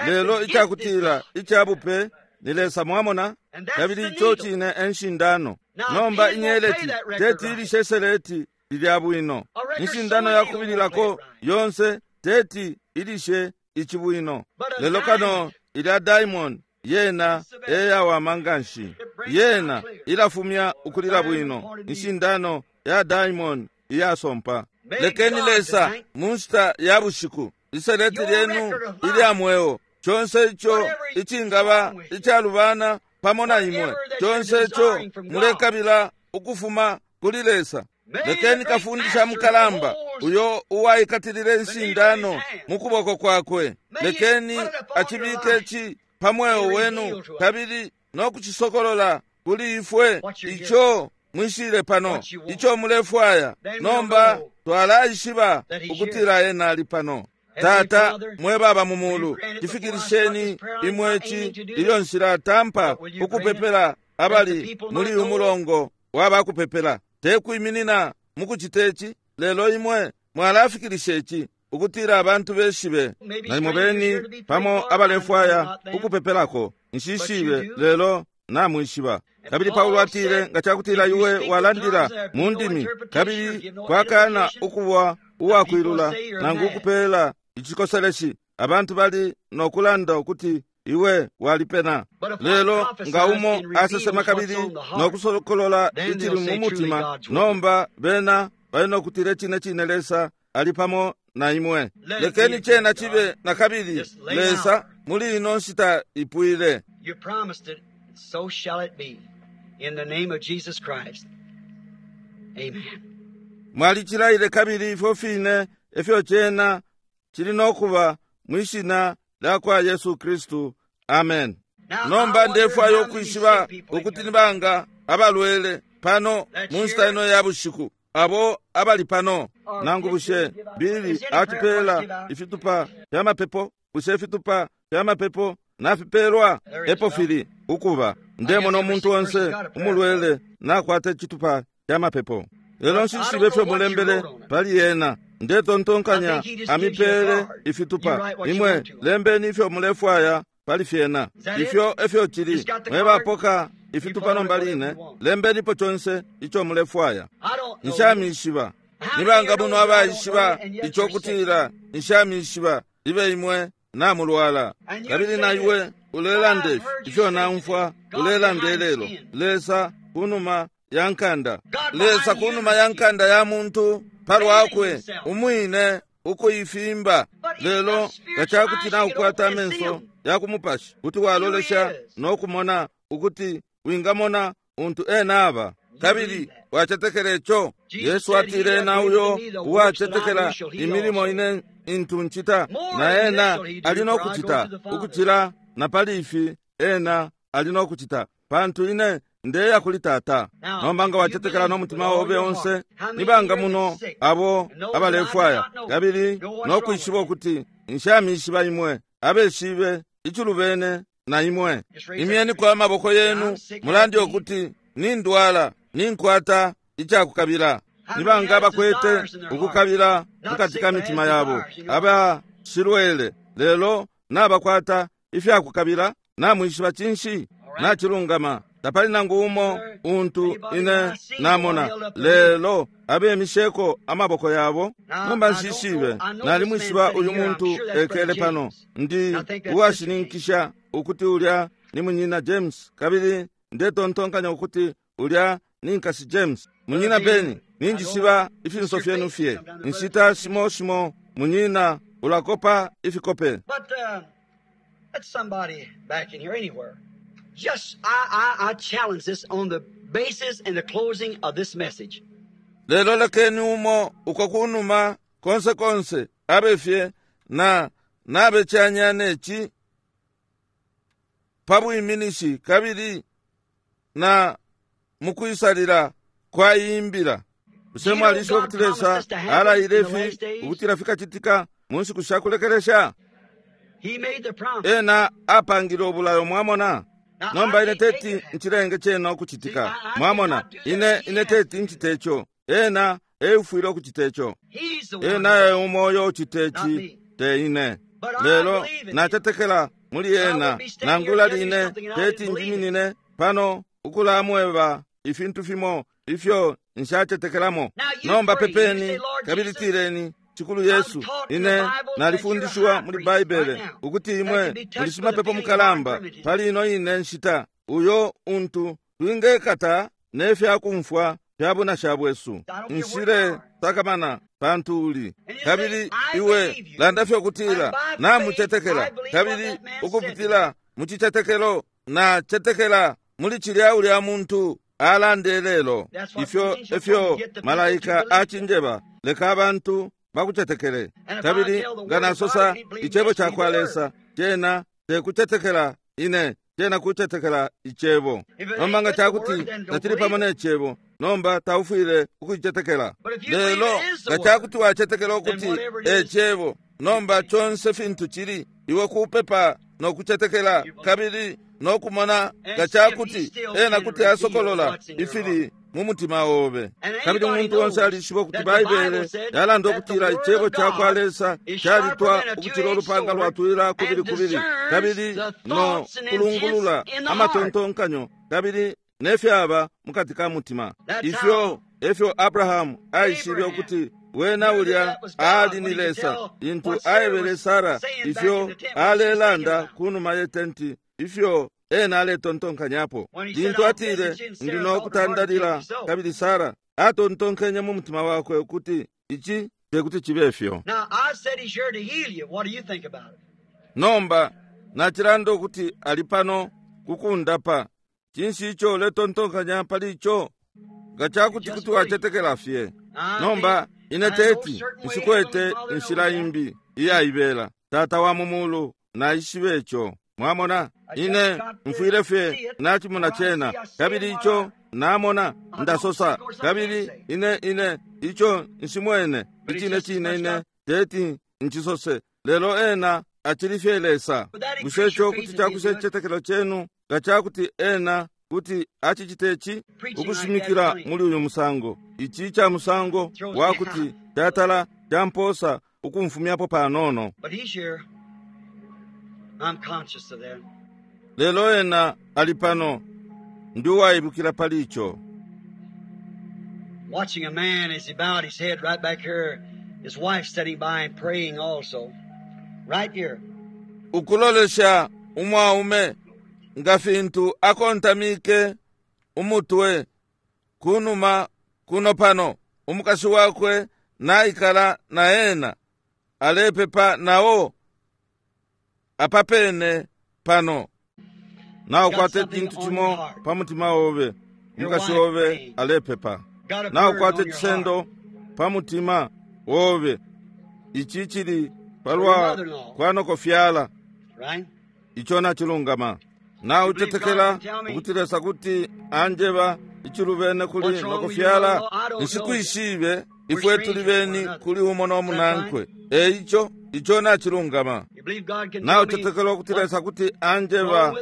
Speaker 1: lelo icakutila icabupe ni Lesa, mwamona? Kabili ico cine e nshindano. Nomba inyeleti teti ilishe seleti lilya bwino. Inshindano yakubililako yonse teti ilishe ici bwino. Lelo kano ilya diamond yena eyawama nganshi. Yena ilafumya ukulila bwino. Inshindano ya diamond iyasompa. Lekeni Lesa mu nshita ya bushiku iseleti lyenu ilya mweo, conse ico icingaba icalubana pamo na imwe, conse ico mulekabila ukufuma kuli Lesa. Lekeni kafundisha mukalamba uyo uwaikatilile inshindano mu kuboko kwakwe, lekeni acibike ci pa mweo wenu kabili no kucisokolola kuli ifwe ico mwishile pano, ico mulefwaya. Nomba twalaishiba ukutila ena ali pano. Tata mwe baba mu mulu, cifikilisheni imwe ci ilyo nshilatampa ukupepela abali muli umulongo wabakupepela. Te kwiminina mukucita ici, lelo imwe mwalafikilisha ici ukutila abantu beshibe. Nalimo beni pamo abalefwaya ukupepelako, nshishibe, lelo namwishiba. Kabili Paulo atile, nga cakutila iwe walandila mu ndimi kabili kwakana ukuba uwakwilula nangu ukupela icikoseleshi, abantu bali nokulanda ukuti iwe walipena. Lelo nga umo asesema kabili nokusokolola icili mu mutima, nomba bena bali nokutila cine cine Lesa ali pamo na imwe. Lekeni cena cibe na kabili Lesa muli ino nshita ipwile.
Speaker 2: You promised it, so shall it be. In the name of Jesus Christ. Amen.
Speaker 1: Mwalicilaile kabili ifyo fine efyo cena cili nokuba mwishina lya kwa Yesu Kristu. Amen. Nomba ndefwaya ukwishiba ukuti nibanga abalwele pano mu nshita ino ya bushiku, abo abali pano. Nangu bushe Bili atupela ifitupa fya mapepo? Bushe ifitupa fya mapepo nafipelwa? Epo fili ukuba. Ndemona umuntu onse umulwele nakwata icitupa ca mapepo. Lelo nshishibe ifyo mulembele pali yena. Ndetontonkanya amipele ifitupa. Imwe lembeni ifyo mulefwaya pali fyena. Ifyo efyo cili. Mwebapoka ifitupa nomba line, lembenipo conse ico mulefwaya. Nshamishiba. Nibanga muno abaishiba ico kutila nshamishiba, libe imwe namulwala. Kabili na iwe ulelanda ifi ifyo naumfwa ulelanda ilelo. Lesa kunuma ya nkanda, Lesa kunuma ya nkanda ya muntu palwakwe umwine ukuifimba. Lelo nga cakuti naukwata amenso ya kumupashi, kuti walolesha no kumona ukuti wingamona untu ena aba. Kabili wacetekela ico. Yesu atile, ena uyo uwacetekela imilimo ine intu ncita, na ena ali no kucita ukucila na pali ifi ena ali no kucita, pantu ine ndeya kuli Tata. Nomba nga wacetekela no mutima obe onse, nibanga muno abo abalefwaya kabili no kwishiba ukuti nshamishiba imwe, abeshibe icilubene na imwe, imyeniko amaboko yenu mulande ukuti nindwala, ninkwata icakukabila. Nibanga abakwete ukukabila mukati ka mitima yabo, abashilwele lelo nabakwata ifyakukabila? Namwishiba cinshi? Nacilungama. Tapali nangu umo untu ine namona, lelo abemisheko amaboko yabo. Nomba nshishibe, nalimwishiba uyu muntu ekele pano. Ndi uwashininkisha ukuti ulya ni munyina James, kabili ndetontonkanya ukuti ulya ni nkasi James. Munyina Beni, ninjishiba ifinso fyenu fye. Inshita shimo shimo munyina ulakopa ifikope.
Speaker 2: But let somebody back in here anywhere. Just I challenge this on the basis and the closing of this message.
Speaker 1: Lelo lekeni umo uko kunuma konse konse abe fye na nabecanya neci. pa bwiminishi kabili na mukwisalila kwa iyi mbila. Bushe mwalishiba ukuti Lesa alaile ifi ukutila fikacitika mu nshiku sha kulekelesha? Ena apangile ubulayo, mwamona. Nomba ine teti ncilenge cena ukucitika, mwamona. Ine, ine teti ncite ico. Ena eufwile ukucita ico. Ena e umo uyo ucita ici, te ine. Lelo nacetekela muli ena, nangula line teti njiminine pano ukulamweba ifintu fimo ifyo nshacetekelamo. Nomba pepeni kabili tileni, Shikulu Yesu, ine nalifundishiwa muli Baibele ukuti imwe muli shimapepo mukalamba pali ino ine nshita, uyo untu twingekata ne fya kumfwa fya bunasha bwesu. Nshile sakamana pantu uli. Kabili iwe landa fye ukutila namucetekela, kabili ukupitila mu cicetekelo nacetekela muli cilya ulya muntu alande lelo. Ifyo efyo malaika acinjeba, leka abantu bakucetekele. Kabili nga nasosa icebo ca kwa Lesa, cena tekucetekela ine, cena kucetekela icebo. Nomba nga cakuti tacili pamo ne cebo, nomba taufwile ukucicetekela. Lelo nga cakuti wacetekela ukuti e cebo, nomba conse fintu cili, iwe kupepa no kucetekela kabili no kumona nga cakuti ena kuti asokolola ifili mu mutima obe. Kabili umuntu onse alishiba ukuti Baibele yalanda ukutila icebo ca kwa Lesa calitwa ukucila ulupanga lwatwila kubili kubili, kabili no kulungulula amatontonkanyo kabili ne fyaba mukati ka mutima. Ifyo efyo Abrahamu aishibe ukuti wena ulya aali ni Lesa, lintu aebele Sara ifyo alelanda kunuma ye tenti, ifyo ena aletontonkanyapo. Lintu atile, Ndi no kutandalila, kabili Sara atontonkenye mu mutima wakwe ukuti ici tekuti cibe fyo. Nomba nacilanda ukuti ali pano kukundapa. Cinshi ico uletontonkanya pali ico? Nga cakuti kuti wacetekela fye. Nomba ine teti nshikwete inshila imbi iyaibela. Tata wa mu mulu naishibe ico. Mwamona, ine mfwile fye nacimona cena, kabili ico namona ndasosa, kabili ine ine ico nshimwene icine cine ine teti ncisose, lelo ena acili fye Lesa. Bushe ico kuti cakusha icicetekelo cenu nga cakuti ena kuti acicite ici? Ukushimikila muli uyu musango, ici ca musango wa kuti catala camposa ukumfumyapo panono. Lelo ena ali pano, ndi uwaibukila pali ico.
Speaker 2: Watching a man as he bowed his head right back here, his wife sitting by and praying also. Right here.
Speaker 1: Ukulolesha umwaume nga fintu akontamike umutwe kunuma kuno pano, umukashi wakwe naikala na ena alepepa nao apapene pano. Naukwata icintu cimo pa mutima obe, umukashi obe alepepa. Naukwata icisendo pa mutima obe, ici cili palwa kwa nokofyala, ico nacilungama. Naucetekela ukuti Lesa kuti anjeba icilubene kuli nokofyala? Nshikwishibe, ifwe tuli beni kuli umo no munankwe. Eico ico nacilungama. Naucetekela ukuti Lesa kuti anjeba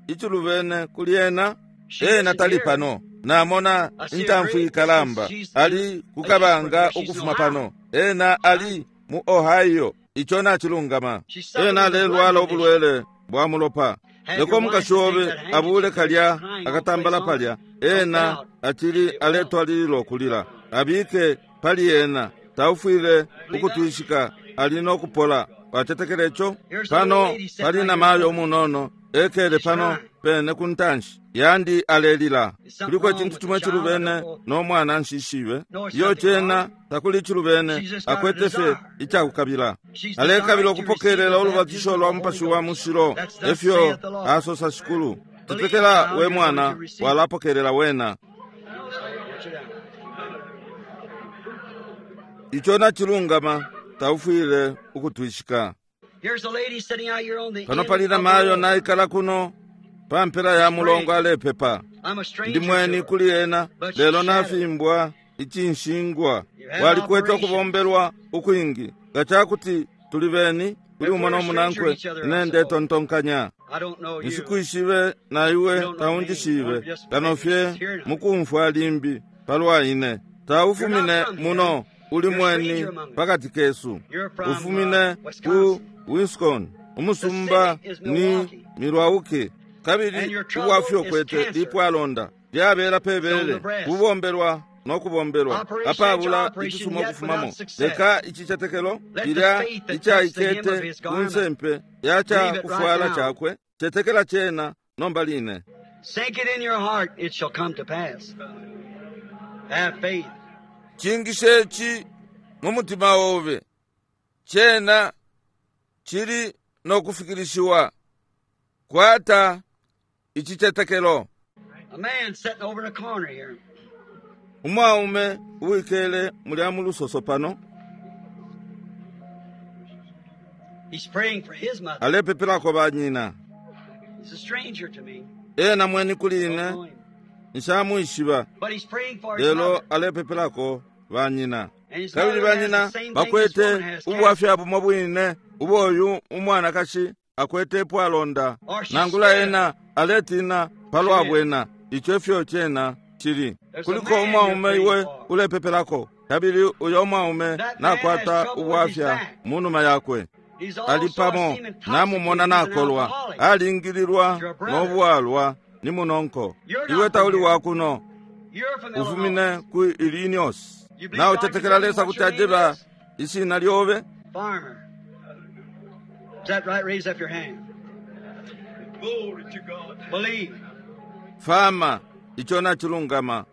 Speaker 1: icilubene kuli ena? Ena tali pano. Namona intamfu ikalamba ali kukabanga ukufuma pano. Ena ali mu Ohio. Ico nacilungama. Ena alelwala ubulwele bwa mulopa. Leko umukashi obe abule kalya akatambala palya. Ena acili aletwalilila ukulila. Abike pali ena. Taufwile ukutwishika, ali no kupola. Wacetekela ico? Pano pali na mayo umunono ekele pano pene ku ntanshi yandi alelila. Kuliko icintu cimo icilubene no mwana nshishibe. Iyo cena takuli icilubene, akwete fye icakukabila. Alekabila ukupokelela ulubatisho lwa Mupashi wa Mushilo, efyo asosa Shikulu. Tetekela we mwana, walapokelela wena. Ico nacilungama, taufwile ukutwishika.
Speaker 2: Here's a lady sitting out here on the
Speaker 1: Pano
Speaker 2: end
Speaker 1: pali
Speaker 2: of the
Speaker 1: namayo
Speaker 2: road.
Speaker 1: naikala kuno pa mpela ya mulongo alepepa.
Speaker 2: I'm a stranger
Speaker 1: Ndi
Speaker 2: to
Speaker 1: mweni
Speaker 2: her.
Speaker 1: kuli ena
Speaker 2: But
Speaker 1: lelo
Speaker 2: she's
Speaker 1: nafimbwa ichinshingwa.
Speaker 2: You had
Speaker 1: Walikwete
Speaker 2: operation.
Speaker 1: ukubombelwa ukwingi. Nga cakuti tuli beni kuli
Speaker 2: If
Speaker 1: umo
Speaker 2: we're a
Speaker 1: nomunankwe
Speaker 2: stranger each other, I
Speaker 1: ine
Speaker 2: suppose.
Speaker 1: ndetontonkanya.
Speaker 2: I don't know you.
Speaker 1: Nshikwishibe na iwe
Speaker 2: You don't know me.
Speaker 1: taunjishibe
Speaker 2: I'm just
Speaker 1: kano fye
Speaker 2: just hearing.
Speaker 1: mukumfwa limbi palwa ine. Taufumine
Speaker 2: You're not from here.
Speaker 1: muno uli
Speaker 2: You're a
Speaker 1: mweni
Speaker 2: stranger among us.
Speaker 1: pakati kesu.
Speaker 2: You're from
Speaker 1: Ufumine ku
Speaker 2: Wisconsin.
Speaker 1: Wisconsin. Umusumba
Speaker 2: The city is
Speaker 1: ni
Speaker 2: Milwaukee.
Speaker 1: Milwaukee.
Speaker 2: And
Speaker 1: Kabili
Speaker 2: your trouble
Speaker 1: ubwafya
Speaker 2: is
Speaker 1: ukwete
Speaker 2: cancer.
Speaker 1: lipwalonda lyabela
Speaker 2: It's on
Speaker 1: pebele
Speaker 2: the breast.
Speaker 1: kubombelwa nokubombelwa
Speaker 2: Operation after
Speaker 1: apabula
Speaker 2: operation,
Speaker 1: icisuma
Speaker 2: yet
Speaker 1: ukufumamo.
Speaker 2: without success.
Speaker 1: Leka icicetekelo
Speaker 2: Let the
Speaker 1: cilya
Speaker 2: faith that touched the hem of
Speaker 1: icaikete
Speaker 2: his
Speaker 1: ku
Speaker 2: garment
Speaker 1: nsempe ya
Speaker 2: believe it right
Speaker 1: cakufwala
Speaker 2: now.
Speaker 1: cakwe cetekela cena nomba line.
Speaker 2: Sink it in your heart, it shall come to pass. Have faith.
Speaker 1: Cingishe ici mu mutima obe cena cili nokufikilishiwa. Kwata icicetekelo.
Speaker 2: A man sitting over in the corner here.
Speaker 1: Umwaume uwikele mulya mu lusoso pano
Speaker 2: He's praying for his mother.
Speaker 1: alepepelako banyina.
Speaker 2: He's a stranger to me.
Speaker 1: Ena mweni kuli
Speaker 2: Don't
Speaker 1: ine
Speaker 2: know him.
Speaker 1: nshamwishiba
Speaker 2: But he's praying for his
Speaker 1: lelo
Speaker 2: mother.
Speaker 1: alepepelako banyina.
Speaker 2: And his
Speaker 1: Kabili
Speaker 2: mother has
Speaker 1: banyina
Speaker 2: the same thing this
Speaker 1: bakwete
Speaker 2: woman has, cancer.
Speaker 1: ubwafya bumo bwine uboyu umwanakashi akwete ipwalonda
Speaker 2: Or she's
Speaker 1: nangula
Speaker 2: scared.
Speaker 1: ena aletina palwa bwena. Ico efyo cena chili.
Speaker 2: There's a
Speaker 1: Kuliko
Speaker 2: man you're
Speaker 1: umwaume
Speaker 2: praying
Speaker 1: iwe
Speaker 2: for.
Speaker 1: ulepepelako kabili uyo umwaume
Speaker 2: That man has
Speaker 1: nakwata
Speaker 2: trouble with his
Speaker 1: ubwafya
Speaker 2: back.
Speaker 1: munuma yakwe.
Speaker 2: He's
Speaker 1: Ali
Speaker 2: also, I've
Speaker 1: pamo
Speaker 2: seen him
Speaker 1: namumona
Speaker 2: intoxicated. He's an
Speaker 1: nakolwa
Speaker 2: alcoholic.
Speaker 1: alingililwa
Speaker 2: Your brother.
Speaker 1: nobwalwa ni munonko.
Speaker 2: You're
Speaker 1: Iwe
Speaker 2: not from
Speaker 1: tauli
Speaker 2: here.
Speaker 1: wakuno
Speaker 2: You're from Illinois.
Speaker 1: ufumine ku Illinois.
Speaker 2: You believe
Speaker 1: Nawe
Speaker 2: God can
Speaker 1: utetekela
Speaker 2: tell me
Speaker 1: Lesa
Speaker 2: what
Speaker 1: kuti
Speaker 2: your name
Speaker 1: ajeba
Speaker 2: is?
Speaker 1: ishina lyobe.
Speaker 2: Farmer. Is that right? Raise up your hand.
Speaker 3: Glory to God.
Speaker 2: Believe.
Speaker 1: Fama icho nachilungama.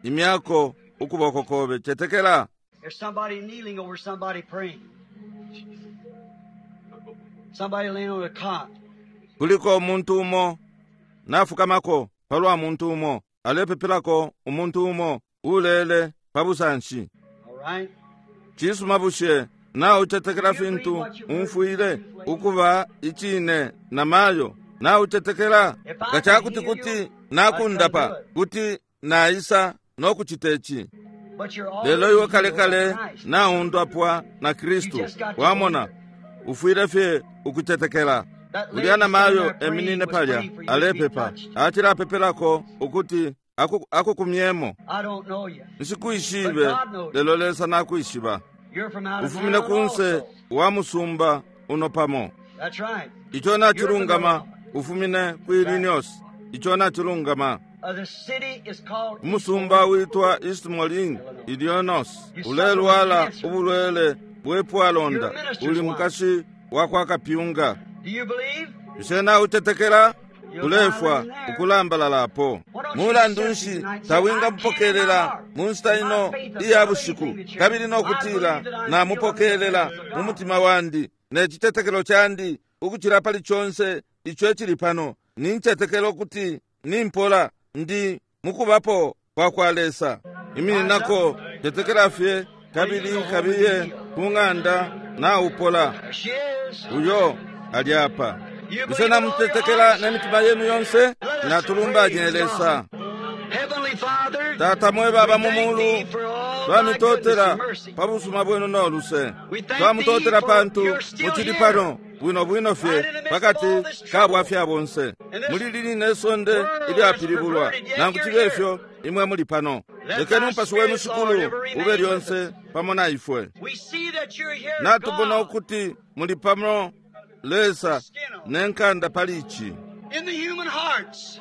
Speaker 1: Imyako ukuboko kobe cetekela.
Speaker 2: There's somebody kneeling over somebody praying. Somebody laying on a cot.
Speaker 1: Kuliko umuntu umo nafukamako palwa muntu umo alepepelako umuntu umo ulele pabusanshi.
Speaker 2: All right?
Speaker 1: Cisuma bushe nawe ucetekela
Speaker 2: Do you believe
Speaker 1: fintu
Speaker 2: what you've heard
Speaker 1: umfwile
Speaker 2: from the truth, lady?
Speaker 1: ukuba icine na mayo nawe ucetekela
Speaker 2: If I
Speaker 1: nga
Speaker 2: could
Speaker 1: cakuti
Speaker 2: heal
Speaker 1: kuti
Speaker 2: you, I'd come do
Speaker 1: nakundapa
Speaker 2: it.
Speaker 1: kuti naisa nokucita ici.
Speaker 2: But you're
Speaker 1: Lelo
Speaker 2: already
Speaker 1: iwe
Speaker 2: healed by
Speaker 1: kalekale
Speaker 2: Christ.
Speaker 1: naundapwa na
Speaker 2: You
Speaker 1: Kristu.
Speaker 2: just got to
Speaker 1: Wamona
Speaker 2: believe it.
Speaker 1: ufwile fye ukucetekela.
Speaker 2: That
Speaker 1: Ulya
Speaker 2: lady
Speaker 1: na
Speaker 2: standing
Speaker 1: mayo
Speaker 2: there praying
Speaker 1: eminine
Speaker 2: was
Speaker 1: palya
Speaker 2: praying for you to be
Speaker 1: alepepa
Speaker 2: touched.
Speaker 1: acilapepelako ukuti akukumyemo.
Speaker 2: I don't know you, but
Speaker 1: Nshikwishibe
Speaker 2: God knows you.
Speaker 1: lelo Lesa nakwishiba.
Speaker 2: You're from out of
Speaker 1: Ufumine
Speaker 2: town
Speaker 1: kunse
Speaker 2: also.
Speaker 1: wa musumba uno pamo.
Speaker 2: That's right.
Speaker 1: Ico
Speaker 2: You're from
Speaker 1: nachilungama
Speaker 2: Illinois.
Speaker 1: ufumine ku
Speaker 2: Right.
Speaker 1: Illinois. Ico nachilungama.
Speaker 2: The city is called East
Speaker 1: Umusumba
Speaker 2: Moline,
Speaker 1: witwa East Moline,
Speaker 2: Illinois.
Speaker 1: Illinois.
Speaker 2: You suffer with
Speaker 1: Ulelwala
Speaker 2: cancer.
Speaker 1: ubulwele
Speaker 2: You're
Speaker 1: bwepwalonda
Speaker 2: a minister's
Speaker 1: uli
Speaker 2: wife.
Speaker 1: mukashi wa kwa kapyunga.
Speaker 2: Do you believe?
Speaker 1: Bushe nautetekela
Speaker 2: You'll die
Speaker 1: ulefwa
Speaker 2: laying there.
Speaker 1: ukulambalalapo.
Speaker 2: Why don't you
Speaker 1: Mulandu
Speaker 2: accept it
Speaker 1: nshi
Speaker 2: tonight and say, I
Speaker 1: tawinga
Speaker 2: can in my
Speaker 1: mupokelela
Speaker 2: heart,
Speaker 1: mu nshita
Speaker 2: in my
Speaker 1: ino
Speaker 2: faith
Speaker 1: iya
Speaker 2: above
Speaker 1: bushiku
Speaker 2: anything that's here,
Speaker 1: kabili
Speaker 2: I
Speaker 1: nokutila
Speaker 2: believe that I'm healed under the
Speaker 1: namupokelela
Speaker 2: presence of
Speaker 1: mu
Speaker 2: God.
Speaker 1: mutima wandi ne citetekelo candi ukucila pali conse ico icili pano nincetekela ukuti nimpola ndi mukubapo kwa kwa Lesa.
Speaker 2: Rise up.
Speaker 1: Imininako tetekela fye
Speaker 2: Well, you
Speaker 1: kabili
Speaker 2: go home and be
Speaker 1: kabiye
Speaker 2: healed.
Speaker 1: ku ng'anda naupola.
Speaker 2: There she is.
Speaker 1: Uyo ali apa.
Speaker 2: You
Speaker 1: Bushe
Speaker 2: believe with all your
Speaker 1: namutetekela
Speaker 2: heart?
Speaker 1: ne mitima yenu yonse?
Speaker 2: Let us praise
Speaker 1: Natulumbanye
Speaker 2: God.
Speaker 1: Lesa.
Speaker 2: Heavenly Father,
Speaker 1: Tata mwe baba
Speaker 2: we
Speaker 1: mu
Speaker 2: thank
Speaker 1: mulu
Speaker 2: thee for all thy goodness
Speaker 1: twamitotela
Speaker 2: and mercy.
Speaker 1: pa busuma bwenu no luse.
Speaker 2: We thank thee
Speaker 1: Twamutotela
Speaker 2: for
Speaker 1: pantu
Speaker 2: you're still
Speaker 1: muchili
Speaker 2: here,
Speaker 1: pano bwino bwino fye
Speaker 2: right in the midst of all
Speaker 1: pakati
Speaker 2: this
Speaker 1: ka
Speaker 2: trouble
Speaker 1: bwafya bonse.
Speaker 2: and this
Speaker 1: Muli lili ne sonde
Speaker 2: world that's
Speaker 1: ilyapilibulwa
Speaker 2: perverted, yet
Speaker 1: nangu
Speaker 2: you're
Speaker 1: chibe
Speaker 2: here.
Speaker 1: ifyo imwe muli pano.
Speaker 2: Let
Speaker 1: Lekeni
Speaker 2: thy
Speaker 1: umupashi wenu
Speaker 2: Spirit, Lord,
Speaker 1: shikulu
Speaker 2: ever
Speaker 1: ube
Speaker 2: remain with us.
Speaker 1: lyonse pamo na ifwe.
Speaker 2: We see that you're here,
Speaker 1: Natubona
Speaker 2: God,
Speaker 1: ukuti muli pamo Lesa
Speaker 2: skin on,
Speaker 1: ne nkanda pali ici.
Speaker 2: in the human hearts,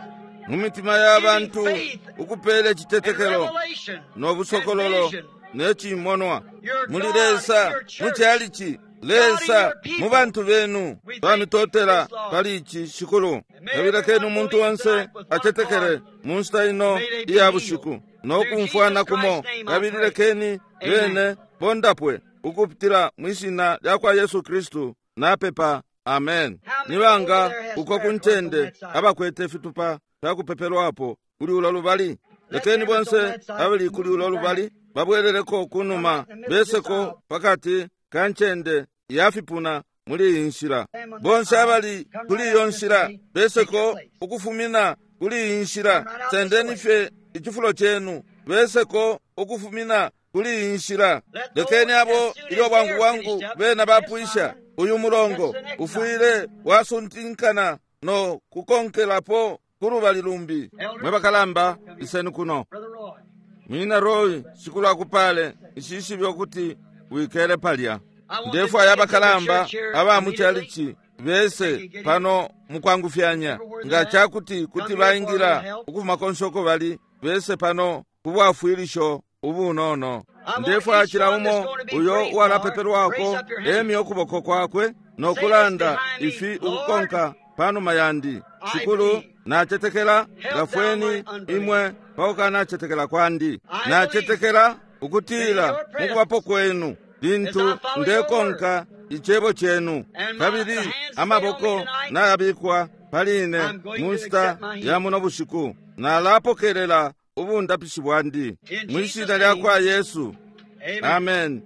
Speaker 1: Mu mitima ya
Speaker 2: giving
Speaker 1: bantu
Speaker 2: faith
Speaker 1: ukupela
Speaker 2: and
Speaker 1: icitetekelo
Speaker 2: revelation
Speaker 1: no
Speaker 2: and
Speaker 1: busokololo
Speaker 2: vision.
Speaker 1: ne cimonwa.
Speaker 2: You're
Speaker 1: Muli
Speaker 2: God in
Speaker 1: Lesa
Speaker 2: your
Speaker 1: mu
Speaker 2: church,
Speaker 1: calici,
Speaker 2: God in
Speaker 1: Lesa
Speaker 2: your
Speaker 1: mu
Speaker 2: people.
Speaker 1: bantu benu.
Speaker 2: We thank thee for
Speaker 1: Twamitotela
Speaker 2: this, Lord.
Speaker 1: pali ici shikulu.
Speaker 2: And may
Speaker 1: Kabili lekeni
Speaker 2: everyone
Speaker 1: umuntu
Speaker 2: believe
Speaker 1: onse
Speaker 2: tonight with one
Speaker 1: acetekele
Speaker 2: accord.
Speaker 1: mu nshita ino
Speaker 2: May they be
Speaker 1: iya
Speaker 2: healed.
Speaker 1: bushiku no
Speaker 2: Through
Speaker 1: kumfwana
Speaker 2: Jesus
Speaker 1: kumo.
Speaker 2: Christ's name I
Speaker 1: Kabili
Speaker 2: pray.
Speaker 1: lekeni
Speaker 2: Amen.
Speaker 1: bene bondapwe ukupitila mwishina lya kwa Yesu Kristu napepa. Amen.
Speaker 2: How many over
Speaker 1: Nibanga
Speaker 2: there has
Speaker 1: uko
Speaker 2: prayer
Speaker 1: ku
Speaker 2: cards on
Speaker 1: ncende
Speaker 2: that side?
Speaker 1: abakwete fitupa fyakupepelwapo kuli ulo lubali.
Speaker 2: Let
Speaker 1: Lekeni
Speaker 2: them that's on
Speaker 1: bonse
Speaker 2: that side
Speaker 1: abali kuli
Speaker 2: move
Speaker 1: ulo
Speaker 2: back.
Speaker 1: lubali babweleleko
Speaker 2: Come
Speaker 1: kunuma
Speaker 2: right in the middle of this
Speaker 1: beseko
Speaker 2: aisle.
Speaker 1: pakati ka ncende ya fipuna muli iyi nshila. Bonse abali kuli iyo nshila beseko ukufumina kuli iyi nshila. Sendeni fye icifulo cenu, beseko ukufumina kuli iyi nshila. Lekeni abo ilyo bwangu bwangu bena bapwisha uyu mulongo ufwile wasuntinkana no kukonkelapo kulubali lumbi. Mwe bakalamba, iseni kuno. Munyina Roy, Shikulu akupale, nshishibe ukuti wikele palya. Ndefwaya abakalamba aba mu chalichi bese pano mukwangufyanya, nga cakuti kuti baingila ukufuma konse uko bali, bese pano kubwafwilisho ubunono. Ndefwaya cila umo uyo uwalapepelwako emye ukuboko kwakwe no kulanda ifi ukukonka panuma yandi: Shikulu, nacetekela, ngafweni imwe pakukanacetekela kwandi. Nacetekela ukutila mukubapo kwenu lintu ndekonka icebo cenu, kabili amaboko nayabikwa pali ine mu nshita ya muno bushiku, nalapokelela ubundapishi bwandi mwi shina lya kwa Yesu. Amen.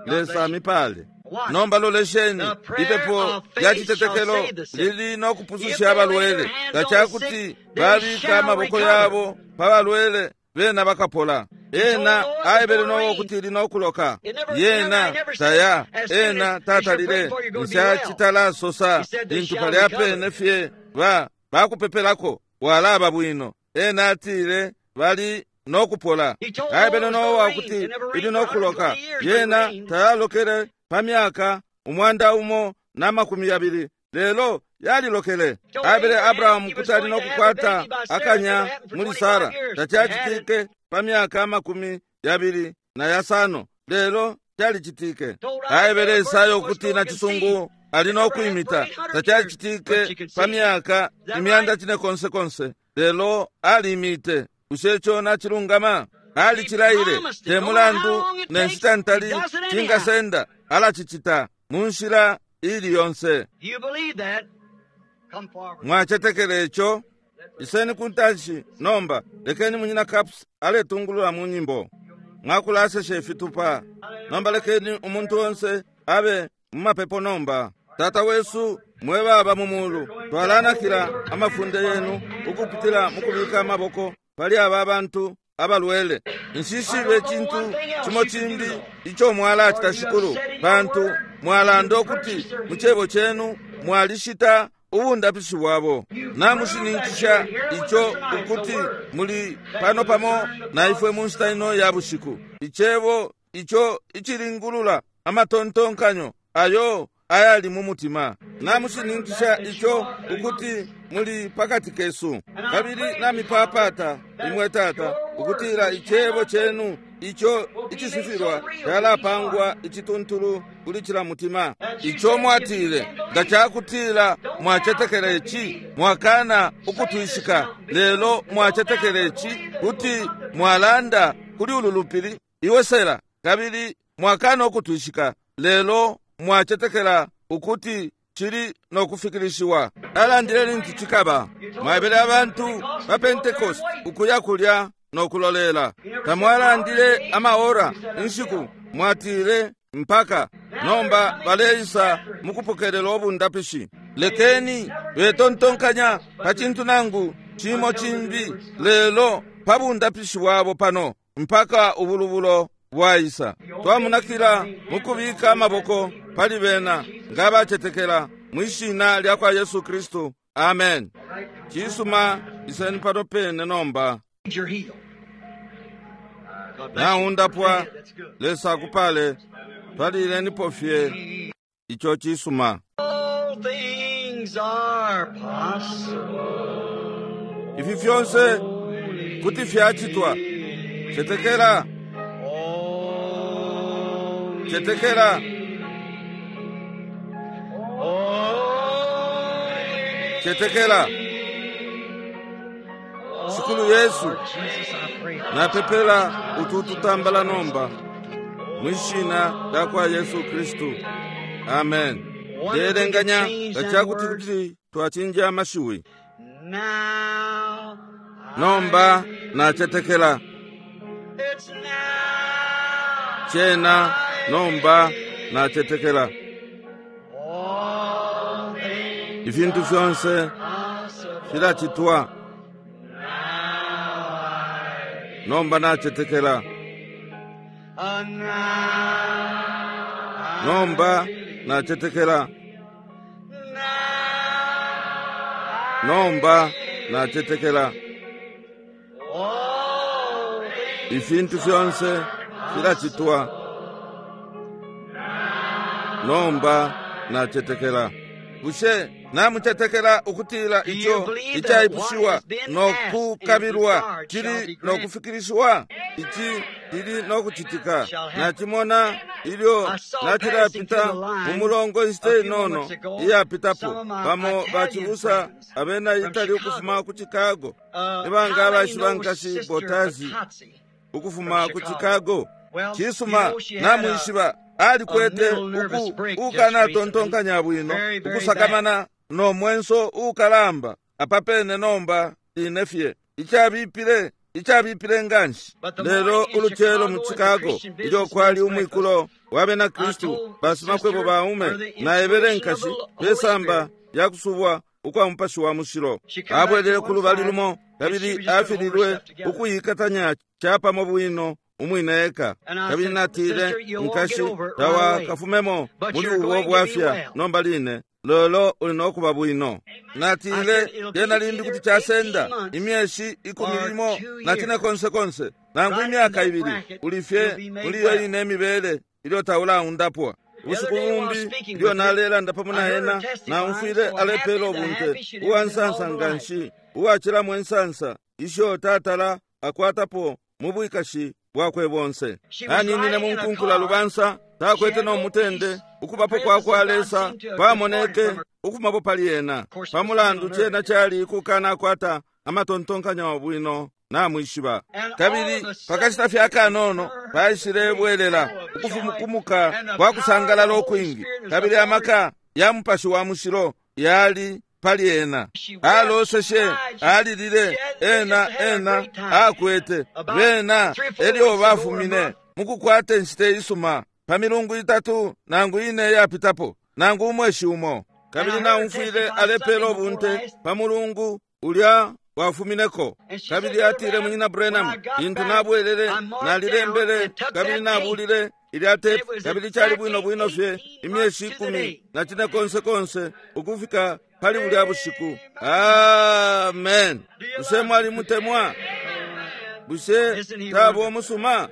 Speaker 1: Lesa amipale. Nomba lolesheni, ipepo lya citetekelo lili no kupususha abalwele. Nga cakuti babika amaboko yabo pa balwele, bena bakapola. Ena aebele Nowa ukuti ili no kuloka. Yena taya, ena tatalile. Nshacitalasosa lintu palya pene fye ba bakupepelako walaba bwino. Ena atile bali no kupola. Aebele Nowa ukuti ili no kuloka. Yena tayalokele pa myaka 120, lelo yalilokele. Aebele Abrahamu kuti ali no kukwata akanya muli Sara. Tacacitike pa myaka 25, lelo calicitike. Aebele Isaya ukuti na cisungu ali no kwimita. Tacacitike pa myaka 900, lelo alimite. Bushe ico nacilungama? Alicilaile. Te mulandu ne nshita ntali cingasenda, alacicita mu nshila ili yonse. Mwacetekela ico? Iseni ku ntanshi nomba. Lekeni munyina Caps aletungulula mu nyimbo. Mwakulasesha ifitupa. Nomba lekeni umuntu onse abe mu mapepo nomba. Tata wesu mwe baba mu mulu, twalanakila amafunde yenu ukupitila mu kubika amaboko pali aba bantu abalwele. Nshishibe cintu cimo cimbi ico mwalacita, Shikulu, pantu mwalanda ukuti mu cebo cenu mwalishita ubundapishi bwabo. Namushininkisha ico ukuti muli pano pamo na ifwe mu nshita ino ya bushiku. Icebo ico icilingulula amatontonkanyo ayo ayali mu mutima. Namushininkisha ico ukuti muli pakati kesu. Kabili namipapata imwe Tata ukutila icebo cenu ico icisifilwa calapangwa icituntulu kuli cila mutima. Ico mwatile, nga cakutila mwacetekela ici, mwakana ukutwishika, lelo mwacetekela ici kuti mwalanda kuli ulu lupili, iwe sela, kabili mwakana ukutwishika, lelo mwacetekela ukuti cili no kufikilishiwa. Alandile lintu cikaba. Mwaebele abantu pa Pentecost ukuya kulya no kulolela. Tamwalandile amaora inshiku, mwatile mpaka nomba baleisa mukupokelela ubundapishi. Lekeni betontonkanya pa cintu nangu cimo cimbi, lelo pa bundapishi bwabo pano mpaka ubulubulo bwaisa. Twamunakila mukubika amaboko pali bena nga bacetekela mwi shina lya kwa Yesu Kristu. Amen. Cisuma, iseni pano pene nomba. Naundapwa. Lesa akupale. Twalilenipo fye ico cisuma. Ifi fyonse kuti fyacitwa. Cetekela. Cetekela. Cetekela. Shikulu Yesu, napepela utu tutambala nomba mwi shina lya kwa Yesu Kristu. Amen. Ndelenganya nga cakuti kuti twacinja amashiwi. Nomba nacetekela. Cena nomba nacetekela. Ifintu fyonse filacitwa. Nomba nacetekela. Nomba nacetekela. Nomba nacetekela. Ifintu fyonse filacitwa. Nomba nacetekela. Bushe namucetekela ukutila ico icaipushiwa no kukabilwa cili no kufikilishiwa? Ici cili no kucitika. Nacimona ilyo nacilapita mu mulongo inshita inono iyapitapo, bamo bacibusa abena Itali ukufuma ku Chicago. Nibanga abaishiba nkashi Botazi ukufuma ku Chicago? Cisuma, namwishiba alikwete ukanatontonkanya bwino, ukusakamana no mwenso ukalamba apapene nomba ine fye icabipile nganshi. Lelo ulucelo mu Chicago ilyo kwali umwikulo wa bena Kristu basimakwebo baume, naebele nkashi pesamba lya kusubwa ukwa Mupashi wa Mushilo. Abwelele ku lubali lumo kabili afililwe ukuyikatanya capamo bwino umwine eka. Kabili natile, nkashi, tawakafumemo muli ubo bwafya nomba line, lelo uli nokuba bwino. Natile, lyena limbi kuti casenda imyeshi 14 konse konse, nangu imyaka 2, uli fye muli iyo ine imibele ilyo taulaundapwa. Ubushiku bumbi ilyo nalelanda pamo na ena, naumfwile alepela ubunte uwa nsansa nganshi, uwacilamo insansa isho tatala akwatapo mu bwikashi bwakwe bonse. Aninine mu nkunkula lubansa, takwete no mutende, ukubapo kwa kwa Lesa kwamoneke ukufumapo pali ena. Pamulandu cena cali kukanakwata amatontonkanyo bwino, namwishiba. Kabili pakashita fye akanono paishilebwelela ukufumukumuka kwa kusangalala ukwingi, kabili amaka ya Mupashi wa Mushilo yali pali ena. Aloseshe, alilile, ena akwete bena elyo bafumine mukukwata inshita isuma pa milungu 3 nangu 4 yapitapo, nangu umweshi umo. Kabili naumfwile alepela ubunte pa mulungu ulya wafumineko. Kabili atile, Munyina Branham, lintu nabwelele nalilembele kabili nabulile ilya tepu, kabili cali bwino bwino fye imyeshi 14 konse konse ukufika pali bulya bushiku. Amen. Bushe mwalimutemwa? Bushe taba umusuma?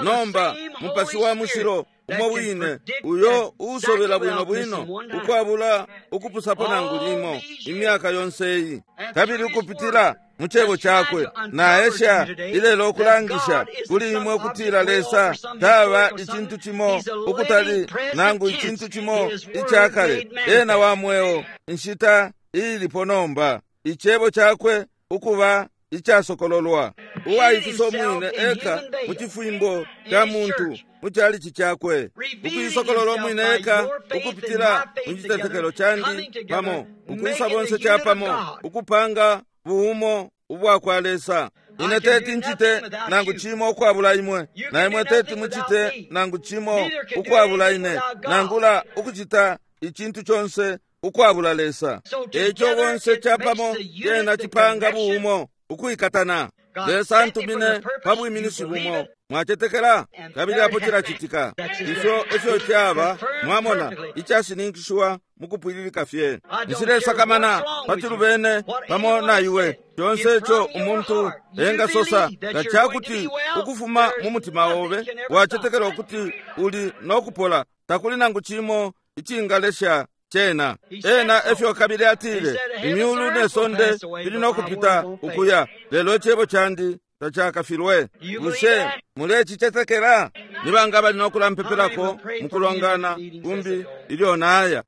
Speaker 1: Nomba Mupashi wa Mushilo umo wine uyo usobela bwino bwino ukwabula ukupusapo nangu limo imyaka yonse iyi, kabili ukupitila mu cebo cakwe naesha ilelo ukulangisha kuli imwe ukutila Lesa taba icintu cimo ukutali nangu icintu cimo icakale. Ena wa mweo inshita ilipo nomba, icebo cakwe ukuba icasokololwa, uwaifisa umwine eka mu cifimbo ca muntu mu calici cakwe, ukuisokolola umwine eka ukupitila mu citetekelo candi pamo, ukwisa bonse capamo, ukupanga buumo ubwa kwa Lesa. Ine teti ncite nangu cimo ukwabula imwe, na imwe teti mucite nangu cimo ukwabula ine, nangula ukucita icintu conse ukwabula Lesa. Eco bonse capamo cena cipanga buumo ukwikatana. Lesa antumine pa bwiminishi bumo. Mwacetekela? Kabili apo cilacitika. Ifyo efyo caba, mwamona, icashininkishiwa mukupwililika fye. Nshilesakamana pa cilubene pamo na iwe. Conse ico umuntu engasosa, nga cakuti ukufuma mu mutima obe wacetekela ukuti uli nokupola, takuli nangu cimo icingalesha cena. Ena efyo kabili atile, imyulu ne sonde fili nokupita ukuya, lelo icebo candi tacakafilwe. Bushe mulecicetekela? Nibanga bali nokulampepelako mukulongana kumbi ilyo naya?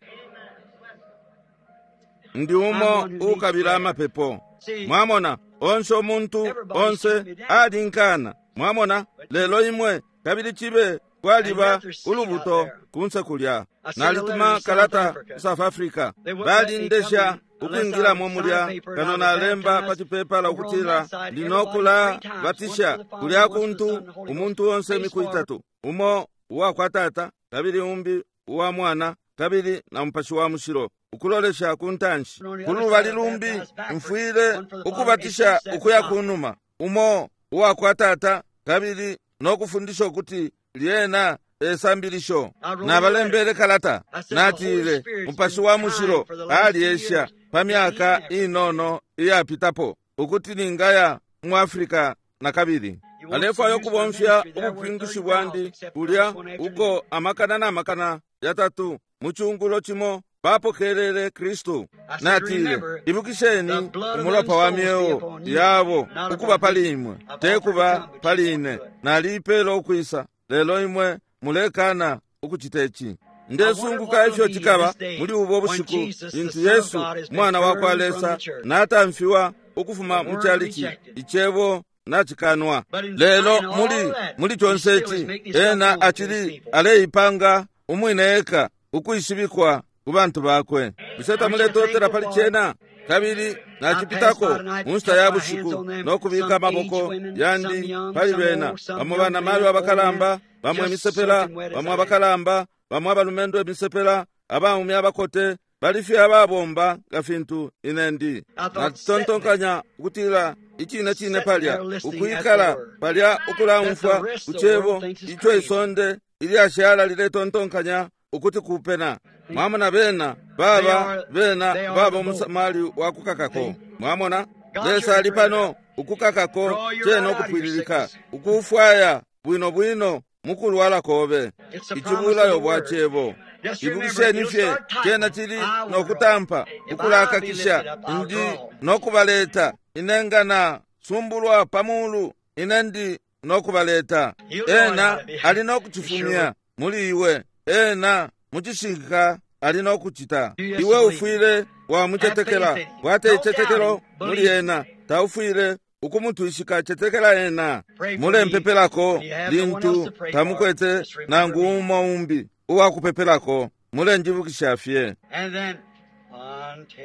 Speaker 1: Ndi umo ukabila amapepo. Mwamona, onse umuntu onse alinkana. Mwamona, lelo imwe kabili cibe kwaliba ulubuto kunse kulya. Nalituma kalata ku South Africa, balindesha ukwingilamo mulya, kano nalemba pa cipepala ukutila ndinokula batisha kulya kuntu umuntu onse imiku 3, umo uwa kwa Tata, kabili umbi uwa Mwana, kabili na Mupashi wa Mushilo. Ukulolesha ku ntanshi. Ku lubali lumbi, mfwile ukubatisha ukuya kunuma, umo uwakwa Tata, kabili no kufundisha ukuti lyena esambilisho. Nabalembele kalata, natile, Mupashi wa Mushilo alyesha pa myaka inono iyapitapo ukuti ningaya mu Africa na kabili. Alefwaya ukubomfya ubupingushi bwandi kulya uko amakana na makana yatatu mu cungulo cimo bapokelele Kristu. Natile, ibukisheni umulopa wa myeo yabo ukuba pali imwe, te kuba pali ine. Naliipela ukwisa, lelo imwe mulekana ukucita ici. Ndesunguka ifyo cikaba muli ubo bushiku lintu Yesu Umwana wa kwa Lesa natamfiwa ukufuma mu calici, icebo nacikanwa. Lelo muli muli conse ici, ena acili aleipanga umwine eka ukwishibikwa ku bantu bakwe. Bushe tamuletotela pali cena? Kabili nacipitako mu nshita ya bushiku no kubika amaboko yandi pali bena, bamo banamayo abakalamba, bamo imisepela, bamo abakalamba, bamo abalumendo imisepela, abaume abakote, bali fye ababomba nga fintu ine ndi. Natontonkanya ukutila icine cine palya ukwikala palya ukulaumfwa ku cebo ico isonde ilyashala liletontonkanya ukuti kupena. Mwamona bena baba bena baba umusamali wa kukakako. Mwamona Lesa ali pano ukukakako cena ukupwililika, ukufwaya bwino bwino mukulwala kobe. Icibulayo bwa cebo. Ibukisheni fye cena cili nokutampa ukulakakisha ndi nokubaleta inenga na sumbulwa pamulu ine ndi nokubaleta. Ena ali nokucifumya muli iwe, ena mucishinka ali nokucita. Iwe ufwile wamucetekela, kwata icetekelo muli ena, taufwile ukumutwishika, cetekela ena. Mulempepelako lintu tamukwete nangu umo umbi uwakupepelako, mulenjibukisha fye.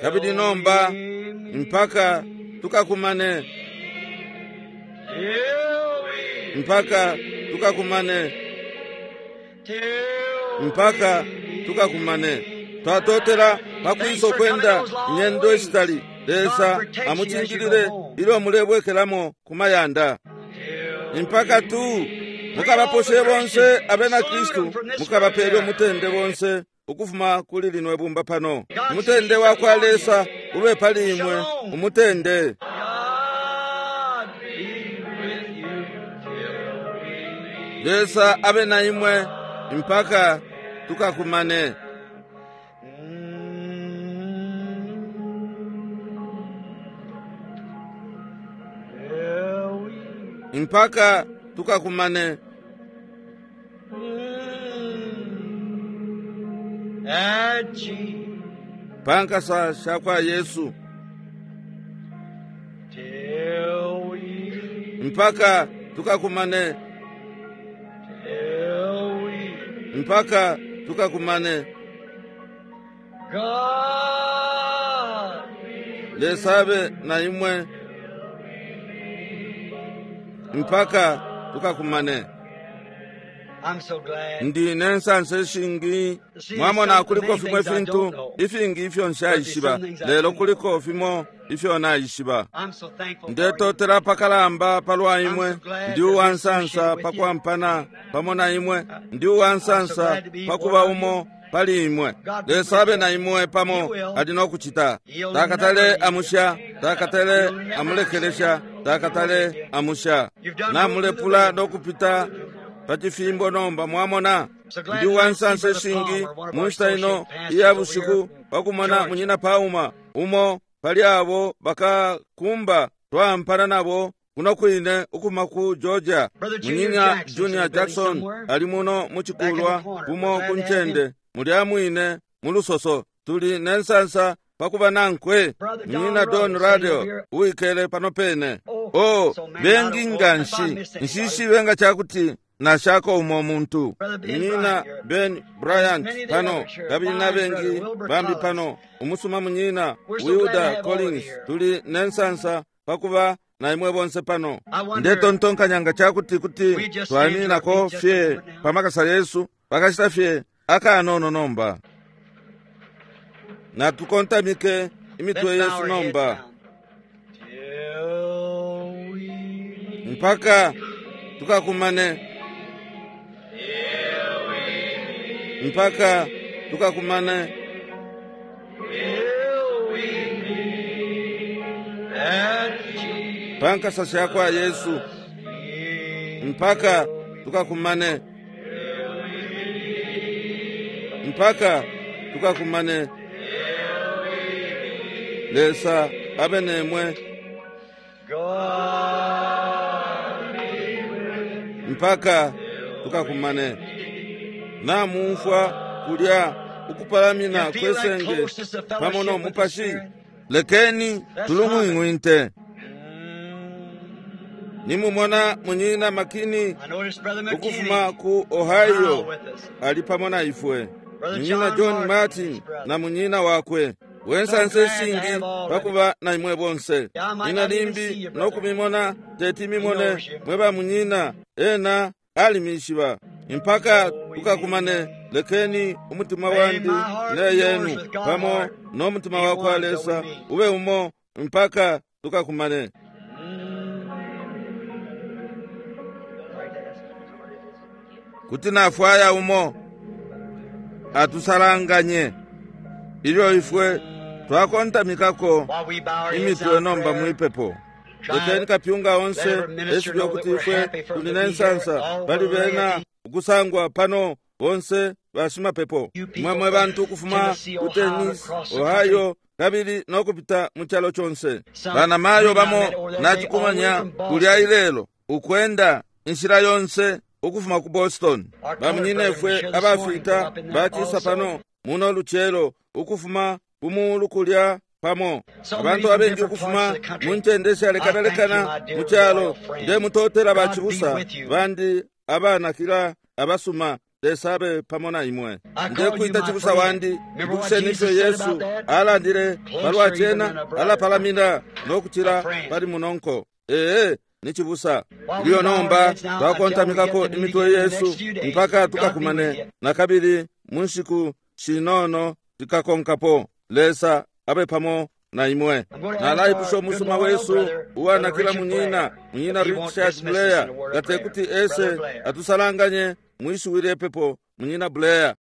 Speaker 1: Kabili nomba mpaka tukakumane, mpaka tukakumane, mpaka tukakumane. Twatotela pakwisa ukwenda inyendo ishitali. Lesa amucingilile ilyo mulebwekelamo ku mayanda. Mpaka tu mukabaposhe bonse abena Kristu, mukabapele umutende bonse ukufuma kuli lino ibumba pano. Umutende wa kwa Lesa ube pali imwe, umutende. Lesa abe na imwe mpaka tukakumane. Mpaka tukakumane. Pankasa sha kwa Yesu. Mpaka tukakumane. Mpaka tukakumane. Lesa abe na imwe mpaka tukakumane. Ndi nensansa ishingi. Mwamona kuliko fimwe fintu ifingi ifyo nshaishiba, lelo kuliko fimo ifyo naishiba. Ndetotela pakalamba palwa imwe. Ndi uwansansa pakwampana pamo na imwe. Ndi uwansansa pakuba umo pali imwe. Lesa abe na imwe pamo ali nokucita. Takatale amusha, takatale amulekelesha, takatale amusha. Namulepula nokupita pacifimbo nomba. Mwamona ndi uwansansa ishingi mu nshita ino iya bushiku pakumona munyina Pauma umo pali abo bakakumba twampana nabo kuno kwine ukuma ku Georgia. Munyina Junior Jackson ali muno mucikulwa kumo ku ncende mulya mwine mu lusoso. Tuli nensansa pakuba nankwe. Munyina Don Radio uwikele pano pene. Oh, bengi nganshi nshishibe nga cakuti nashako umo muntu. Munyina Ben Bryant pano, kabili na bengi bambi pano. Umusuma munyina Wilda Collins. Tuli nensansa pakuba na imwe bonse pano. Ndetontonkanya nga cakuti kuti twaninako fye pamakasa Yesu pakashita fye akanono nomba. Natukontamike imitwe
Speaker 2: Let's bow
Speaker 1: yesu
Speaker 2: our heads
Speaker 1: nomba
Speaker 2: down. Till we
Speaker 1: mpaka tukakumane, mpaka tukakumane
Speaker 2: till we meet at Jesus.
Speaker 1: pa nkasa shakwa Yesu, mpaka tukakumane, mpaka tukakumane. Lesa abe nemwe
Speaker 2: God
Speaker 1: mpaka tukakumane. Namumfwa kulya ukupalamina
Speaker 2: You feel that
Speaker 1: kwesenge
Speaker 2: closeness of
Speaker 1: pamo
Speaker 2: fellowship
Speaker 1: no
Speaker 2: with the
Speaker 1: mupashi.
Speaker 2: Spirit?
Speaker 1: Lekeni tulung'wing'winte. Nimumona munyina Makini
Speaker 2: I noticed Brother
Speaker 1: ukufuma
Speaker 2: McKinney
Speaker 1: ku
Speaker 2: now
Speaker 1: Ohio
Speaker 2: with us.
Speaker 1: ali pamo na ifwe.
Speaker 2: Brother
Speaker 1: Munyina
Speaker 2: John
Speaker 1: John
Speaker 2: Martin,
Speaker 1: Martin
Speaker 2: his brother.
Speaker 1: na munyina wakwe.
Speaker 2: So
Speaker 1: Wensansa
Speaker 2: glad to
Speaker 1: eshingi
Speaker 2: have all of you.
Speaker 1: pakuba na imwe bonse.
Speaker 2: I might
Speaker 1: Nina
Speaker 2: not even see
Speaker 1: limbi
Speaker 2: you, brother.
Speaker 1: nokumimona teti
Speaker 2: He
Speaker 1: mimone
Speaker 2: knows you.
Speaker 1: mwe ba munyina ena alimishiba. Mpaka tukakumane lekeni umutima
Speaker 2: May
Speaker 1: wandi
Speaker 2: my heart
Speaker 1: ne
Speaker 2: be yours
Speaker 1: yenu
Speaker 2: with God's
Speaker 1: pamo
Speaker 2: heart.
Speaker 1: n'omutima
Speaker 2: Be
Speaker 1: wa kwa
Speaker 2: one till we
Speaker 1: Lesa
Speaker 2: meet.
Speaker 1: ube umo mpaka tukakumane. Kuti nafwaya umo atusalanganye ilyo ifwe twakontamikako
Speaker 2: While we bow our heads
Speaker 1: imitwe
Speaker 2: now in
Speaker 1: nomba
Speaker 2: prayer,
Speaker 1: mwipepo.
Speaker 2: try
Speaker 1: Lekeni kapyunga
Speaker 2: let
Speaker 1: onse
Speaker 2: every minister
Speaker 1: esibe
Speaker 2: know that
Speaker 1: kuti
Speaker 2: we're
Speaker 1: ifwe
Speaker 2: happy for
Speaker 1: tuli
Speaker 2: them to be here,
Speaker 1: n'ensansa
Speaker 2: all
Speaker 1: bali
Speaker 2: the
Speaker 1: bena
Speaker 2: laity,
Speaker 1: ukusangwa pano bonse bashimapepo
Speaker 2: you people
Speaker 1: mwe mwe
Speaker 2: from
Speaker 1: bantu ukufuma
Speaker 2: Tennessee,
Speaker 1: ku
Speaker 2: Ohio,
Speaker 1: Tennessee,
Speaker 2: across the country.
Speaker 1: Ohio kabili n'okupita mu kyalo kyonse.
Speaker 2: Some
Speaker 1: Banamayo
Speaker 2: men I
Speaker 1: bamo
Speaker 2: met over that day all the way
Speaker 1: nachikumanya
Speaker 2: from
Speaker 1: kulya
Speaker 2: Boston.
Speaker 1: ilelo ukwenda inshila yonse ukufuma ku Boston.
Speaker 2: Our colored brethren
Speaker 1: Bamunyinefwe
Speaker 2: was here this morning from
Speaker 1: abafiita
Speaker 2: up in there
Speaker 1: bachisa
Speaker 2: also.
Speaker 1: pano muno lucelo ukufuma kumuulu kulya pamo.
Speaker 2: So many
Speaker 1: Abantu
Speaker 2: from
Speaker 1: abengi
Speaker 2: different parts
Speaker 1: ukufuma
Speaker 2: of the country.
Speaker 1: mu ncende
Speaker 2: I thank you,
Speaker 1: ishalekanalekana
Speaker 2: my
Speaker 1: mu
Speaker 2: dear
Speaker 1: kyalo
Speaker 2: loyal friends.
Speaker 1: ndemutotela
Speaker 2: God be
Speaker 1: bachibusa
Speaker 2: with you.
Speaker 1: bandi abanakila abasuma Lesa abe pamo na imwe.
Speaker 2: I call you
Speaker 1: Ndekuita
Speaker 2: my
Speaker 1: chibusa
Speaker 2: friend.
Speaker 1: wandi
Speaker 2: Remember what
Speaker 1: ibukisheni ifyo
Speaker 2: Jesus said
Speaker 1: Yesu
Speaker 2: about that?
Speaker 1: alandile palwa
Speaker 2: Closer even
Speaker 1: chena
Speaker 2: than a brother,
Speaker 1: alapalamina
Speaker 2: a
Speaker 1: n'okukira
Speaker 2: friend.
Speaker 1: pali munonko. Ee ni chibusa.
Speaker 2: While we
Speaker 1: Ilyo
Speaker 2: bow our
Speaker 1: nomba
Speaker 2: heads now until we get
Speaker 1: twakontamikako
Speaker 2: to meet
Speaker 1: imitwe
Speaker 2: again in the
Speaker 1: yesu
Speaker 2: next few days,
Speaker 1: mpaka
Speaker 2: God be with
Speaker 1: tukakumane
Speaker 2: you.
Speaker 1: na kabili mu nshiku shinono tikakonkapo. Lesa abe pamo na imwe.
Speaker 2: I'm going to ask
Speaker 1: Nalaipusha
Speaker 2: our good
Speaker 1: umusuma
Speaker 2: loyal
Speaker 1: wesu
Speaker 2: brother, Brother
Speaker 1: uwanakila
Speaker 2: Richard
Speaker 1: munyina
Speaker 2: Blair,
Speaker 1: munyina
Speaker 2: if he won't
Speaker 1: Richard
Speaker 2: dismiss us
Speaker 1: Blair
Speaker 2: in a word of
Speaker 1: ngate
Speaker 2: prayer.
Speaker 1: kuti
Speaker 2: Brother
Speaker 1: ese
Speaker 2: Blair.
Speaker 1: atusalanganye mwishiwi lyepepo munyina Blair.